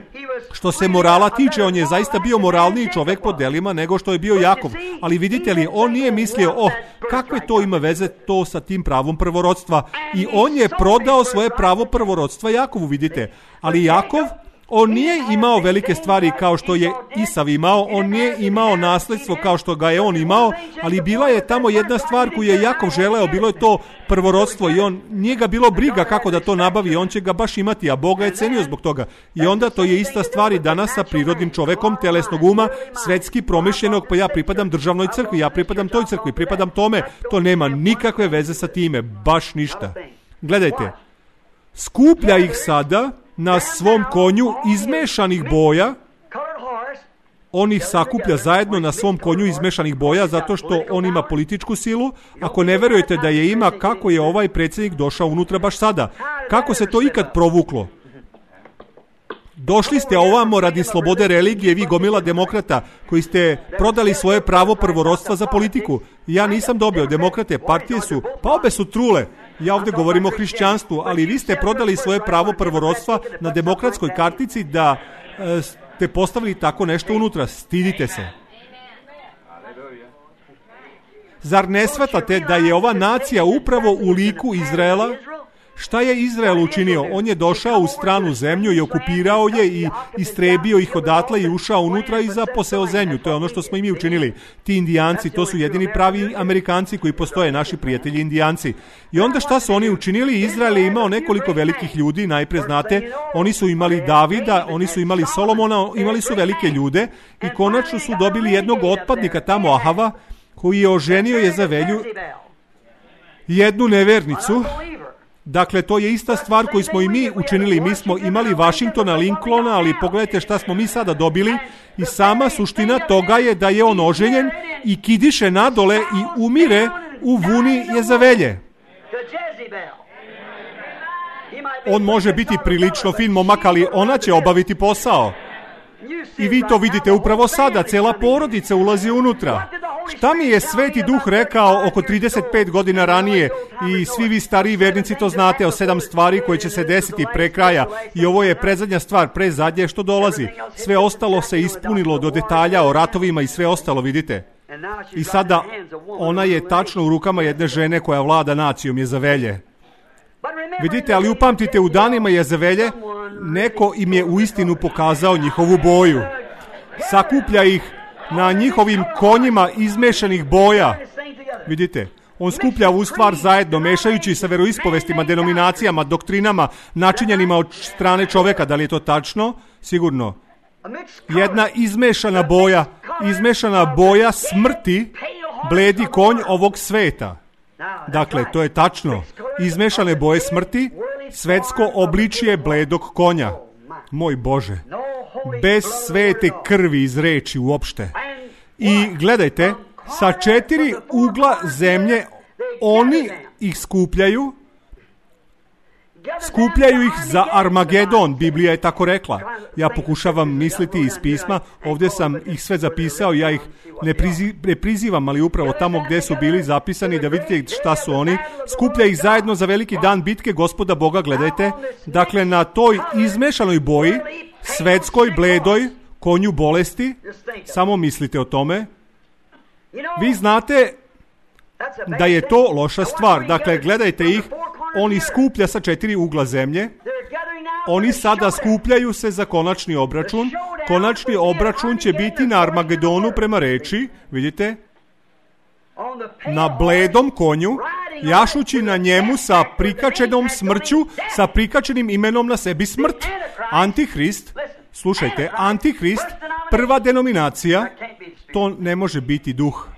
što se morala tiče, on je zaista bio moralniji čovjek po delima nego što je bio Jakov. Ali vidite li, on nije mislio, oh, kakve to ima veze to sa tim pravom prvorodstva. I on je prodao svoje pravo prvorodstva Jakovu, vidite. Ali Jakov, on nije imao velike stvari kao što je Isav imao, on nije imao nasljedstvo kao što ga je on imao, ali bila je tamo jedna stvar koju je Jakov želeo, bilo je to prvorodstvo i on, nije ga bilo briga kako da to nabavi, on će ga baš imati, a Boga je cenio zbog toga. I onda to je ista stvar i danas sa prirodnim čovekom, telesnog uma, svetski promišljenog, pa ja pripadam državnoj crkvi, ja pripadam toj crkvi, pripadam tome, to nema nikakve veze sa time, baš ništa. Gledajte, skuplja ih sada na svom konju izmešanih boja, on ih sakuplja zajedno na svom konju izmešanih boja zato što on ima političku silu. Ako ne verujete da je ima, kako je ovaj predsjednik došao unutra baš sada? Kako se to ikad provuklo? Došli ste ovamo radi slobode religije, vi gomila demokrata koji ste prodali svoje pravo prvorodstva za politiku. Ja nisam dobio, demokrate, partije su, pa obe su trule. Ja ovdje govorim o hrišćanstvu, ali vi ste prodali svoje pravo prvorodstva na demokratskoj kartici da e, ste postavili tako nešto unutra. Stidite se. Zar ne shvatate da je ova nacija upravo u liku Izraela? Šta je Izrael učinio? On je došao u stranu zemlju i okupirao je i istrebio ih odatle i ušao unutra i zaposeo zemlju. To je ono što smo i mi učinili. Ti Indijanci, to su jedini pravi Amerikanci koji postoje, naši prijatelji Indijanci. I onda šta su oni učinili? Izrael je imao nekoliko velikih ljudi, najprije znate, oni su imali Davida, oni su imali Solomona, imali su velike ljude i konačno su dobili jednog otpadnika tamo, Ahava, koji je oženio Jezavelju, jednu nevernicu. Dakle, to je ista stvar koju smo i mi učinili. Mi smo imali Washingtona, Lincolna, ali pogledajte šta smo mi sada dobili. I sama suština toga je da je on oženjen i kidiše nadole i umire u vuni Jezavelje. On može biti prilično fin momak, ali ona će obaviti posao. I vi to vidite upravo sada, cela porodica ulazi unutra. Šta mi je Sveti Duh rekao oko trideset pet godina ranije, i svi vi stariji vernici to znate, o sedam stvari koje će se desiti pre kraja, i ovo je predzadnja stvar, pre zadnje što dolazi. Sve ostalo se ispunilo do detalja o ratovima i sve ostalo, vidite. I sada ona je tačno u rukama jedne žene koja vlada nacijom Jezavelje. Vidite, ali upamtite, u danima Jezavelje neko im je uistinu pokazao njihovu boju. Sakuplja ih na njihovim konjima izmešanih boja. Vidite, on skuplja ovu stvar zajedno, mešajući sa veroispovestima, denominacijama, doktrinama, načinjenima od strane čoveka. Da li je to tačno? Sigurno. Jedna izmešana boja, izmešana boja smrti, bledi konj ovog sveta. Dakle, to je tačno. Izmešane boje smrti, svetsko obličje bledog konja. Moj Bože, bez svete krvi iz reči uopšte. I gledajte, sa četiri ugla zemlje oni ih skupljaju, skupljaju ih za Armagedon, Biblija je tako rekla. Ja pokušavam misliti iz pisma, ovdje sam ih sve zapisao, ja ih ne, prizi, ne prizivam, ali upravo tamo gdje su bili zapisani, da vidite šta su oni. Skuplja ih zajedno za veliki dan bitke Gospoda Boga, gledajte. Dakle, na toj izmešanoj boji, svetskoj, bledoj, konju bolesti, samo mislite o tome. Vi znate da je to loša stvar. Dakle, gledajte ih, oni skuplja sa četiri ugla zemlje. Oni sada skupljaju se za konačni obračun. Konačni obračun će biti na Armagedonu prema reči, vidite, na bledom konju, jašući na njemu sa prikačenom smrću, sa prikačenim imenom na sebi smrt. Antihrist, slušajte, Antihrist, prva denominacija, to ne može biti duh.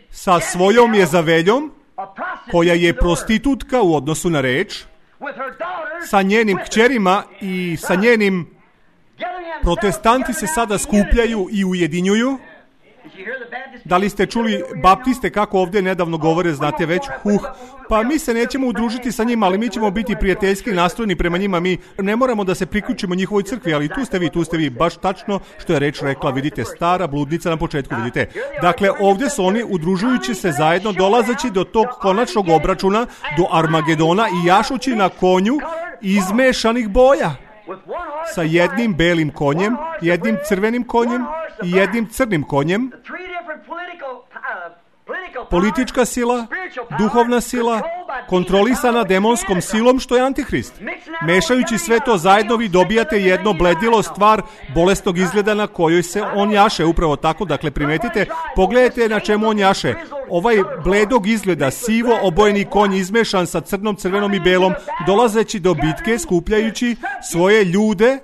Sa svojom Jezaveljom, koja je prostitutka u odnosu na reč, sa njenim kćerima i sa njenim protestanti se sada skupljaju i ujedinjuju. Da li ste čuli baptiste kako ovdje nedavno govore, znate već, huh, pa mi se nećemo udružiti sa njima, ali mi ćemo biti prijateljski nastrojeni prema njima, mi ne moramo da se priključimo njihovoj crkvi, ali tu ste vi, tu ste vi, baš tačno što je reč rekla, vidite, stara bludnica na početku, vidite. Dakle, ovdje su oni udružujući se zajedno, dolazeći do tog konačnog obračuna, do Armagedona i jašući na konju izmešanih boja. Sa jednim belim konjem, jednim crvenim konjem i jednim crnim konjem. Politička sila, duhovna sila, kontrolisana demonskom silom što je Antihrist. Mešajući sve to zajedno vi dobijate jedno bledilo stvar bolesnog izgleda na kojoj se on jaše, upravo tako. Dakle, primetite, pogledajte na čemu on jaše. Ovaj bledog izgleda, sivo obojeni konj izmešan sa crnom, crvenom i belom, dolazeći do bitke, skupljajući svoje ljude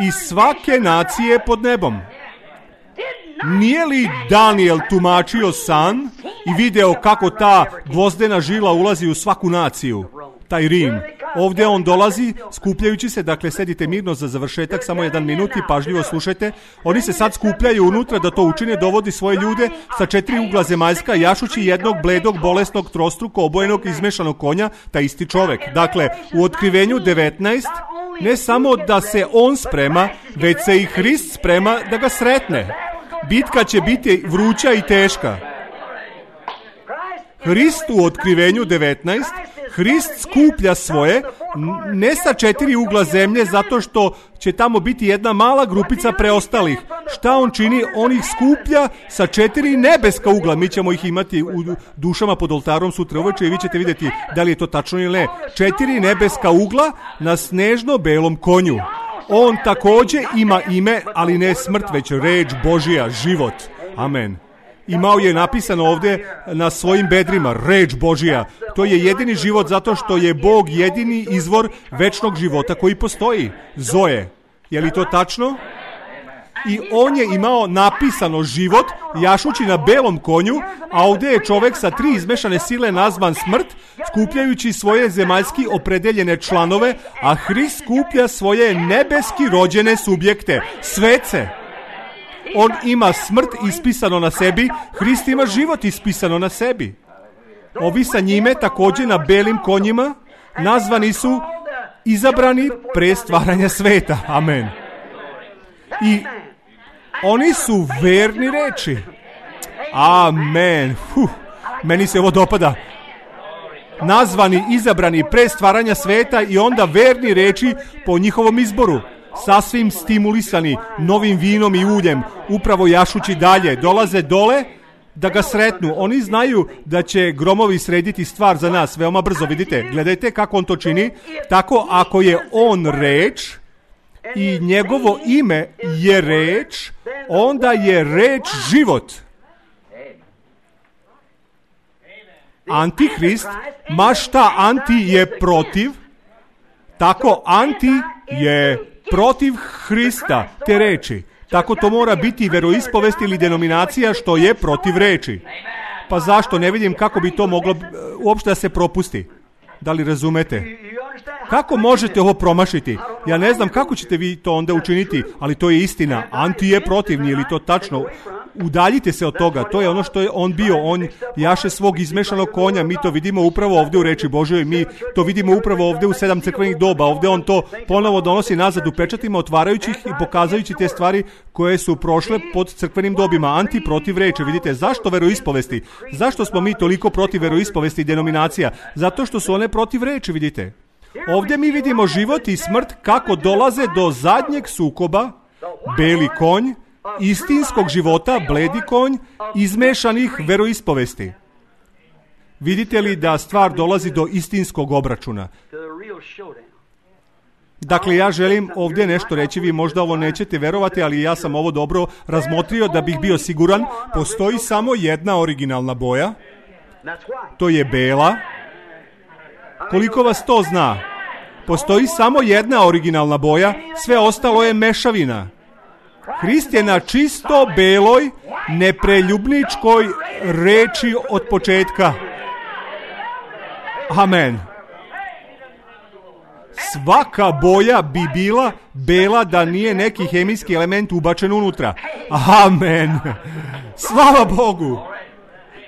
iz svake nacije pod nebom. Nije li Daniel tumačio san i video kako ta gvozdena žila ulazi u svaku naciju, taj Rim? Ovdje on dolazi skupljajući se, dakle sedite mirno za završetak, samo jedan minut i pažljivo slušajte. Oni se sad skupljaju unutra da to učine, dovodi svoje ljude sa četiri ugla zemaljska, jašući jednog bledog, bolesnog, trostruko obojenog, izmešanog konja, taj isti čovek. Dakle, u Otkrivenju devetnaest, ne samo da se on sprema, već se i Hrist sprema da ga sretne. Bitka će biti vruća i teška. Hrist u Otkrivenju devetnaest, Hrist skuplja svoje, ne sa četiri ugla zemlje, zato što će tamo biti jedna mala grupica preostalih. Šta on čini? On ih skuplja sa četiri nebeska ugla. Mi ćemo ih imati u dušama pod oltarom sutra uveče i vi ćete vidjeti da li je to tačno ili ne. Četiri nebeska ugla na snežno belom konju. On također ima ime, ali ne smrt, već reč Božija, život. Amen. Imao je napisano ovdje na svojim bedrima, reč Božija. To je jedini život zato što je Bog jedini izvor večnog života koji postoji. Zoe. Je li to tačno? I on je imao napisano život, jašući na belom konju, a ovdje je čovjek sa tri izmešane sile nazvan smrt, skupljajući svoje zemaljski opredeljene članove, a Hrist skuplja svoje nebeski rođene subjekte, svece. On ima smrt ispisano na sebi, Hrist ima život ispisano na sebi. Ovi sa njime također na belim konjima nazvani su izabrani pre stvaranja sveta. Amen. I oni su verni reči. Amen. Huh. Meni se ovo dopada. Nazvani, izabrani pre stvaranja sveta i onda verni reči po njihovom izboru. Sasvim stimulisani novim vinom i uljem, upravo jašući dalje, dolaze dole da ga sretnu. Oni znaju da će gromovi srediti stvar za nas veoma brzo. Vidite, gledajte kako on to čini. Tako ako je on reč i njegovo ime je reč, onda je reč život. Antihrist, ma šta anti je protiv, tako anti je protiv Hrista, te reči. Tako to mora biti veroispovest ili denominacija što je protiv reči. Pa zašto? Ne vidim kako bi to moglo uopšte da se propusti. Da li razumete? Kako možete ovo promašiti? Ja ne znam kako ćete vi to onda učiniti, ali to je istina. Anti je protiv, nije li to tačno? Udaljite se od toga, to je ono što je on bio, on jaše svog izmešanog konja, mi to vidimo upravo ovdje u reči Božjoj, mi to vidimo upravo ovdje u sedam crkvenih doba, ovdje on to ponovo donosi nazad u pečatima, otvarajući ih i pokazujući te stvari koje su prošle pod crkvenim dobima, anti protiv reči. Vidite, zašto veroispovesti? Zašto smo mi toliko protiv veroispovesti i denominacija? Zato što su one protiv reči, vidite. Ovdje mi vidimo život i smrt kako dolaze do zadnjeg sukoba, beli konj, istinskog života, bledi konj, izmešanih veroispovesti. Vidite li da stvar dolazi do istinskog obračuna? Dakle, ja želim ovdje nešto reći, vi možda ovo nećete verovati, ali ja sam ovo dobro razmotrio da bih bio siguran. Postoji samo jedna originalna boja, to je bela. Koliko vas to zna? Postoji samo jedna originalna boja, sve ostalo je mešavina. Hrist je na čisto beloj, nepreljubničkoj reči od početka. Amen. Svaka boja bi bila bela da nije neki hemijski element ubačen unutra. Amen. Slava Bogu.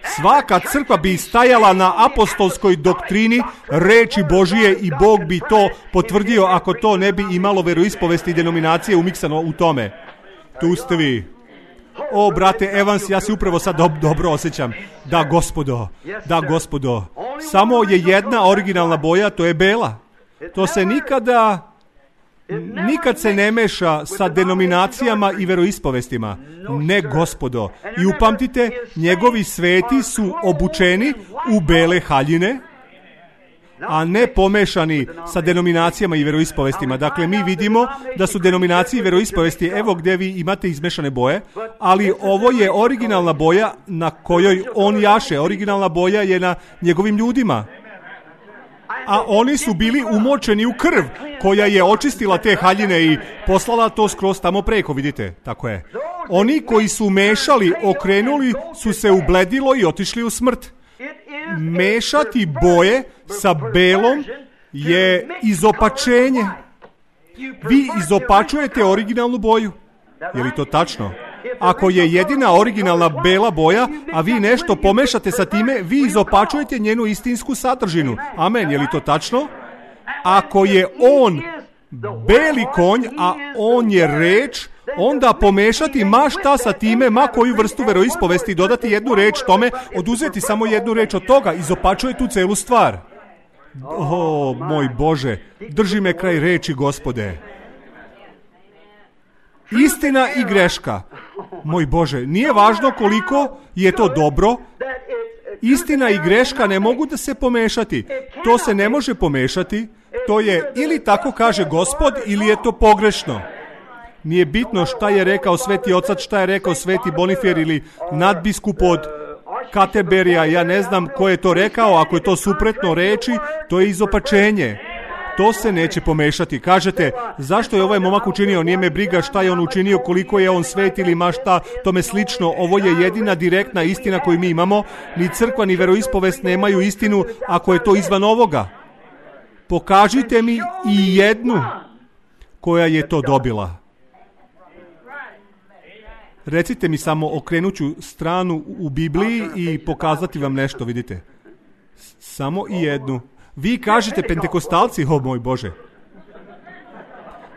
Svaka crkva bi stajala na apostolskoj doktrini reči Božije i Bog bi to potvrdio ako to ne bi imalo veroispovesti i denominacije umiksano u tome. Tu ste vi. O, brate Evans, ja se upravo sad do- dobro osjećam. Da, gospodo, da, gospodo. Samo je jedna originalna boja, to je bela. To se nikada, nikad se ne meša sa denominacijama i veroispovestima. Ne, gospodo. I upamtite, njegovi sveti su obučeni u bele haljine, a ne pomešani sa denominacijama i veroispovestima. Dakle, mi vidimo da su denominacije i veroispovesti, evo gdje vi imate izmešane boje, ali ovo je originalna boja na kojoj on jaše. Originalna boja je na njegovim ljudima. A oni su bili umočeni u krv koja je očistila te haljine i poslala to skroz tamo preko, vidite, tako je. Oni koji su mešali, okrenuli su se u bledilo i otišli u smrt. Mešati boje sa belom je izopačenje. Vi izopačujete originalnu boju. Je li to tačno? Ako je jedina originalna bela boja, a vi nešto pomešate sa time, vi izopačujete njenu istinsku sadržinu. Amen, je li to tačno? Ako je on beli konj, a on je reč, onda pomešati ma šta sa time, ma koju vrstu veroispovesti, dodati jednu reč tome, oduzeti samo jednu reč od toga, izopačuje tu celu stvar. O, moj Bože, drži me kraj reči, Gospode. Istina i greška. Moj Bože, nije važno koliko je to dobro. Istina i greška ne mogu da se pomešati. To se ne može pomešati. To je ili tako kaže Gospod, ili je to pogrešno. Nije bitno šta je rekao Sveti Otac, šta je rekao Sveti Bonifer ili nadbiskup od Kateberija. Ja ne znam ko je to rekao. Ako je to suprotno reči, to je izopačenje. To se neće pomešati. Kažete, zašto je ovaj momak učinio? Nije me briga šta je on učinio, koliko je on svet ili ma šta, tome slično. Ovo je jedina direktna istina koju mi imamo. Ni crkva, ni veroispovest nemaju istinu ako je to izvan ovoga. Pokažite mi i jednu koja je to dobila. Recite mi samo, okrenuću stranu u Bibliji i pokazati vam nešto, vidite. Samo i jednu. Vi kažete pentekostalci, o moj Bože.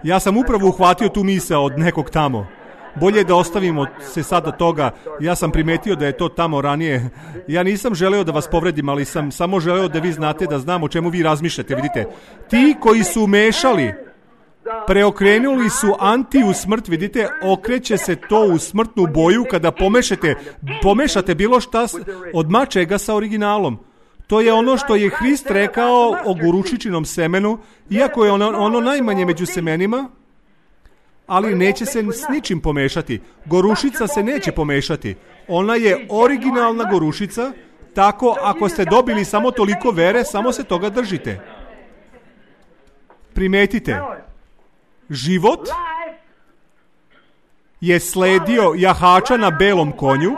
Ja sam upravo uhvatio tu misao od nekog tamo. Bolje da ostavimo se sada toga. Ja sam primetio da je to tamo ranije. Ja nisam želeo da vas povredim, ali sam samo želeo da vi znate da znam o čemu vi razmišljate. Vidite, ti koji su mešali, preokrenuli su anti u smrt, vidite, okreće se to u smrtnu boju kada pomešate, pomešate bilo šta od mačega sa originalom. To je ono što je Hrist rekao o gorušičinom semenu, iako je ono, ono najmanje među semenima, ali neće se s ničim pomešati. Gorušica se neće pomešati. Ona je originalna gorušica, tako ako ste dobili samo toliko vere, samo se toga držite. Primetite, život je sledio jahača na belom konju,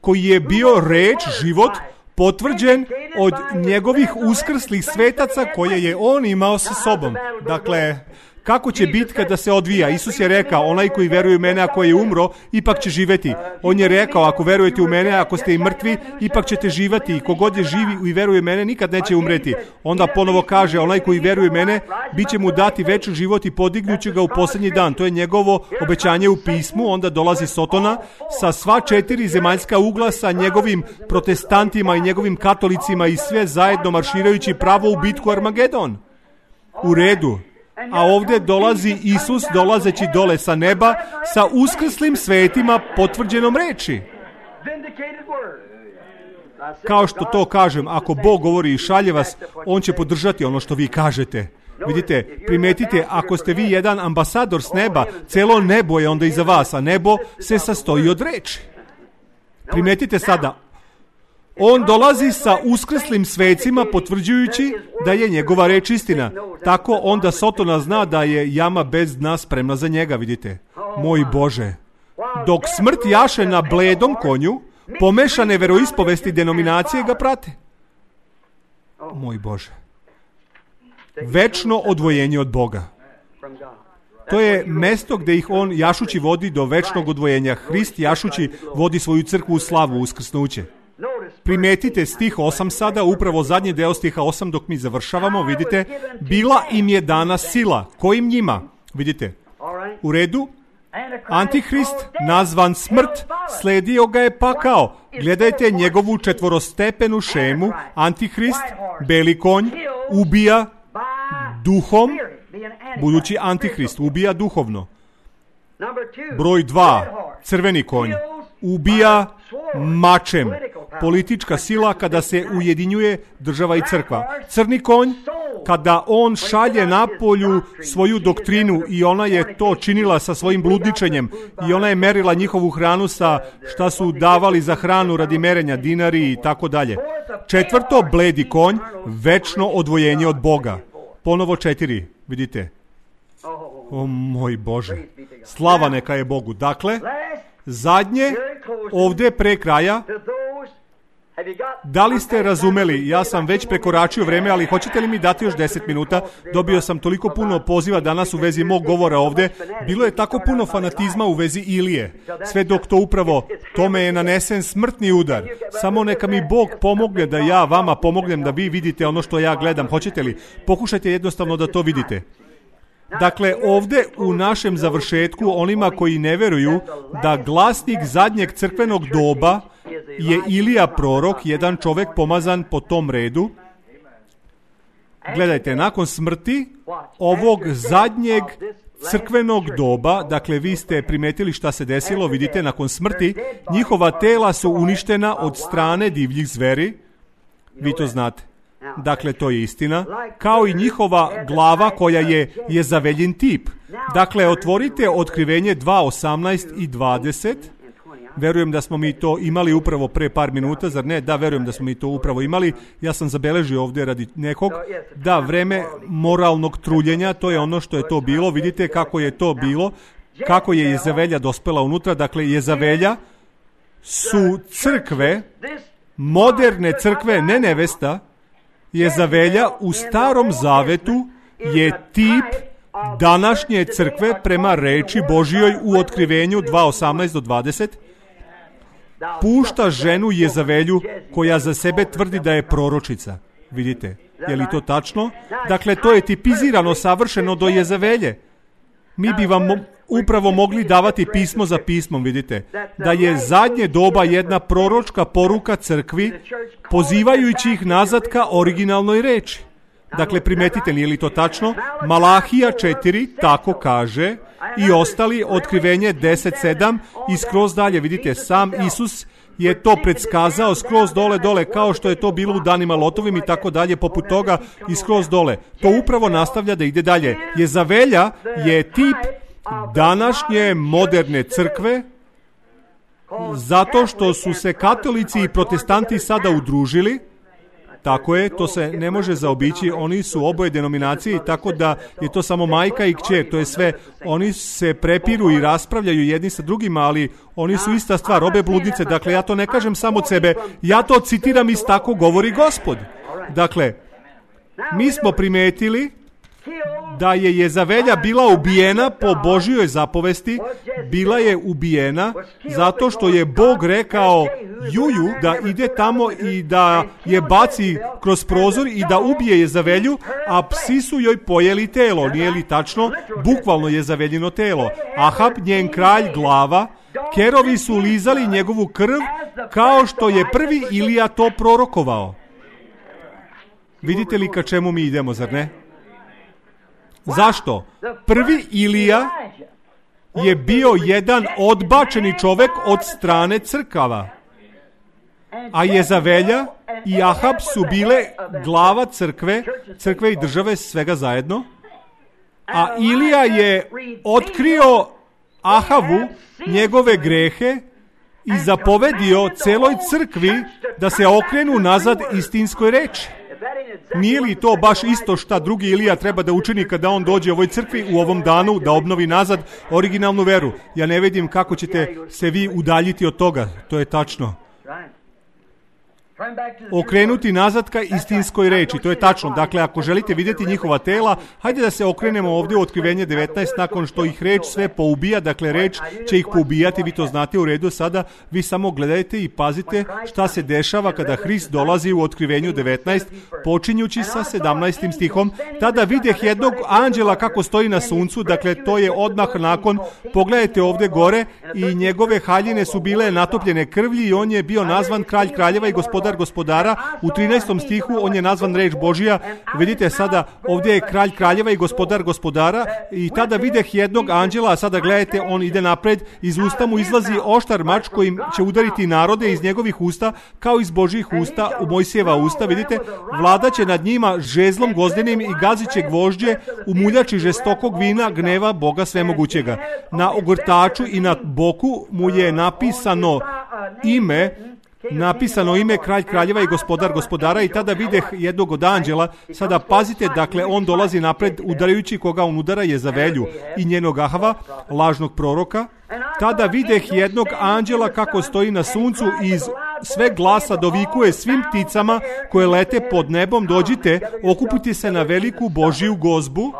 koji je bio reč, život, potvrđen od njegovih uskrslih svetaca koje je on imao sa sobom. Dakle, kako će biti kada se odvija? Isus je rekao, onaj koji veruje u mene, ako je umro, ipak će živjeti. On je rekao, ako verujete u mene, ako ste i mrtvi, ipak ćete živjeti. I kogod je živi i veruje u mene, nikad neće umreti. Onda ponovo kaže, onaj koji veruje u mene, bit će mu dati večni život i podignuće ga u posljednji dan. To je njegovo obećanje u pismu. Onda dolazi Sotona sa sva četiri zemaljska ugla, sa njegovim protestantima i njegovim katolicima i sve zajedno marširajući pravo u bitku Armagedon. U redu. A ovdje dolazi Isus dolazeći dole sa neba sa uskrslim svetima potvrđenom reči. Kao što to kažem, ako Bog govori i šalje vas, on će podržati ono što vi kažete. Vidite, primetite, ako ste vi jedan ambasador s neba, celo nebo je onda iza vas, a nebo se sastoji od reči. Primetite sada, on dolazi sa uskrslim svecima potvrđujući da je njegova reč istina. Tako onda Sotona zna da je jama bez dna spremna za njega, vidite. Moj Bože. Dok smrt jaše na bledom konju, pomešane veroispovesti denominacije ga prate. Moj Bože. Večno odvojenje od Boga. To je mesto gdje ih on jašući vodi do večnog odvojenja. Hrist jašući vodi svoju crkvu u slavu, uskrsnuće. Primetite stih osam sada, upravo zadnji deo stiha osam dok mi završavamo, vidite, bila im je dana sila. Kojim njima? Vidite, u redu, Antihrist, nazvan smrt, sledio ga je pakao. Gledajte njegovu četvorostepenu šemu. Antihrist, beli konj, ubija duhom, budući Antihrist, ubija duhovno. Broj dva, crveni konj, ubija mačem. Politička sila kada se ujedinjuje država i crkva. Crni konj, kada on šalje napolju svoju doktrinu i ona je to činila sa svojim bludničenjem i ona je merila njihovu hranu sa šta su davali za hranu radi merenja, dinari i tako dalje. Četvrto, bledi konj, večno odvojenje od Boga. Ponovo četiri, vidite. O moj Bože, slava neka je Bogu. Dakle, zadnje, ovdje pre kraja, da li ste razumeli, ja sam već prekoračio vreme, ali hoćete li mi dati još deset minuta? Dobio sam toliko puno poziva danas u vezi mog govora ovdje. Bilo je tako puno fanatizma u vezi Ilije. Sve dok to upravo, tome je nanesen smrtni udar. Samo neka mi Bog pomogne da ja vama pomognem da vi vidite ono što ja gledam. Hoćete li? Pokušajte jednostavno da to vidite. Dakle, ovdje u našem završetku, onima koji ne veruju da glasnik zadnjeg crkvenog doba je Ilija prorok, jedan čovjek pomazan po tom redu. Gledajte, nakon smrti ovog zadnjeg crkvenog doba, dakle vi ste primetili šta se desilo, vidite, nakon smrti, njihova tela su uništena od strane divljih zveri, vi to znate. Dakle, to je istina, kao i njihova glava koja je Jezaveljin tip. Dakle, otvorite Otkrivenje dva, osamnaest i dvadeset. Verujem da smo mi to imali upravo pre par minuta, zar ne? Da, verujem da smo mi to upravo imali. Ja sam zabeležio ovdje radi nekog. Da, vreme moralnog truljenja, to je ono što je to bilo. Vidite kako je to bilo, kako je Jezavelja dospela unutra. Dakle, Jezavelja su crkve, moderne crkve, ne nevesta. Jezavelja u Starom Zavetu je tip današnje crkve prema reči Božijoj u Otkrivenju dva, osamnaest do dvadeset. Pušta ženu Jezavelju koja za sebe tvrdi da je proročica. Vidite, je li to tačno? Dakle, to je tipizirano, savršeno do Jezavelje. Mi bi vam mo- upravo mogli davati pismo za pismom, vidite, da je zadnje doba jedna proročka poruka crkvi, pozivajući ih nazad ka originalnoj reči. Dakle, primetite li je li to tačno? Malahija četiri tako kaže i ostali, Otkrivenje deset sedam i skroz dalje, vidite, sam Isus je to predskazao skroz dole dole, kao što je to bilo u danima Lotovim i tako dalje, poput toga i skroz dole. To upravo nastavlja da ide dalje. Jezavelja je tip današnje moderne crkve, zato što su se katolici i protestanti sada udružili. Tako je, to se ne može zaobići, oni su oboje denominacije, tako da je to samo majka i kćer, to je sve, oni se prepiru i raspravljaju jedni sa drugima, ali oni su ista stvar, obe bludnice, dakle ja to ne kažem samo od sebe, ja to citiram iz tako govori Gospod. Dakle, mi smo primetili da je Jezavelja bila ubijena po Božjoj zapovesti, bila je ubijena zato što je Bog rekao Juju da ide tamo i da je baci kroz prozor i da ubije Jezavelju, a psi su joj pojeli telo, nije li tačno? Bukvalno Jezaveljino telo. Ahab, njen kralj, glava, kerovi su lizali njegovu krv kao što je prvi Ilija to prorokovao. Vidite li ka čemu mi idemo, zar ne? Zašto? Prvi Ilija je bio jedan odbačeni čovek od strane crkava, a Jezavelja i Ahab su bile glava crkve, crkve i države, svega zajedno, a Ilija je otkrio Ahavu njegove grehe i zapovedio celoj crkvi da se okrenu nazad istinskoj reči. Nije li to baš isto šta drugi Ilija treba da učini kada on dođe u ovoj crkvi u ovom danu da obnovi nazad originalnu veru? Ja ne vidim kako ćete se vi udaljiti od toga, to je tačno. Okrenuti nazad ka istinskoj reči, to je tačno. Dakle, ako želite vidjeti njihova tela, hajde da se okrenemo ovdje u Otkrivenje devetnaest, nakon što ih reč sve poubija, dakle reč će ih poubijati, vi to znate u redu sada, vi samo gledajte i pazite šta se dešava kada Hrist dolazi u Otkrivenju devetnaest, počinjući sa sedamnaestim stihom. Tada videh jednog anđela kako stoji na suncu, dakle to je odmah nakon, pogledajte ovdje gore, i njegove haljine su bile natopljene krvlji i on je bio nazvan kralj kraljeva i gospodar gospodara. U trinaestom stihu on je nazvan reč Božija. Vidite sada, ovdje je kralj kraljeva i gospodar gospodara, i tada videh jednog anđela, a sada gledajte, on ide napred, iz usta mu izlazi oštar mač kojim će udariti narode iz njegovih usta, kao iz Božjih usta u Mojsijeva usta, vidite, vladaće nad njima žezlom gvozdenim i gazit će gvožđe u muljači žestokog vina gneva Boga svemogućega. Na ogrtaču i na boku mu je napisano ime, napisano ime kralj kraljeva i gospodar gospodara, i tada videh jednog od anđela. Sada pazite, dakle on dolazi napred udarajući koga on udara, Jezavelju i njenog Ahava, lažnog proroka. Tada videh jednog anđela kako stoji na suncu i iz sve glasa dovikuje svim pticama koje lete pod nebom, dođite, okupite se na veliku Božiju gozbu.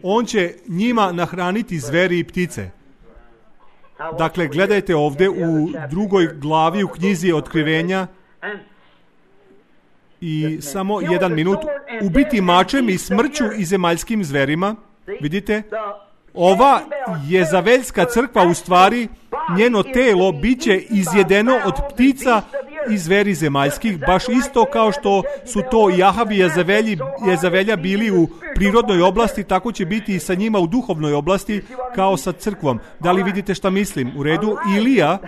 On će njima nahraniti zveri i ptice. Dakle, gledajte ovdje u drugoj glavi u knjizi Otkrivenja, i samo jedan minut, ubiti mačem i smrću i zemaljskim zverima. Vidite, ova Jezaveljska crkva, u stvari njeno telo biće izjedeno od ptica i zveri zemaljskih, baš isto kao što su to i Ahav i Jezavelji, Jezavelja bili u prirodnoj oblasti, tako će biti i sa njima u duhovnoj oblasti, kao sa crkvom. Da li vidite šta mislim? U redu, Ilija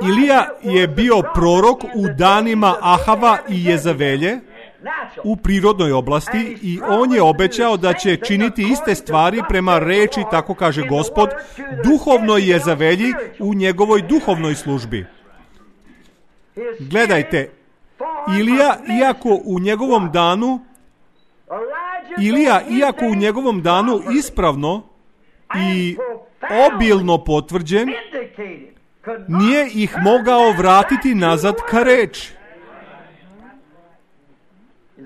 Ilija je bio prorok u danima Ahava i Jezavelje u prirodnoj oblasti, i on je obećao da će činiti iste stvari prema reči, tako kaže Gospod, duhovnoj Jezavelji u njegovoj duhovnoj službi. Gledajte, Ilija, iako u njegovom danu Ilija, iako u njegovom danu ispravno i obilno potvrđen, nije ih mogao vratiti nazad ka reči.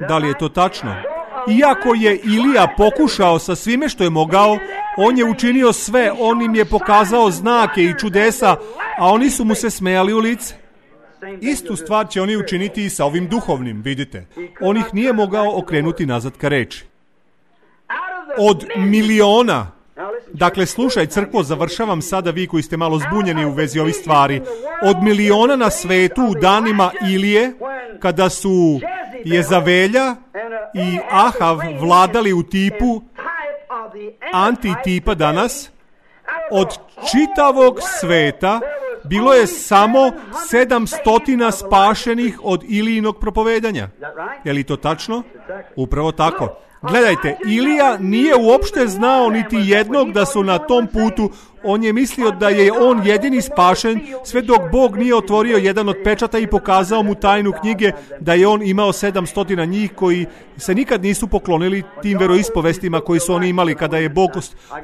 Da li je to tačno? Iako je Ilija pokušao sa svime što je mogao, on je učinio sve, on im je pokazao znake i čudesa, a oni su mu se smejali u lice. Istu stvar će oni učiniti i sa ovim duhovnim, vidite. On ih nije mogao okrenuti nazad ka reči. Od miliona, dakle slušaj crkvo, završavam sada vi koji ste malo zbunjeni u vezi ovih stvari, od miliona na svetu u danima Ilije, kada su Jezavelja i Ahav vladali u tipu antitipa danas, od čitavog sveta bilo je samo sedamstotina spašenih od Ilijinog propovedanja. Je li to tačno? Upravo tako. Gledajte, Ilija nije uopšte znao niti jednog da su na tom putu. On je mislio da je on jedini spašen, sve dok Bog nije otvorio jedan od pečata i pokazao mu tajnu knjige, da je on imao sedamstotina njih koji se nikad nisu poklonili tim veroispovestima koji su oni imali. Kada je Bog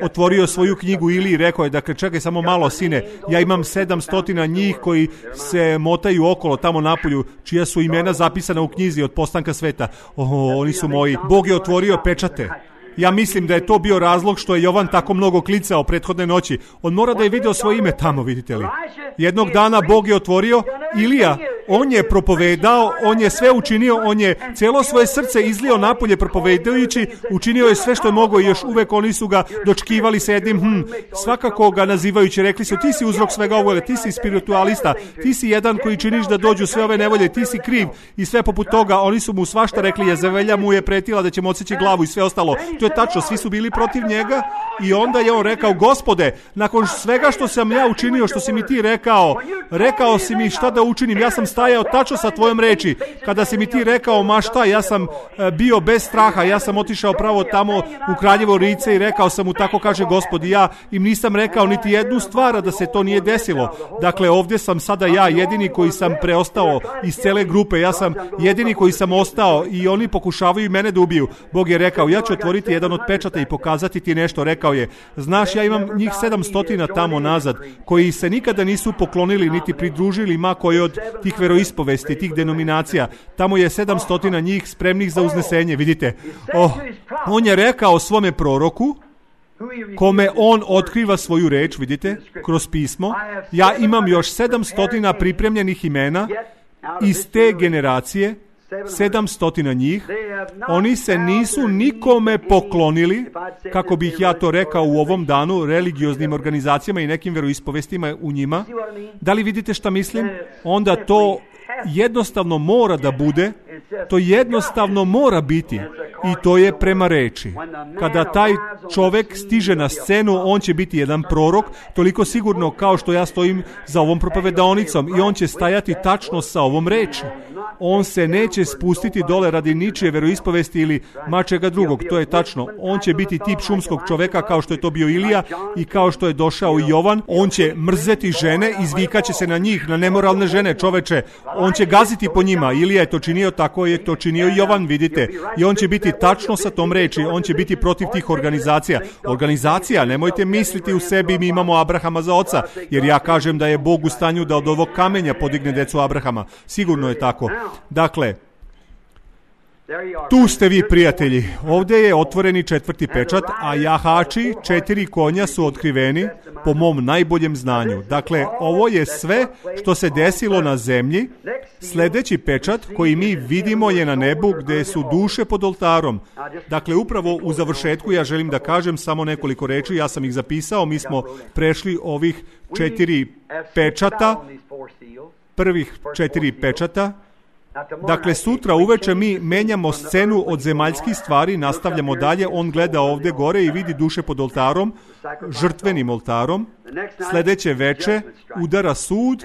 otvorio svoju knjigu Iliji, rekao je, dakle, čekaj samo malo sine, ja imam sedamstotina njih koji se motaju okolo tamo napolju, čija su imena zapisana u knjizi od postanka sveta. O, oni su moji. Bog je otvorio pečate. Ja mislim da je to bio razlog što je Jovan tako mnogo klicao prethodne noći. On mora da je video svoje ime tamo, vidite li. Jednog dana Bog je otvorio Ilija. On je propovedao, on je sve učinio, on je cijelo svoje srce izlio napolje propovedajući, učinio je sve što je mogao i još uvek oni su ga dočkivali sa jednim, hm, svakako ga nazivajući, rekli su, ti si uzrok svega ovoga, ti si spiritualista, ti si jedan koji činiš da dođu sve ove nevolje, ti si kriv i sve poput toga. Oni su mu svašta rekli, Jezavelja mu je pretila da će mu odseći glavu i sve ostalo. To je tačno, svi su bili protiv njega i onda je on rekao, Gospode, nakon svega što sam ja učinio, što si mi ti rekao, rekao si mi šta da učinim, ja sam stajao tačno sa tvojom reči. Kada si mi ti rekao, ma šta, ja sam e, bio bez straha, ja sam otišao pravo tamo u Kraljevo Rice i rekao sam mu, tako kaže Gospod, i ja im nisam rekao niti jednu stvar da se to nije desilo. Dakle, ovdje sam sada ja jedini koji sam preostao iz cele grupe, ja sam jedini koji sam ostao i oni pokušavaju mene da ubiju. Bog je rekao, ja ću otvoriti jedan od pečata i pokazati ti nešto. Rekao je, znaš, ja imam njih sedamstotina tamo nazad, koji se nikada nisu poklonili niti pridružili ma koji od tih veroispovesti, tih denominacija. Tamo je sedamstotina njih spremnih za uznesenje, vidite. Oh, on je rekao svome proroku, kome on otkriva svoju reč, vidite, kroz pismo, ja imam još sedamstotina pripremljenih imena iz te generacije, sedamstotina njih, oni se nisu nikome poklonili, kako bih ja to rekao u ovom danu, religioznim organizacijama i nekim veroispovestima u njima. Da li vidite šta mislim? Onda to jednostavno mora da bude, to jednostavno mora biti i to je prema reči. Kada taj čovek stiže na scenu, on će biti jedan prorok, toliko sigurno kao što ja stojim za ovom propovedaonicom i on će stajati tačno sa ovom reči. On se neće spustiti dole radi ničije veroispovesti ili mačega drugog, to je tačno. On će biti tip šumskog čoveka kao što je to bio Ilija i kao što je došao i Jovan. On će mrzeti žene, izvikaće se na njih, na nemoralne žene, čoveče. On će gaziti po njima. Ilija je to činio, tako je to činio i Jovan, vidite. I on će biti tačno sa tom reči, on će biti protiv tih organizacija. Organizacija, nemojte misliti u sebi mi imamo Abrahama za oca, jer ja kažem da je Bog u stanju da od ovog kamenja podigne decu Abrahama. Sigurno je tako. Dakle, tu ste vi, prijatelji. Ovdje je otvoreni četvrti pečat, a jahači, četiri konja su otkriveni po mom najboljem znanju. Dakle, ovo je sve što se desilo na zemlji. Sljedeći pečat koji mi vidimo je na nebu gdje su duše pod oltarom. Dakle, upravo u završetku ja želim da kažem samo nekoliko reči, ja sam ih zapisao, mi smo prešli ovih četiri pečata, prvih četiri pečata. Dakle, sutra uveče mi menjamo scenu od zemaljskih stvari, nastavljamo dalje, on gleda ovdje gore i vidi duše pod oltarom, žrtvenim oltarom. Sljedeće veče udara sud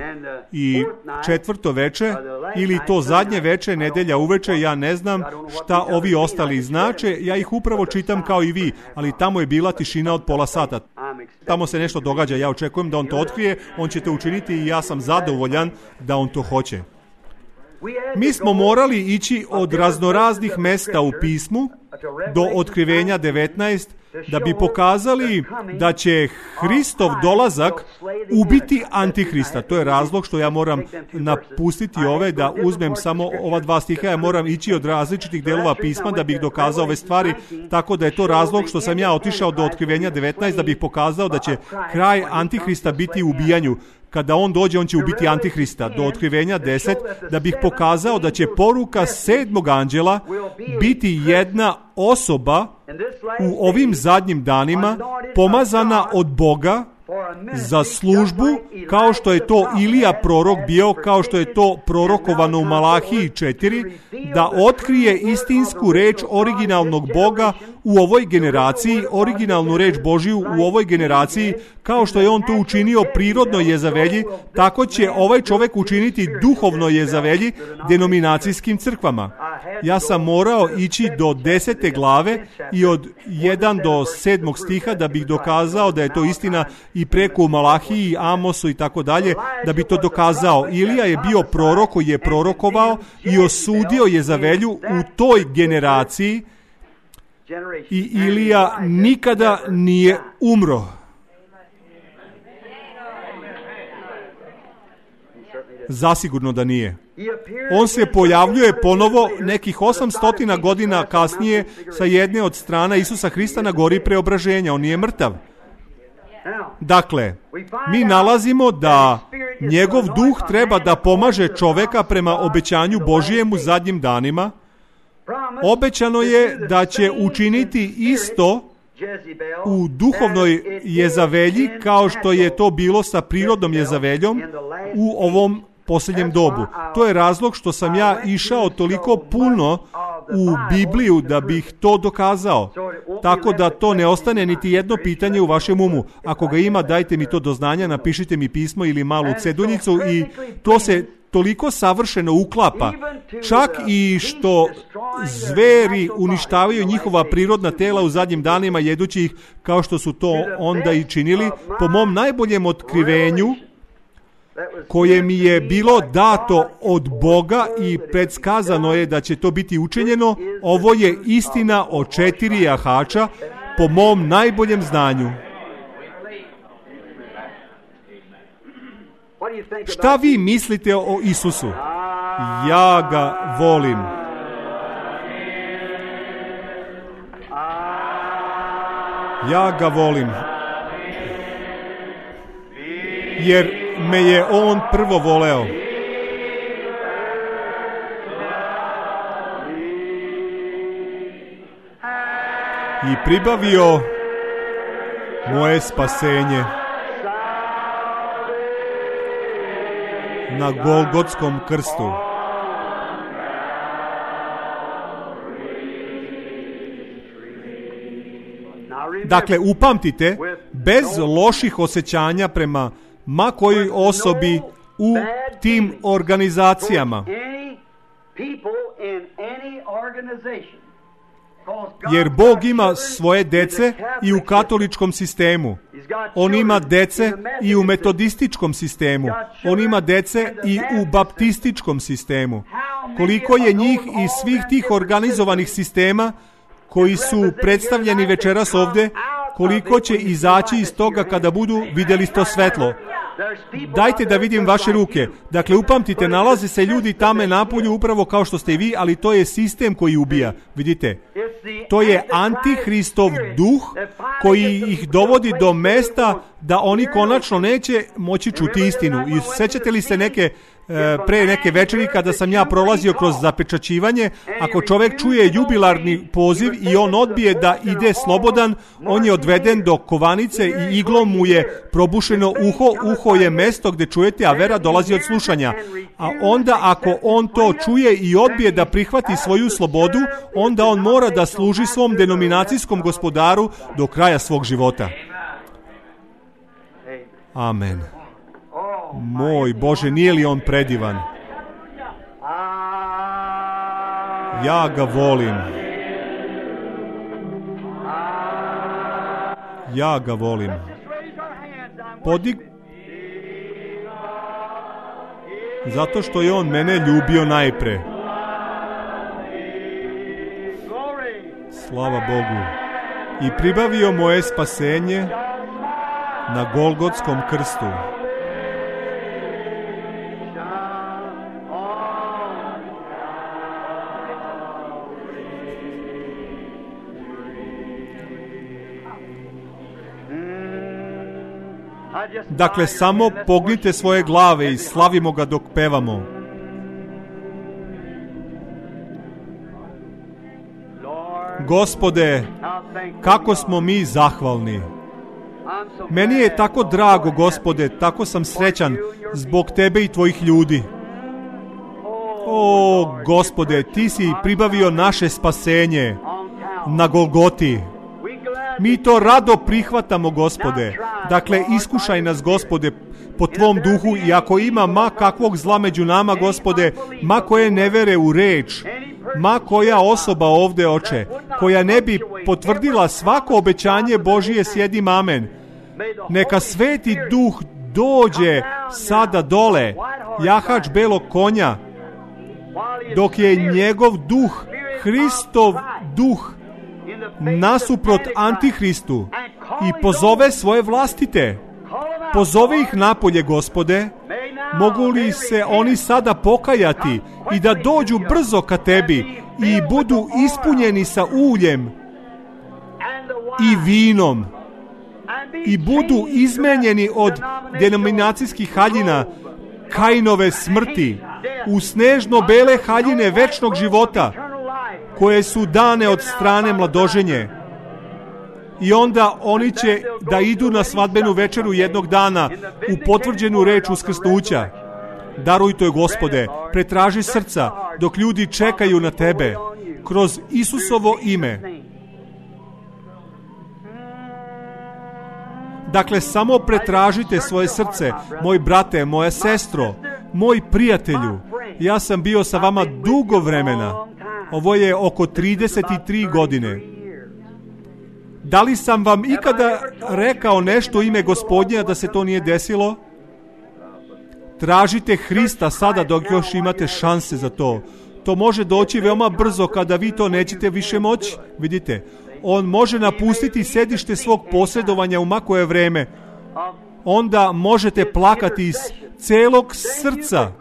i četvrto veče, ili to zadnje veče, nedelja uveče, ja ne znam šta ovi ostali znače, ja ih upravo čitam kao i vi, ali tamo je bila tišina od pola sata. Tamo se nešto događa, ja očekujem da on to otkrije, on će to učiniti i ja sam zadovoljan da on to hoće. Mi smo morali ići od raznoraznih mesta u pismu do otkrivenja devetnaest da bi pokazali da će Hristov dolazak ubiti Antihrista. To je razlog što ja moram napustiti ove, da uzmem samo ova dva stiha, ja moram ići od različitih delova pisma da bih dokazao ove stvari, tako da je to razlog što sam ja otišao do Otkrivenja devetnaest da bih pokazao da će kraj Antihrista biti u ubijanju. Kada on dođe, on će ubiti Antihrista. Do Otkrivenja deset, da bih pokazao da će poruka sedmog anđela biti jedna osoba u ovim zadnjim danima pomazana od Boga za službu, kao što je to Ilija prorok bio, kao što je to prorokovano u Malahiji četiri, da otkrije istinsku reč originalnog Boga u ovoj generaciji, originalnu reč Božiju u ovoj generaciji, kao što je on to učinio prirodno Jezavelji, tako će ovaj čovjek učiniti duhovno Jezavelji denominacijskim crkvama. Ja sam morao ići do desete glave i od jedan do sedmog stiha da bih dokazao da je to istina i preko u Malahiji, Amosu i tako dalje, da bi to dokazao. Ilija je bio prorok koji je prorokovao i osudio Jezavelju u toj generaciji i Ilija nikada nije umro. Zasigurno da nije. On se pojavljuje ponovo nekih osamsto godina kasnije sa jedne od strana Isusa Hrista na gori preobraženja. On nije mrtav. Dakle, mi nalazimo da njegov duh treba da pomaže čoveka prema obećanju Božijem u zadnjim danima. Obećano je da će učiniti isto u duhovnoj Jezavelji kao što je to bilo sa prirodnom Jezaveljom u ovom posljednjem dobu. To je razlog što sam ja išao toliko puno u Bibliju da bih to dokazao. Tako da to ne ostane niti jedno pitanje u vašem umu. Ako ga ima, dajte mi to do znanja, napišite mi pismo ili malu ceduljicu i to se toliko savršeno uklapa. Čak i što zveri uništavaju njihova prirodna tela u zadnjim danima jedući ih kao što su to onda i činili, po mom najboljem otkrivenju koje mi je bilo dato od Boga i predskazano je da će to biti učinjeno, ovo je istina o četiri jahača po mom najboljem znanju. Šta vi mislite o Isusu? Ja ga volim. Ja ga volim. Jer me je on prvo voleo. I pribavio moje spasenje na Golgotskom krstu. Dakle, upamtite, bez loših osjećanja prema ma kojoj osobi u tim organizacijama. Jer Bog ima svoje dece i u katoličkom sistemu. On ima dece i u metodističkom sistemu. On ima dece i u baptističkom sistemu. Koliko je njih iz svih tih organizovanih sistema koji su predstavljeni večeras ovdje, koliko će izaći iz toga kada budu vidjeli to svetlo. Dajte da vidim vaše ruke. Dakle, upamtite, nalaze se ljudi tamo napolju upravo kao što ste i vi, ali to je sistem koji ubija. Vidite, to je Antihristov duh koji ih dovodi do mesta da oni konačno neće moći čuti istinu. I sećate li se neke pre neke večeri kada sam ja prolazio kroz zapečaćivanje, ako čovjek čuje jubilarni poziv i on odbije da ide slobodan, on je odveden do kovanice i iglom mu je probušeno uho. Uho je mesto gdje čujete, a vera dolazi od slušanja. A onda ako on to čuje i odbije da prihvati svoju slobodu, onda on mora da služi svom denominacijskom gospodaru do kraja svog života. Amen. Moj Bože, nije li on predivan? Ja ga volim. Ja ga volim. Podig... Zato što je on mene ljubio najpre. Slava Bogu. i pribavio moje spasenje na Golgotskom krstu. Dakle, samo pognite svoje glave i slavimo ga dok pevamo. Gospode, kako smo mi zahvalni. Meni je tako drago, Gospode, tako sam srećan zbog Tebe i Tvojih ljudi. O, Gospode, Ti si pribavio naše spasenje na Golgoti. Mi to rado prihvatamo, Gospode. Dakle, iskušaj nas, Gospode, po Tvom duhu, i ako ima ma kakvog zla među nama, Gospode, ma koje ne vere u reč, ma koja osoba ovde, Oče, koja ne bi potvrdila svako obećanje Božije, sjedim amen. Neka Sveti Duh dođe sada dole, jahač belog konja, dok je njegov duh, Hristov duh, nasuprot Antihristu, i pozove svoje vlastite. Pozove ih napolje, Gospode. Mogu li se oni sada pokajati i da dođu brzo ka Tebi i budu ispunjeni sa uljem i vinom i budu izmenjeni od denominacijskih haljina Kainove smrti u snežno bele haljine večnog života koje su dane od strane mladoženje. I onda oni će da idu na svadbenu večeru jednog dana u potvrđenu reč uskrsnuća. Daruj to, Gospode, pretraži srca dok ljudi čekaju na Tebe kroz Isusovo ime. Dakle, samo pretražite svoje srce, moj brate, moja sestro, moj prijatelju. Ja sam bio sa vama dugo vremena. Ovo je oko trideset tri godine. Da li sam vam ikada rekao nešto u ime Gospodnja da se to nije desilo? Tražite Hrista sada dok još imate šanse za to. To može doći veoma brzo kada vi to nećete više moći. Vidite, on može napustiti sedište svog posredovanja u makoje vreme. Onda možete plakati iz celog srca.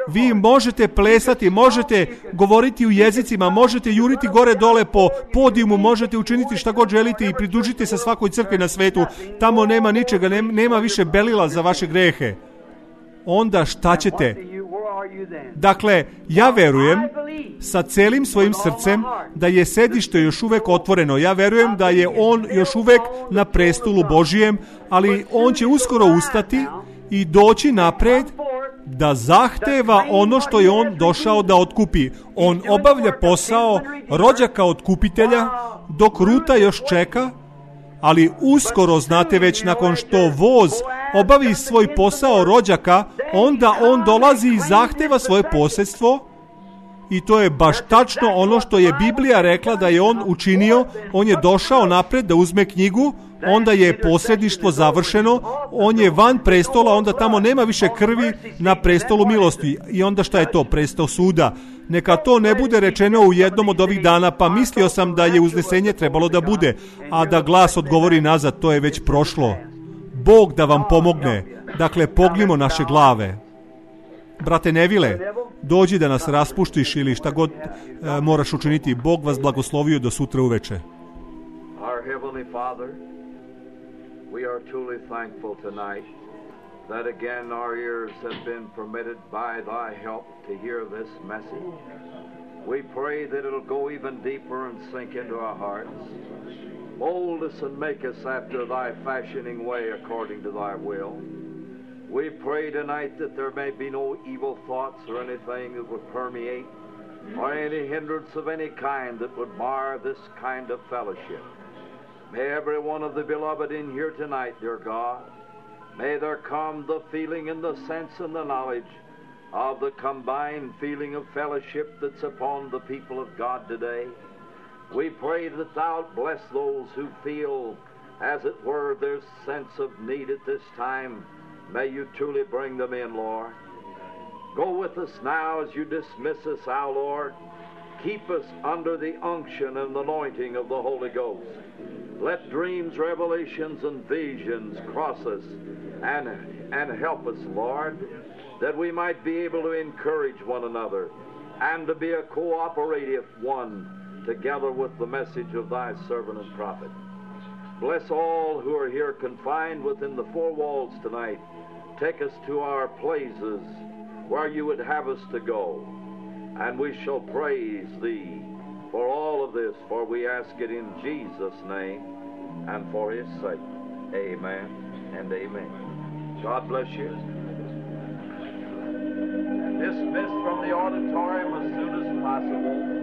Vi možete plesati, možete govoriti u jezicima, možete juriti gore dole po podijumu, možete učiniti šta god želite i pridružite se svakoj crkvi na svetu. Tamo nema ničega, nema više belila za vaše grehe. Onda šta ćete? Dakle, ja verujem sa celim svojim srcem da je sedište još uvek otvoreno. Ja verujem da je on još uvek na prestolu Božijem, ali on će uskoro ustati i doći napred da zahteva ono što je on došao da otkupi. On obavlja posao rođaka otkupitelja dok ruta još čeka, ali uskoro, znate već, nakon što voz obavi svoj posao rođaka, onda on dolazi i zahteva svoje posjedstvo. I to je baš tačno ono što je Biblija rekla da je on učinio. On je došao napred da uzme knjigu, onda je posredništvo završeno, on je van prestola, onda tamo nema više krvi na prestolu milosti. I onda šta je to? Prestol suda. Neka to ne bude rečeno u jednom od ovih dana, pa mislio sam da je uznesenje trebalo da bude, a da glas odgovori nazad, to je već prošlo. Bog da vam pomogne. Dakle, pognimo naše glave. Brate Nevile, dođi da nas raspuštiš ili šta god e, moraš učiniti. Bog vas blagoslovio do sutra uveče. Our Heavenly Father, we are truly thankful tonight that again our ears have been permitted by Thy help to hear this message. We pray that it'll go even deeper and sink into our hearts. Mold us and make us after Thy fashioning way according to Thy will. We pray tonight that there may be no evil thoughts or anything that would permeate or any hindrance of any kind that would mar this kind of fellowship. May every one of the beloved in here tonight, dear God, may there come the feeling and the sense and the knowledge of the combined feeling of fellowship that's upon the people of God today. We pray that Thou bless those who feel, as it were, their sense of need at this time. May You truly bring them in, Lord. Go with us now as You dismiss us, our Lord. keep us under the unction and anointing of the Holy Ghost. Let dreams, revelations, and visions cross us and, and help us, Lord, that we might be able to encourage one another and to be a cooperative one together with the message of thy servant and prophet. Bless all who are here confined within the four walls tonight. Take us to our places where you would have us to go, and we shall praise thee for all of this, for we ask it in Jesus' name and for his sake. Amen and amen. God bless you. Dismissed from the auditorium as soon as possible.